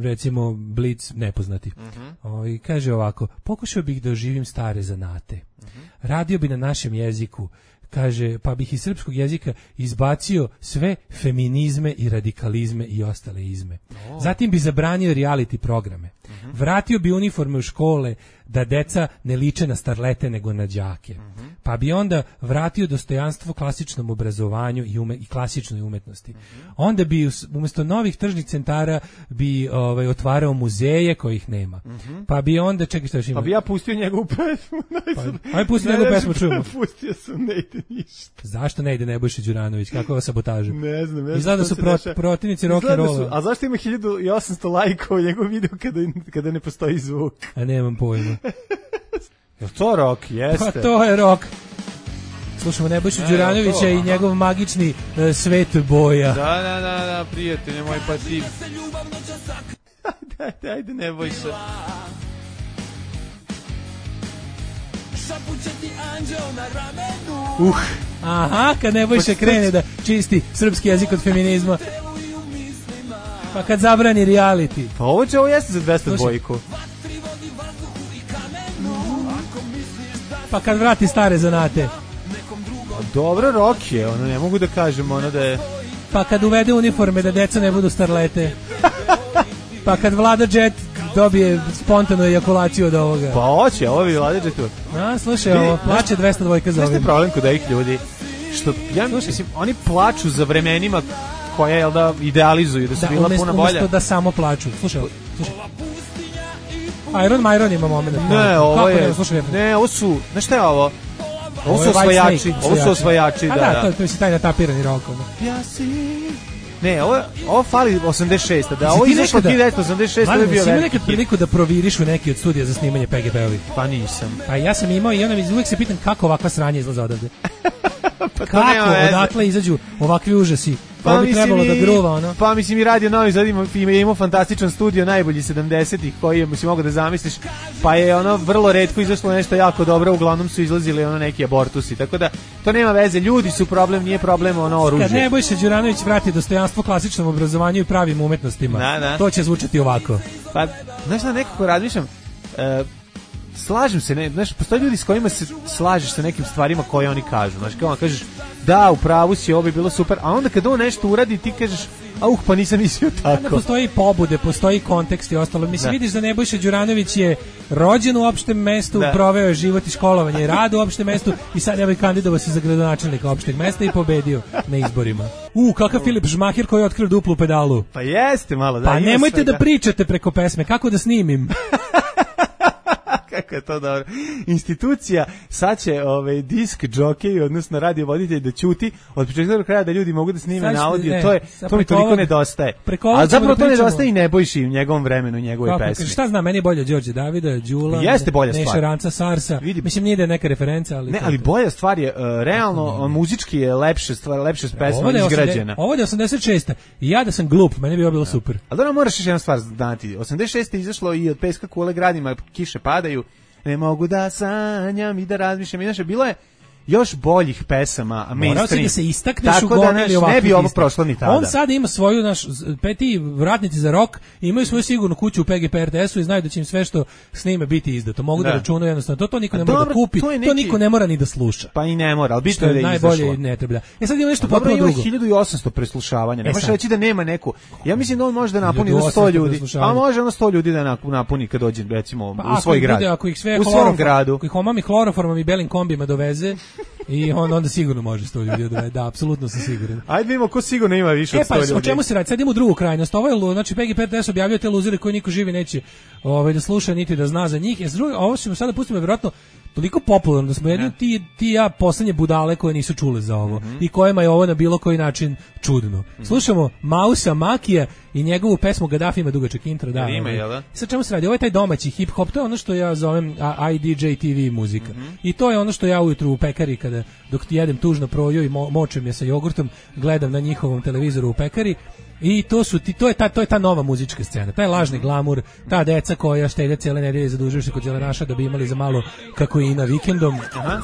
recimo Blic nepoznati. Kaže ovako: pokušao bih da oživim stare zanate. Radio bi na našem jeziku. Kaže, pa bih iz srpskog jezika izbacio sve feminizme i radikalizme i ostale izme. Zatim bi zabranio reality programe. Vratio bi uniforme u škole da deca ne liče na starlete nego na đake. Pa bi onda vratio dostojanstvo klasičnom obrazovanju i klasičnoj umetnosti. Onda bi umjesto novih tržnih centara bi otvarao muzeje kojih nema. Pa bi onda, čekaj šta još ima? Pa bi ja pustio njegovu pesmu. Ajde pusti njegovu pesmu, čujemo. Pustio sam, ne ide ništa. Zašto ne ide Nebojša Đuranović? Kakva sabotaža? Ne znam. Izgleda da su protivnici rock and rolla. A zašto ima 1800 lajkova njegov video kada ne postoji zvuk? A nemam pojma. Je to rock? Jeste. Pa to je rock. Slušamo Nebojšu Đuranovića i njegov magični svet boja. Da, prijatelj moj, pa ti... Ajde, Nebojša. Aha, kad Nebojša krene da čisti srpski jezik od feminizma. Pa kad zabrani reality. Pa ovo jeste za 200 dvojku. Pa kad vrati stare zanate. Dobro, rock je, ne mogu da kažem da je... Pa kad uvede uniforme da deca ne budu starlete. Pa kad Vlada Jet dobije spontanu ejakulaciju od ovoga. Pa hoće, ovo bi Vlada Jetu. Slušaj, ovo, plaće 200 dvojka za ovim. Znaš problem kod ovih ljudi? Što, ja mislim, oni plaču za vremenima koja, idealizuju, da su bila puno bolja. Umesto da samo plaču. Slušaj. Iron Myron ima moment. Ne, ovo je... Ne, ovo su... Znaš šta je ovo? Ovo su osvajači, da. A da, to je taj natapirani rock. Ne, ovo fali 86. Da, ovo izašlo 1986. Mladen, si imao nekad priliku da proviriš u neki od studija za snimanje PGP-ovi? Pa nisam. Pa ja sam imao i uvijek se pitam kako ovakva sranja izlaze odavde. Kako, odakle izađu ovakvi užasi? Pa bi trebalo da gruva, Pa mislim i Radio Novi Sad imao fantastičan studio najbolji 70-ih koji je, si mogu da zamisliš, pa je vrlo retko izašlo nešto jako dobro, uglavnom su izlazili neki abortusi, tako da to nema veze, ljudi su problem, nije problem oružje. Kad Nebojša Đuranović vrati dostojanstvo klasičnom obrazovanju i pravim umetnostima, to će zvučati ovako. Pa, znaš da nekako razmišljam, slažem se, postoje ljudi s kojima se slažeš sa nekim stvarima koje oni kažu, znaš, kao kažeš, da, u pravu si, ovo bi bilo super, a onda kad on nešto uradi, ti kažeš, pa nisam mislio tako. Ne postoji pobude, postoji kontekst i ostalo. Mislim, vidiš da Nebojša Đuranović je rođen u opštem mestu, proveo je život i školovanje i rad u opštem mestu i sad je kandidovao se za gradonačelnika opšteg mesta i pobedio na izborima. Kakav Filip Žmaher koji je otkrio duplu pedalu. Pa jeste malo, da. Pa nemojte da pričate preko pesme, kako da snimim? Kako je to dobro. Institucija sad će disk džokej, odnosno radio voditelj da ćuti od početka do kraja da ljudi mogu da snime na audio, to mi toliko nedostaje. A zapravo to nedostaje i Nebojši u njegovom vremenu, njegove pesme. Šta znam, meni je bolje Đorđe Davida, Đula, Neša Ranca, Sarsa. Mislim, nije da je neka referenca, ali... Ne, ali bolja stvar je, realno, muzički je lepša pesma izgrađena. Ovo je 86. I ja da sam glup, meni bi ovo bilo super. Ali dobro, moraš još jednu stvar znati. 86. je izašlo i od Peska kule gradima, kiše padaju, ne mogu da sanjam i da razmišljam. Inače, bilo je još boljih pesama, mainstream. Morao si da se istakneš u gomili ovakvih. Ne bi ovo prošlo ni tada. On sad ima svoju, ti vratnici za rock, imaju svoju sigurnu kuću u PGP RTS-u i znaju da će im sve što snime biti izdato. Mogu da računaju jednostavno. To niko ne mora da kupi, to niko ne mora ni da sluša. Pa i ne mora, ali bitno je da je izašlo. Najbolje ne treba. Sad ima nešto potpuno drugo. Dobro, ima 1800 preslušavanja. Ne možeš reći da nema neku. Ja mislim da on može da napuni 100 ljudi. Pa može ono 100 ljudi da napuni kad dođe, recimo, u svoj grad. Ako ih sve u svom gradu. Ako ih omami hloroformom i belim kombijama doveze i onda sigurno može 100 ljudi odvede. Da, apsolutno sam siguran. Ajde vidimo ko sigurno ima više od 100 ljudi. O čemu se radi? Sad idemo u drugu krajnost. Ovo je, znači, PGP RTS objavljuje te luzere koji niko živi neće da sluša niti da zna za njih. Ovo ćemo sada pustimo vjerojatno toliko popularno da smo jedni ti ja poslednje budale koje nisu čule za ovo i kojima je ovo na bilo koji način čudno. Slušamo Mausa Makija i njegovu pesmu Gaddafi ima dugačak intro. Da, sad čemu se radi? Ovo je taj domaći hip-hop, to je ono što ja zovem IDJ TV muzika. I to je ono što ja ujutru u pekari, dok ti jedem tužno proju i močem je sa jogurtom, gledam na njihovom televizoru u pekari. I to je ta nova muzička scena, taj lažni glamur, ta deca koja štede cijele nedelje zadužuju se kod zelenaša da bi imali za malo kakoina vikendom. Aha.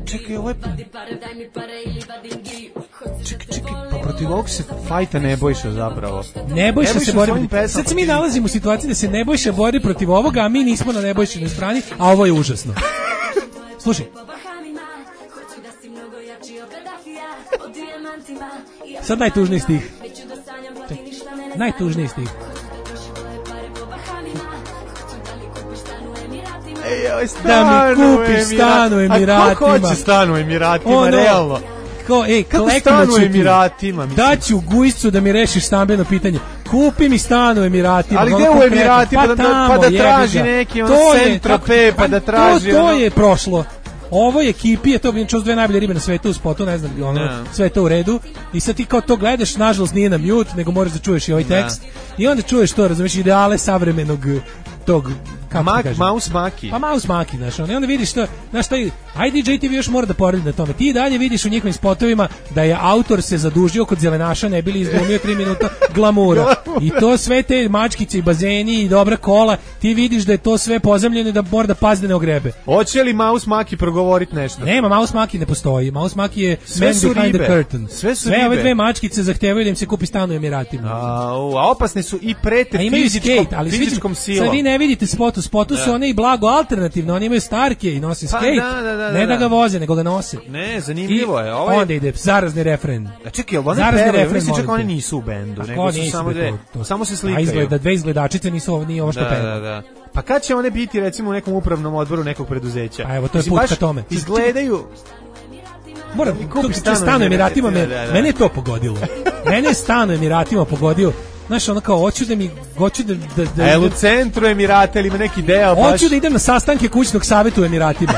Čekaj, ovo je... Čekaj, pa protiv ovog se fajta Nebojša zapravo. Nebojša se bori, sad se mi nalazimo u situaciji da se Nebojša bori protiv ovoga, a mi nismo na Nebojšinoj strani, a ovo je užasno. Slušaj. Sad najtužniji stih. Najtužniji stih. Da mi kupiš stan u Emiratima. A ko hoće stan u Emiratima, realno? Kako stan u Emiratima? Daću Gujscu da mi rešiš stambeno pitanje. Kupi mi stan u Emiratima. Ali gde u Emiratima? Pa da traži neki centra P, pa da traži... To je prošlo. Ovo je Kipije, to bi čuo dve najbolje ribe na svetu u spotu, ne znam, sve to u redu. I sad ti kao to gledaš, nažalost nije na mute, nego moraš da čuješ i ovaj tekst. I onda čuješ to, razumiješ, ideale savremenog tog, kako ti kažem? Mouse Maki. Pa Mouse Maki, znaš, i onda vidiš to, znaš, taj IDJ TV još mora da poradi na tome. Ti dalje vidiš u njihovim spotovima da je autor se zadužio kod zelenaša, ne bili izglumio 3 minuta glamura. I to sve te mačkice i bazeni i dobra kola, ti vidiš da je to sve pozemljeno i da mora da pazi da ne ogrebe. Hoće li Mouse Maki progovoriti nešto? Nema, Mouse Maki ne postoji. Mouse Maki je man behind the curtain. Sve ove dve mačkice zahtevaju da im se kupi stan u Emiratima. A opasne su i prete fizičkom silom. Sad vi ne vidite spotu su one i blago alternativno, oni imaju starke i nose skate. Ne da ga voze, nego ga nose. Ne, zanimljivo je. Onda ide zarazni refren. A čekaj, ali one pevaju, mislim čak oni nisu u bendu, nego su samo dve, samo se slikaju. A izgleda dve izgledačice nisu nije ovo što peva. Da. Pa kad će one biti recimo u nekom upravnom odboru nekog preduzeća? A evo, to je put ka tome. Izgledaju... Moram kupiti stan u Emiratima, mene je to pogodilo. Mene je stan u Emiratima pogodio. Znaš, ono kao, hoću da u centru Emirata ili ima neki deo baš... Hoću da idem na sastanke kućnog savjeta u Emiratima.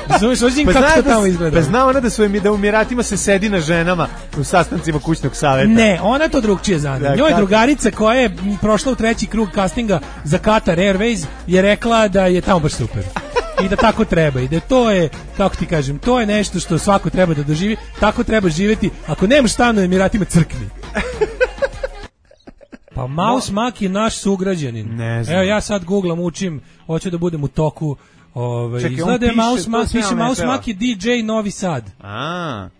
Razumiješ, hoću kako to tamo izgleda. Pa zna ona da u Emiratima se sedi na ženama u sastancima kućnog savjeta. Ne, ona to drugčije zna. Njoj drugarica koja je prošla u 3. krug castinga za Qatar Airways je rekla da je tamo baš super. I da tako treba. I da to je, kako ti kažem, to je nešto što svako treba da doživi. Tako treba živjeti. Ako nemaš stan u Emiratima, crkni. Pa Mouse Maki je naš sugrađanin. Ne znam. Evo ja sad googlam, učim, hoću da budem u toku. Izgleda je Mouse Maki DJ Novi Sad.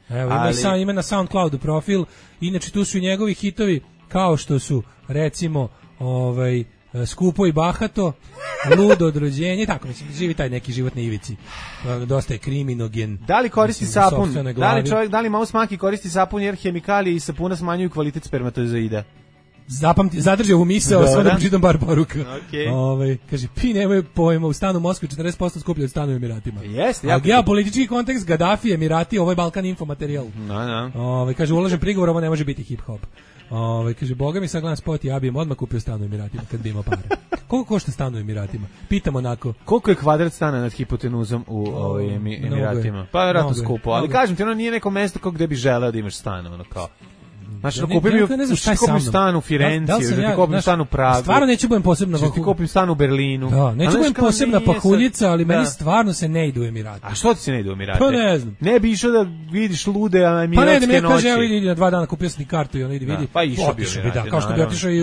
Evo, ima na SoundCloudu profil. Inače tu su i njegovi hitovi kao što su recimo Skupo i bahato. lud od rođenja, tako mislim, živi taj neki život na ivici. Dosta je kriminogen. Da li koristi sapun? Da li Maus Maki koristi sapun jer hemikalije iz sapuna smanjuju kvalitet spermatozoida? Zadržao ovu misao, sve da pročitam bar poruka. Okay. Kaže, nemaju pojma, u stanu u Moskvi 40% skuplje od stanu u Emiratima. Jeste. A geopolitički kontekst, Gaddafi, Emirati, ovo je Balkan infomaterijal. Kaže, ulažem prigovor, ovo ne može biti hip-hop. Kaže, boga mi sad gledam spot, ja bi im odmah kupio stan u Emiratima kad bi imao pare. Koliko košta stan u Emiratima? Pitam onako. Koliko je kvadrat stana nad hipotenuzom u Emiratima? Pa vjerojatno skupo, ali kažem ti, ono nije neko mesto kao gde bi želeo da imaš stan, ono kao. Znači, kupim stan u Firenci, da ti kupim stan u Pragu. Stvarno neću budem posebna pahuljca. Ti kupim stan u Berlinu. Da, neću budem posebna pahuljica, ali meni stvarno se ne ide u Emirate. A što ti se ne ide u Emirate? Pa ne znam. Ne bi išao da vidiš lude emiratske noći. Pa ne, da mi kaže, evo idi na 2 dana, kupio sam ti kartu i ono idi vidi. Pa išao bi da, kao što bi otišao i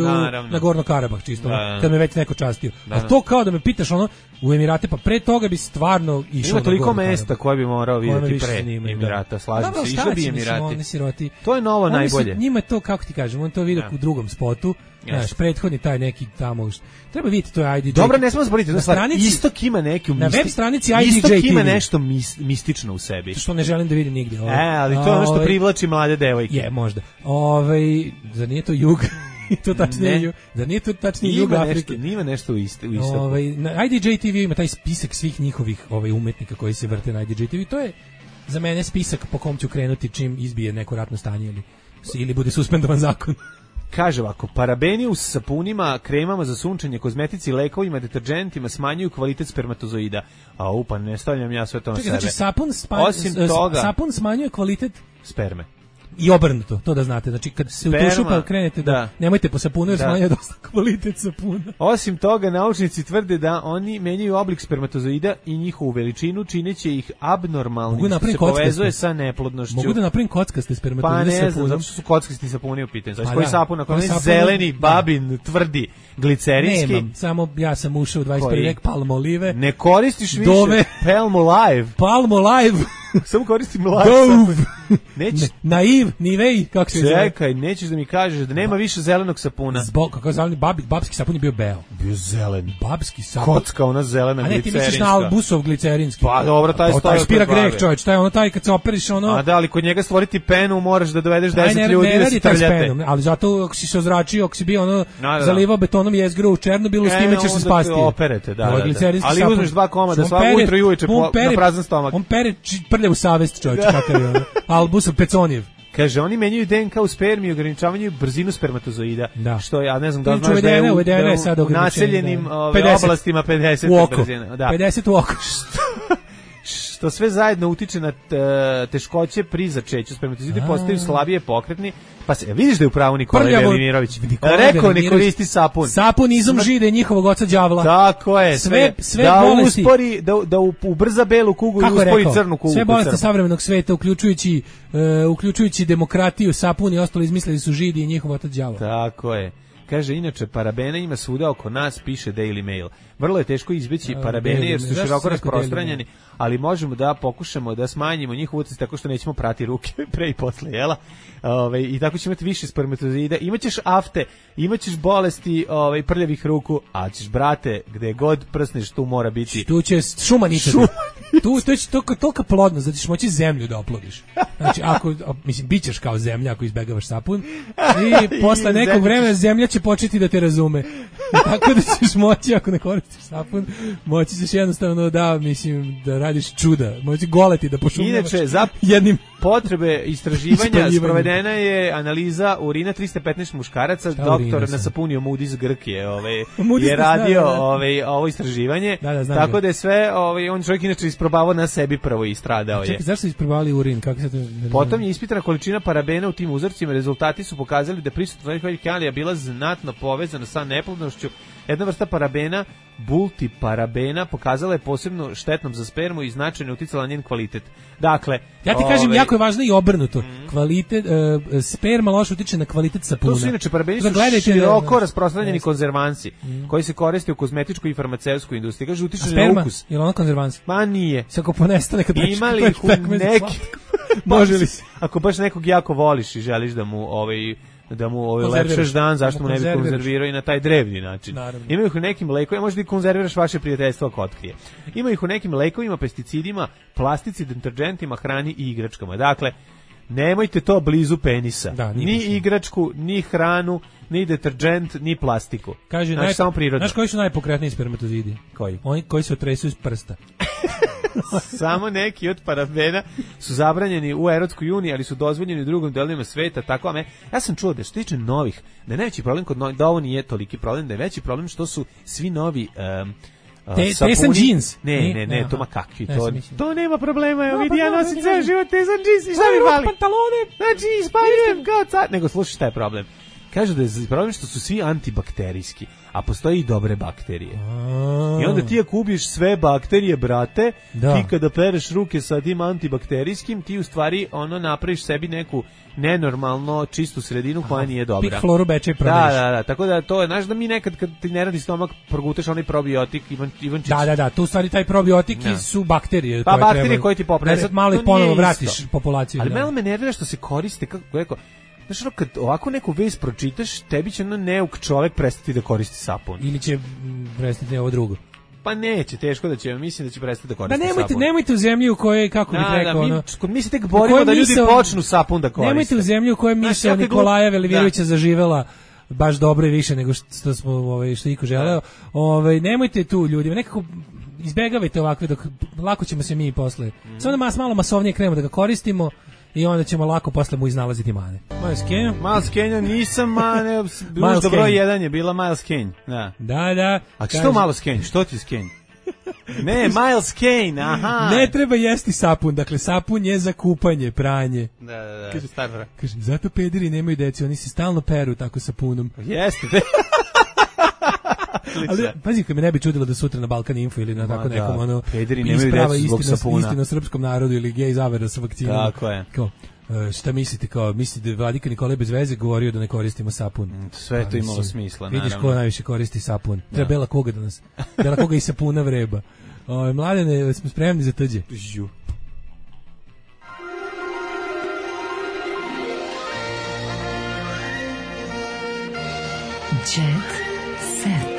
na Gorno Karabah, čisto, kad me već neko častio. A to kao da me pitaš ono, u Emirate, pa pre toga bi stvarno išao. Ima toliko mesta koje bi morao vidjeti pre Emirata, slažem se, išao bi Emirati. To je novo najbolje. Njima je to, kako ti kažem, on to vidio u drugom spotu, znaš, prethodni taj neki tamo, treba vidjeti, to je IDJ. Dobro, ne smemo zaboraviti, Istok ima neki na web stranici IDJ Istok ima nešto mistično u sebi. Što ne želim da vidim nigdje. Ali to je ono što privlači mlade devojke. Je, možda. Zar nije to jug? To tačnije, da nije to tačnije jug Afrike. Nima nešto u Istoku. Na IDJ TV ima taj spisak svih njihovih umetnika koji se vrte na IDJ TV. To je za mene spisak po kom ću krenuti čim izbije neko ratno stanje ili bude suspendovan zakon. Kaže ovako, parabeni u sapunima, kremama za sunčanje, kozmetici, lekovima, deterđentima smanjuju kvalitet spermatozoida. Pa ne stavljam ja sve to na sebe. Znači, sapun smanjuje kvalitet sperme. I obrnuto, to da znate. Znači, kad se u tušu pa krenete da nemojte po sapunu, jer smanjuje dosta kvalitet sapuna. Osim toga, naučnici tvrde da oni menjaju oblik spermatozoida i njihovu veličinu, čineći ih abnormalnim, što se povezuje sa neplodnošću. Mogu da napravim kockaste spermatozoide sapuna? Pa ne znam, zato što su kockasti sapuni u pitanju. Znači, koji sapun, ako ne zeleni, babin, tvrdi, glicerinski. Nemam, samo ja sam ušao u 21. vek, Palmolive. Ne koristiš više Palmolive. Palmolive. Samo koristim live. Naiv, nivej, kako se zove? Čekaj, nećeš da mi kažeš da nema više zelenog sapuna. Kako zeleni, babski sapun je bio beo. Bio zelen. Babski sapun. Kocka, ona zelena glicerinska. A ne, ti misliš na Albusov glicerinski. Pa dobro, taj stoji. Taj spira greh, čovječ, taj ono taj kad se operiš ono. A da, ali kod njega stvoriti penu moraš da dovedeš 10 ljudi da se trljate. Ali zato ako si se ozračio, ako si bio ono zalivao betonom jezgru u Černobilu, s time ćeš se spasti. Operete, da. Ali uzmeš 2 komada svako ujutro i uveče na prazan stomak. On pere prljavu savest, čovječ, kakav je ono. Albusov Peconijev. Kaže, oni menjaju DNK u spermi i ograničavaju brzinu spermatozoida. Da. Što ja ne znam da znaš da je u naseljenim oblastima 50 brzina. 50 u oko. Što sve zajedno utiče na teškoće pri začeću. Spermatozoidi postaju slabije pokretni. Pa se vidiš da je u pravu Nikola Velimirović. Rekao ne koristi sapun. Sapun izum žide njihovog oca đavla. Tako je. Sve da bolesti. Uspori, da ubrza belu kugu i uspori crnu kugu. Sve bolesti savremenog sveta, uključujući demokratiju, sapun i ostalo izmislili su židi i njihov otac đavla. Tako je. Kaže, inače, parabena ima svuda oko nas, piše Daily Mail. Vrlo je teško izbeći parabene jer su široko rasprostranjeni, ali možemo da pokušamo da smanjimo njihov utjecaj tako što nećemo prati ruke pre i posle, jela? I tako ćemo imati više spermatozoida. Imaćeš afte, imaćeš bolesti prljavih ruku, a ćeš, brate, gde god prsneš, tu mora biti... Tu će šuma ničati. Tu će tolika plodnost da ćeš moći zemlju da oplodiš. Znači, bit ćeš kao zemlja ako izbegavaš sapun i posle nekog vremena zemlja će početi da te razume. Tako da ćeš moći, ako ne koristiš sapun, moći ćeš jednostavno da radiš čuda. Moći goleti da pošumljavaš. Inače, za jednim potrebe istraživanja sprovedena je analiza urina 315 muškaraca. Doktor na sapunio Moody's Grk je radio ovo istraživanje. Tako da je sve, on čovjek inače isprobavao na sebi prvo i stradao je. Čekaj, zašto su isprobavali urin? Potom je ispitana količina parabena u tim uzorcima. Rezultati su pokazali da prisutnost hemikalija bila znatno povezana sa neplodnošću. Jedna vrsta parabena, multiparabena, pokazala je posebno štetnom za spermu i značajno uticala na njen kvalitet. Dakle, ja ti kažem, jako je važno i obrnuto. Kvalitet sperma loše utiče na kvalitet sapuna. To su inače parabeni su široko rasprostranjeni konzervansi koji se koriste u kozmetičkoj i farmaceutskoj industriji. Kaže, utiče na ukus. Je li ono konzervans? Ma nije. Ako ponestane kad imali ih u neki... Može li se? Ako baš nekog jako voliš i želiš da mu da mu lepšaš dan, zašto mu ne bi konzervirao i na taj drevni način. Naravno. Ima ih u nekim lekovima, možda i konzerviraš vaše prijateljstvo ako otkrije. Ima ih u nekim lekovima, pesticidima, plastici, deterđentima, hrani i igračkama. Dakle, nemojte to blizu penisa. Da, ni igračku, ni hranu, ni deterđent, ni plastiku. Kaže, samo prirodno. Znaš koji su najpokretniji spermatozidi? Koji? Oni koji se otresu iz prsta. Samo neki od parabena su zabranjeni u Evropskoj uniji, ali su dozvoljeni u drugim delovima sveta, tako ja sam čuo da što tiče novih, da je najveći problem kod novih, da ovo nije toliki problem, da je veći problem što su svi novi tesan džins. Ne, to ma kakvi, to nema problema, evo vidi, ja nosim ceo život tesan džins i šta mi fali? Pantalone. Znači, ispaljujem kao car. Nego, slušaj šta je problem. Kažu da je problem što su svi antibakterijski, a postoji i dobre bakterije. I onda ti ako ubiješ sve bakterije, brate, ti kada pereš ruke sa tim antibakterijskim, ti u stvari napraviš sebi neku nenormalno čistu sredinu koja nije dobra. Pik floru beče i prodaješ. Da, tako da to je, znaš da mi nekad kad ti ne radi stomak, progutaš onaj probiotik, Ivančić. Da, tu u stvari taj probiotik su bakterije. Pa bakterije koje ti poprave. Malo ih ponovo vratiš populaciju. Ali malo me nervira što se koriste, kako rekao, znaš, kad ovako neku vest pročitaš, tebi će neuk čovek prestati da koristi sapun. Ili će prestati ovo drugo. Pa neće, teško da će, mislim da će prestati da koristi sapun. Nemojte u zemlji u kojoj, kako bih rekao, mi se tek borimo da ljudi počnu sapun da koriste. Nemojte u zemlji u kojoj misao Nikolaja Velivirovića zaživela baš dobro i više nego što smo što iko želeo. Nemojte tu ljudima, nekako izbegavajte ovakve, dok lako ćemo se mi posle. Samo da malo masovnije krenemo da ga koristimo. I onda ćemo lako posle mu iznalaziti mane. Miles Kane nisam mane. Možda broj 1 je bila Miles Kane. Da. A što Miles Kane? Što ti je Kane? Ne, Miles Kane, aha. Ne treba jesti sapun, dakle sapun je za kupanje, pranje. Da, kaže, zato pederi nemaju deci, oni se stalno peru tako sapunom. Jeste. Ali pazi, kad me ne bi čudilo da sutra na Balkan Info ili na tako nekom pederi nemaju deci zbog sapuna. Istina srpskom narodu ili gej zavera sa vakcinom. Tako je. Šta mislite, mislite da Vladika Nikolaj bez veze govorio da ne koristimo sapun? Sve to imalo smisla, naravno. Vidiš ko najviše koristi sapun. Treba Bela Koga da nas, Bela Koga i sapuna vreba. Mladene, smo spremni za tđe. Jet set.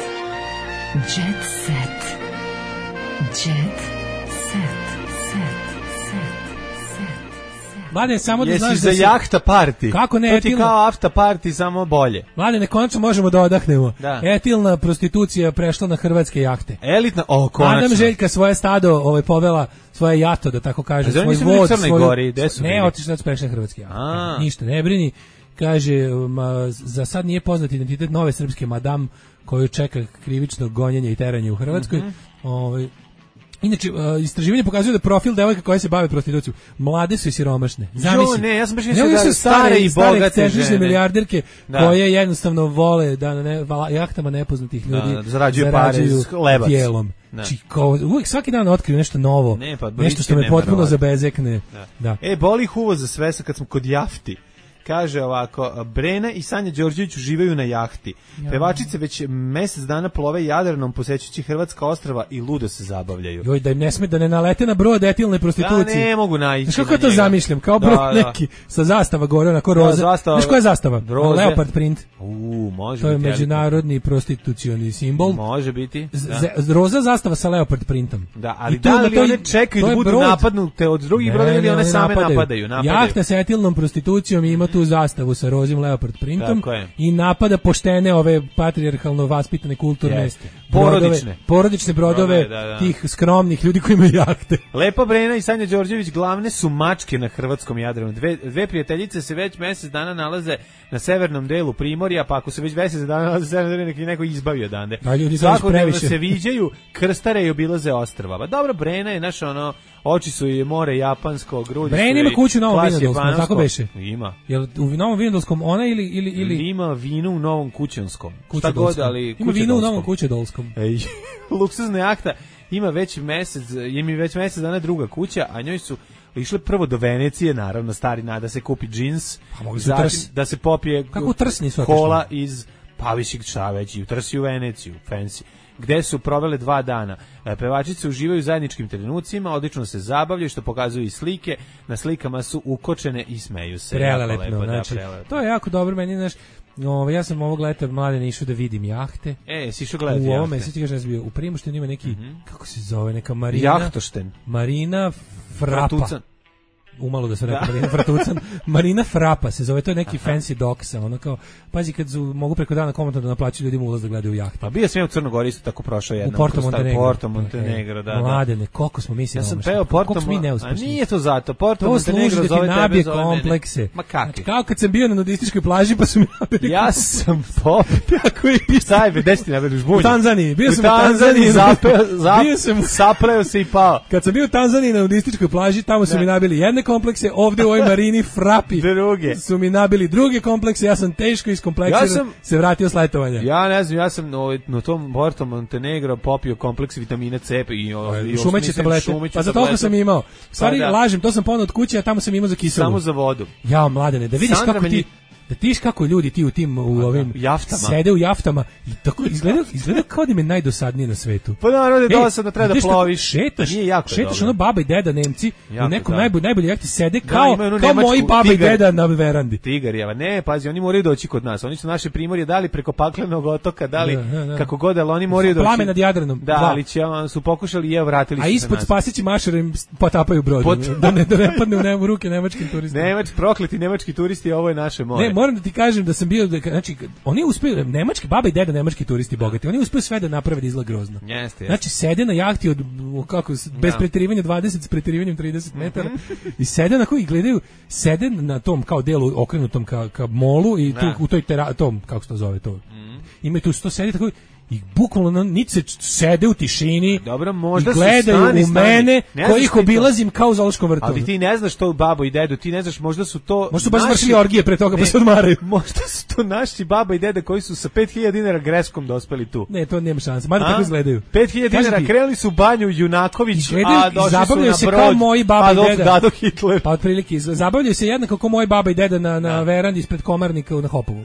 Jet set. Jet set. Mladen, samo da znaš da si... Jesi za jahta party. Kako ne, to ti kao afta party, samo bolje. Mladene, konačno možemo da odahnemo. Etilna prostitucija prešla na hrvatske jahte. Elitna, konačno. Adam Željka svoje stado povela, svoje jato, da tako kaže, svoj vod. Ne, otišli da prešli na hrvatske jahte. Ništa, ne brini. Kaže, za sad nije poznat identitet nove srpske madam koju čeka krivično gonjenje i teranje u Hrvatskoj. Inače, istraživanje pokazuje da profil devojka koja se bave prostitucijom, mlade su i siromašne. Zamisli. Ja sam baš mislio da stare i bogate žene. Milijarderke koje jednostavno vole da na jahtama nepoznatih ljudi zarađuju pare s lebac. Tijelom. Uvijek svaki dan otkriju nešto novo, nešto što me potpuno zabezekne. Boli ih uvo za sve kad smo kod jahti. Kaže ovako, Brena i Sanja Đorđević uživaju na jahti. Pevačice već mjesec dana plove Jadranom posećujući hrvatska ostrava i ludo se zabavljaju. Joj, da im ne sme da ne nalete na brod etilne prostitucije. Ja ne mogu naići. Znaš kako ja to zamišljam? Kao brod neki sa zastava gore, onako roza. Znaš koja je zastava? Leopard print. Može to je biti međunarodni prostitucioni simbol. Može biti. Roza zastava sa leopard printom. Da, ali da li one čekaju da budu napadnute od drugih brodova ili one same napadaju? Jahta sa etilnom prostitucijom ima tu zastavu sa rozim leopard printom i napada poštene ove patrijarhalno vaspitane kulturne porodične brodove tih skromnih ljudi koji imaju jahte. Lepa Brena i Sanja Đorđević glavne su mačke na hrvatskom Jadranu. Dve prijateljice se već mjesec dana nalaze na severnom delu Primorja, pa ako se već mjesec dana nalaze na severnom delu, neki neko izbavi odande. Svakodnevno se viđaju, krstare i obilaze ostrva. Pa dobro, Brena je naša oči su i more japansko, grudi su i Brena ima kuću u Novom Vinodolskom, tako beše? Ima. Jel u Novom Vinodolskom ona ili... Ima vino u Novom Kućanskom. Šta god, ali ima vino u Novom Kućedolskom. Luksuzna jahta ima već mjesec dana druga kuća, a njoj su išle prvo do Venecije, naravno stari da se kupi džins, da se popije kola iz Pa više šta već, jutro si u Veneciju, fancy, gde su provele 2 dana. Pevačice uživaju u zajedničkim trenucima, odlično se zabavljaju, što pokazuju i slike. Na slikama su ukočene i smeju se. Prelelepno, znači, to je jako dobro, meni, znaš, ja sam ovog leta mlade išao da vidim jahte. Si išao gledati jahte? U ovome, sad ti kažem, bio u Primoštenu ima neki, kako se zove, neka Marina... Jahtošten. Marina Frapa. Umalo da se rekao Marina Fratucan. Marina Frapa se zove, to je neki fancy doksa, ono kao, pazi kad mogu preko dana komotno da naplaćaju ljudima ulaz da gledaju jahte. Pa bio sam u Crnogori isto tako prošao jednom. U Porto Montenegro, da. Mladene, koliko smo mislili. Ja sam peo Porto Montenegro. A nije to zato, Porto Montenegro zove tebe, zove komplekse. Ma kakvi? Kao kad sam bio na nudističkoj plaži pa su mi nabili. Ja sam tako i sajbe, gde si ti nabili žbunje? U Tanzaniji, bio sam u Tanzaniji, sapleo se i pao. Kad sam bio u Tanzaniji na nudističkoj plaži, tamo su mi nabili jedne komplekse, ovde u ovoj Marini Frapi druge su mi nabili druge komplekse, ja sam teško iskompleksiran, se vratio s letovanja. Ja ne znam, ja sam na tom Porto Montenegro popio kompleks vitamina C i šumeće tablete, pa za toliko sam imao. Stvari, lažem, to sam ponao od kuće, a tamo sam imao za kiselu. Samo za vodu. Ja, mladene, da vidiš kako ti... Da tiš kako ljudi ti u ovim jaftama sede u jaftama i tako izgleda kao da im je najdosadnije na svetu. Pa naravno da dosadno treba da ploviš. Šetaš ono baba i deda Nemci u nekom najbolje jahti sede kao moji baba i deda na verandi. Tigarjeva. Ne, pazi, oni moraju doći kod nas. Oni su naše primorje dali preko Paklenog otoka, dali kako god, ali oni moraju doći. Plame nad Jadranom. Da, ali su pokušali i vratili se. A ispod Spasići mašara im potapaju brod. Da ne padne u ruke nemačkim turistima. Prokleti nemački turisti, ovo je naše more. Moram da ti kažem da sam bio, znači, oni uspiju, nemački, baba i deda nemački turisti bogati, oni uspiju sve da naprave da izgleda grozno. Jeste. Znači, sede na jahti bez preterivanja 20, s preterivanjem 30 metara i sede na koji gledaju, sede na tom kao delu okrenutom ka molu i tu, u toj tom, kako se to zove to, imaju tu sto sedi tako i bukvalno niti se sede u tišini. Dobro, možda i gledaju u mene koji ih obilazim kao u zoološkom vrtu. Ali ti ne znaš to babo i dedu, ti ne znaš, možda su to možda su baš vršili orgije pre toga pa se odmaraju. Možda su to naši baba i deda koji su sa 5000 dinara greškom dospeli tu. Ne, to nema šanse, mada tako izgledaju. 5000 dinara krenuli su u banju Junaković, a došli su na se kao moji baba i deda. Adolf Hitler. Pa otprilike zabavljaju se jednako kao moji baba i deda na verandi ispred Komarnika na Hopovu.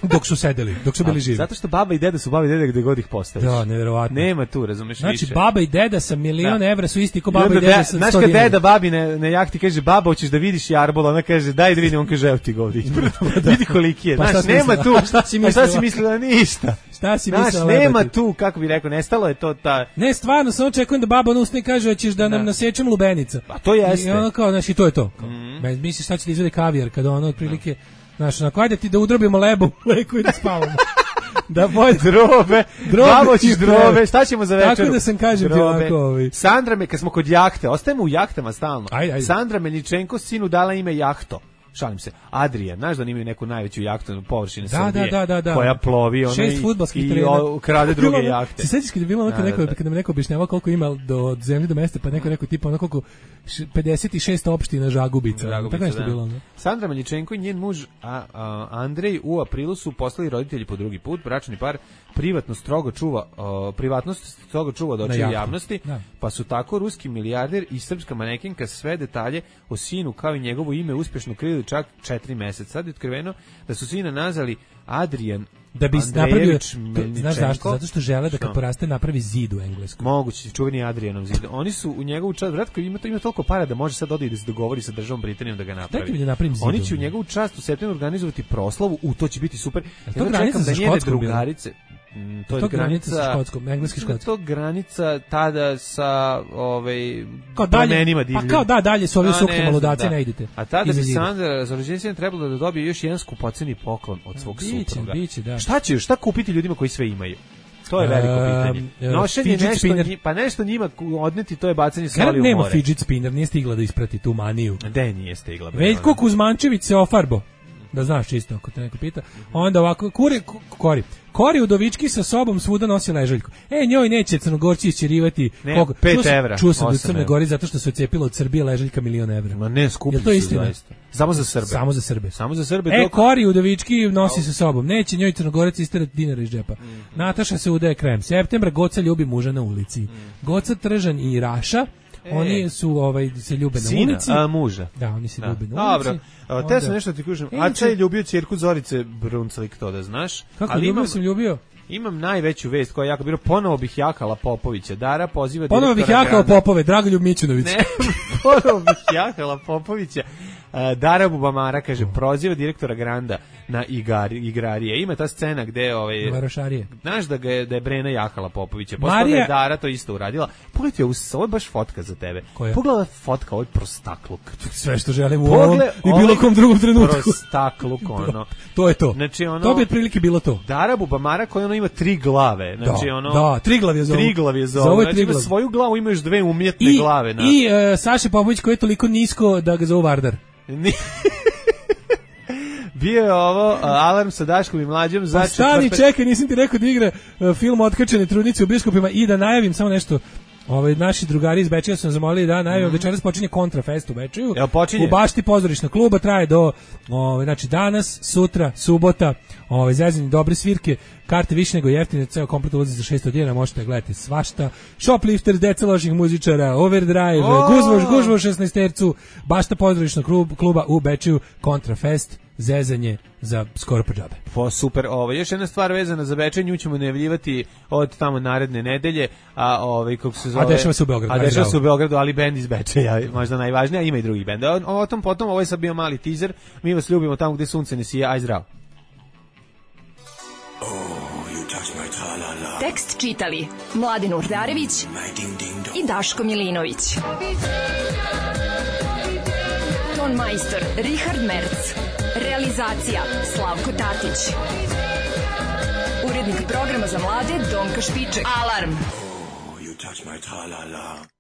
Dok su sedeli, dok su bili živi. Zato što baba i deda su baba i deda gde god ih postaviš. Da, neverovatno. Nema tu, razumeš, znači, više. Znači, baba i deda sa milion evra su isti ko baba i deda sa 100 dinara. Znaš kad deda babi na jahti kaže, baba, hoćeš da vidiš jarbola, ona kaže, daj da vidim, on kaže, evo ti ga ovdje. Vidi koliki je. Znaš, nema tu. Šta si mislila? Ništa. Šta si mislila? Znaš, nema tu, kako bi rekao, nestalo je to ta... Ne, stvarno, samo čekujem da baba usne i kaže, hoćeš da nam nasečem lubenica. A to jeste. I ono kao, znači, to je to. Misliš, šta će da izvede kavijar, kada ono, otprilike... Znaš, onako, ajde ti da udrobimo lebu u leku i da spavamo. Da pojde drobe, babo ćeš drobe, šta ćemo za večeru? Tako da sam kažem ti ovako. Sandra kad smo kod jahte, ostajemo u jahtama stalno. Ajde. Sandra Meničenko sinu dala ime Jahto. Šalim se. Adrian, znaš da imaju neku najveću jahtu na površini Srbije, koja plovi ona i krade druge jahte. Se sećaš kad je bilo kad nam neko objašnjavao koliko ima od zemlje do mesta, pa neko tipa ono koliko 56 opština Žagubica. Tako nešto bilo. Sandra Meničenko i njen muž Andrej u aprilu su postali roditelji po drugi put. Bračni par privatnost strogo čuva od očiju javnosti, pa su tako ruski milijarder i srpska manekenka sve detalje o sinu kao i njegovo ime uspješno krili čak 4 meseca. Sad je otkriveno da su sina nazvali Adrian da bi napravio, znaš zašto? Zato što žele da kad poraste napravi zid u engleskom. Moguće, čuveni Adrianov zid. Oni su u njegovu čast, vratko ima toliko para da može sad odati da se dogovori sa državom Britanijom da ga napravi. Oni će u njegovu čast u septembru organizovati proslavu, to će biti super. To granica sa Škotskom drugarice. To je granica sa Škotskom, engleski Škotski. To je granica tada sa plamenima divljim. Pa kao dalje su ovi sukno ludaci, ne idete. A tada bi Sandra za rođendan trebalo da dobije još jedan skupoceni poklon od svog supruga. Da. Šta kupiti ljudima koji sve imaju? To je veliko pitanje. Nošenje nešto njima odneti, to je bacanje soli u more. Nema fidget spinner, nije stigla da isprati tu maniju. De nije stigla. Veljko Kuzmančević se ofarbo. Da znaš čisto, ako te neko pita. Onda ovako, Kori Udovički sa sobom svuda nosi ležaljku. Njoj neće Crnogorci isčerivati 5 evra. Čuo sam da u Crnoj Gori zato što se odcepila od Srbije ležaljka 1.000.000 evra. Ma ne, skupi su zaista. Samo za Srbe. Kori Udovički nosi sa sobom. Neće njoj Crnogorac isterati dinara iz džepa. Nataša se udaje krem. Septembra Goca ljubi muža na ulici. Goca, Tržan i Raša Oni su se ljube na ulici. Muža. Da, oni se ljube na ulici. Dobro. Te sam nešto ti kažem. Aca je ljubio ćerku Zorice Brunclik, to da znaš. Kako ljubio? Imam najveću vest koja je jako bilo. Ponovo bih jakala Popovića. Dara poziva direktora Ponovo bih jakala Popove, Dragoljub Mićunović. Ne, ponovo bih jakala Popovića. Dara Bubamara, kaže, proziva direktora Granda na igrarije. Ima ta scena gde Varošarije. Znaš da je Brena jakala Popovića. Posle je Dara to isto uradila. Pogledaj, ovo je baš fotka za tebe. Pogledaj fotka, ovaj prostakluk. Sve što želim u ovom i bilo kom drugom trenutku. Prostakluk, ono. To je to. Znači, ono, to bi otprilike bilo to. Dara Bubamara koja ima 3 glave. Znači, da, Triglav je zovu. Znači, ima svoju glavu, imaš 2 umjetne glave. I Saša Popović koji je toliko nisko da ga zovu Vardar. Bio je ovo Alarm sa Daškom i Mlađom za stani, čekaj, nisam ti rekao da igra film Otkačene trudnice u biskupima i da najavim samo nešto. Naši drugari iz Bečeja su nas zamolili da najavim, večeras počinje Kontrafest u Bečeju. U Bašti pozorišna kluba, traje do znači danas, sutra, subota, zezanje dobre svirke, karte više nego jeftine, ceo komplet ulazi za 600 dinara, možete gledati svašta. Shoplifters, deca loših muzičara, Overdrive, gužvo 16-tercu, Bašta pozorišna kluba u Bečeju, Kontrafest, zezanje za skoro po džabe. Super, još jedna stvar vezana za Bečej, nju ćemo najavljivati od tamo naredne nedelje, kako se zove... A dešava se u Beogradu. A dešava se u Beogradu, ali bend iz Bečeja, možda najvažnija, ima i drugi bend. O tom potom, ovo je sad bio mali teaser, mi vas ljubimo tamo gde sunce ne sija, aj zdravo. Tekst čitali Mladin Urdarević i Daško Milinović. Ton majstor Richard Merc. Realizacija Slavko Tatić. Urednik programa za mlade Donka Špiček. Alarm! Oh, you touch my tra-la-la.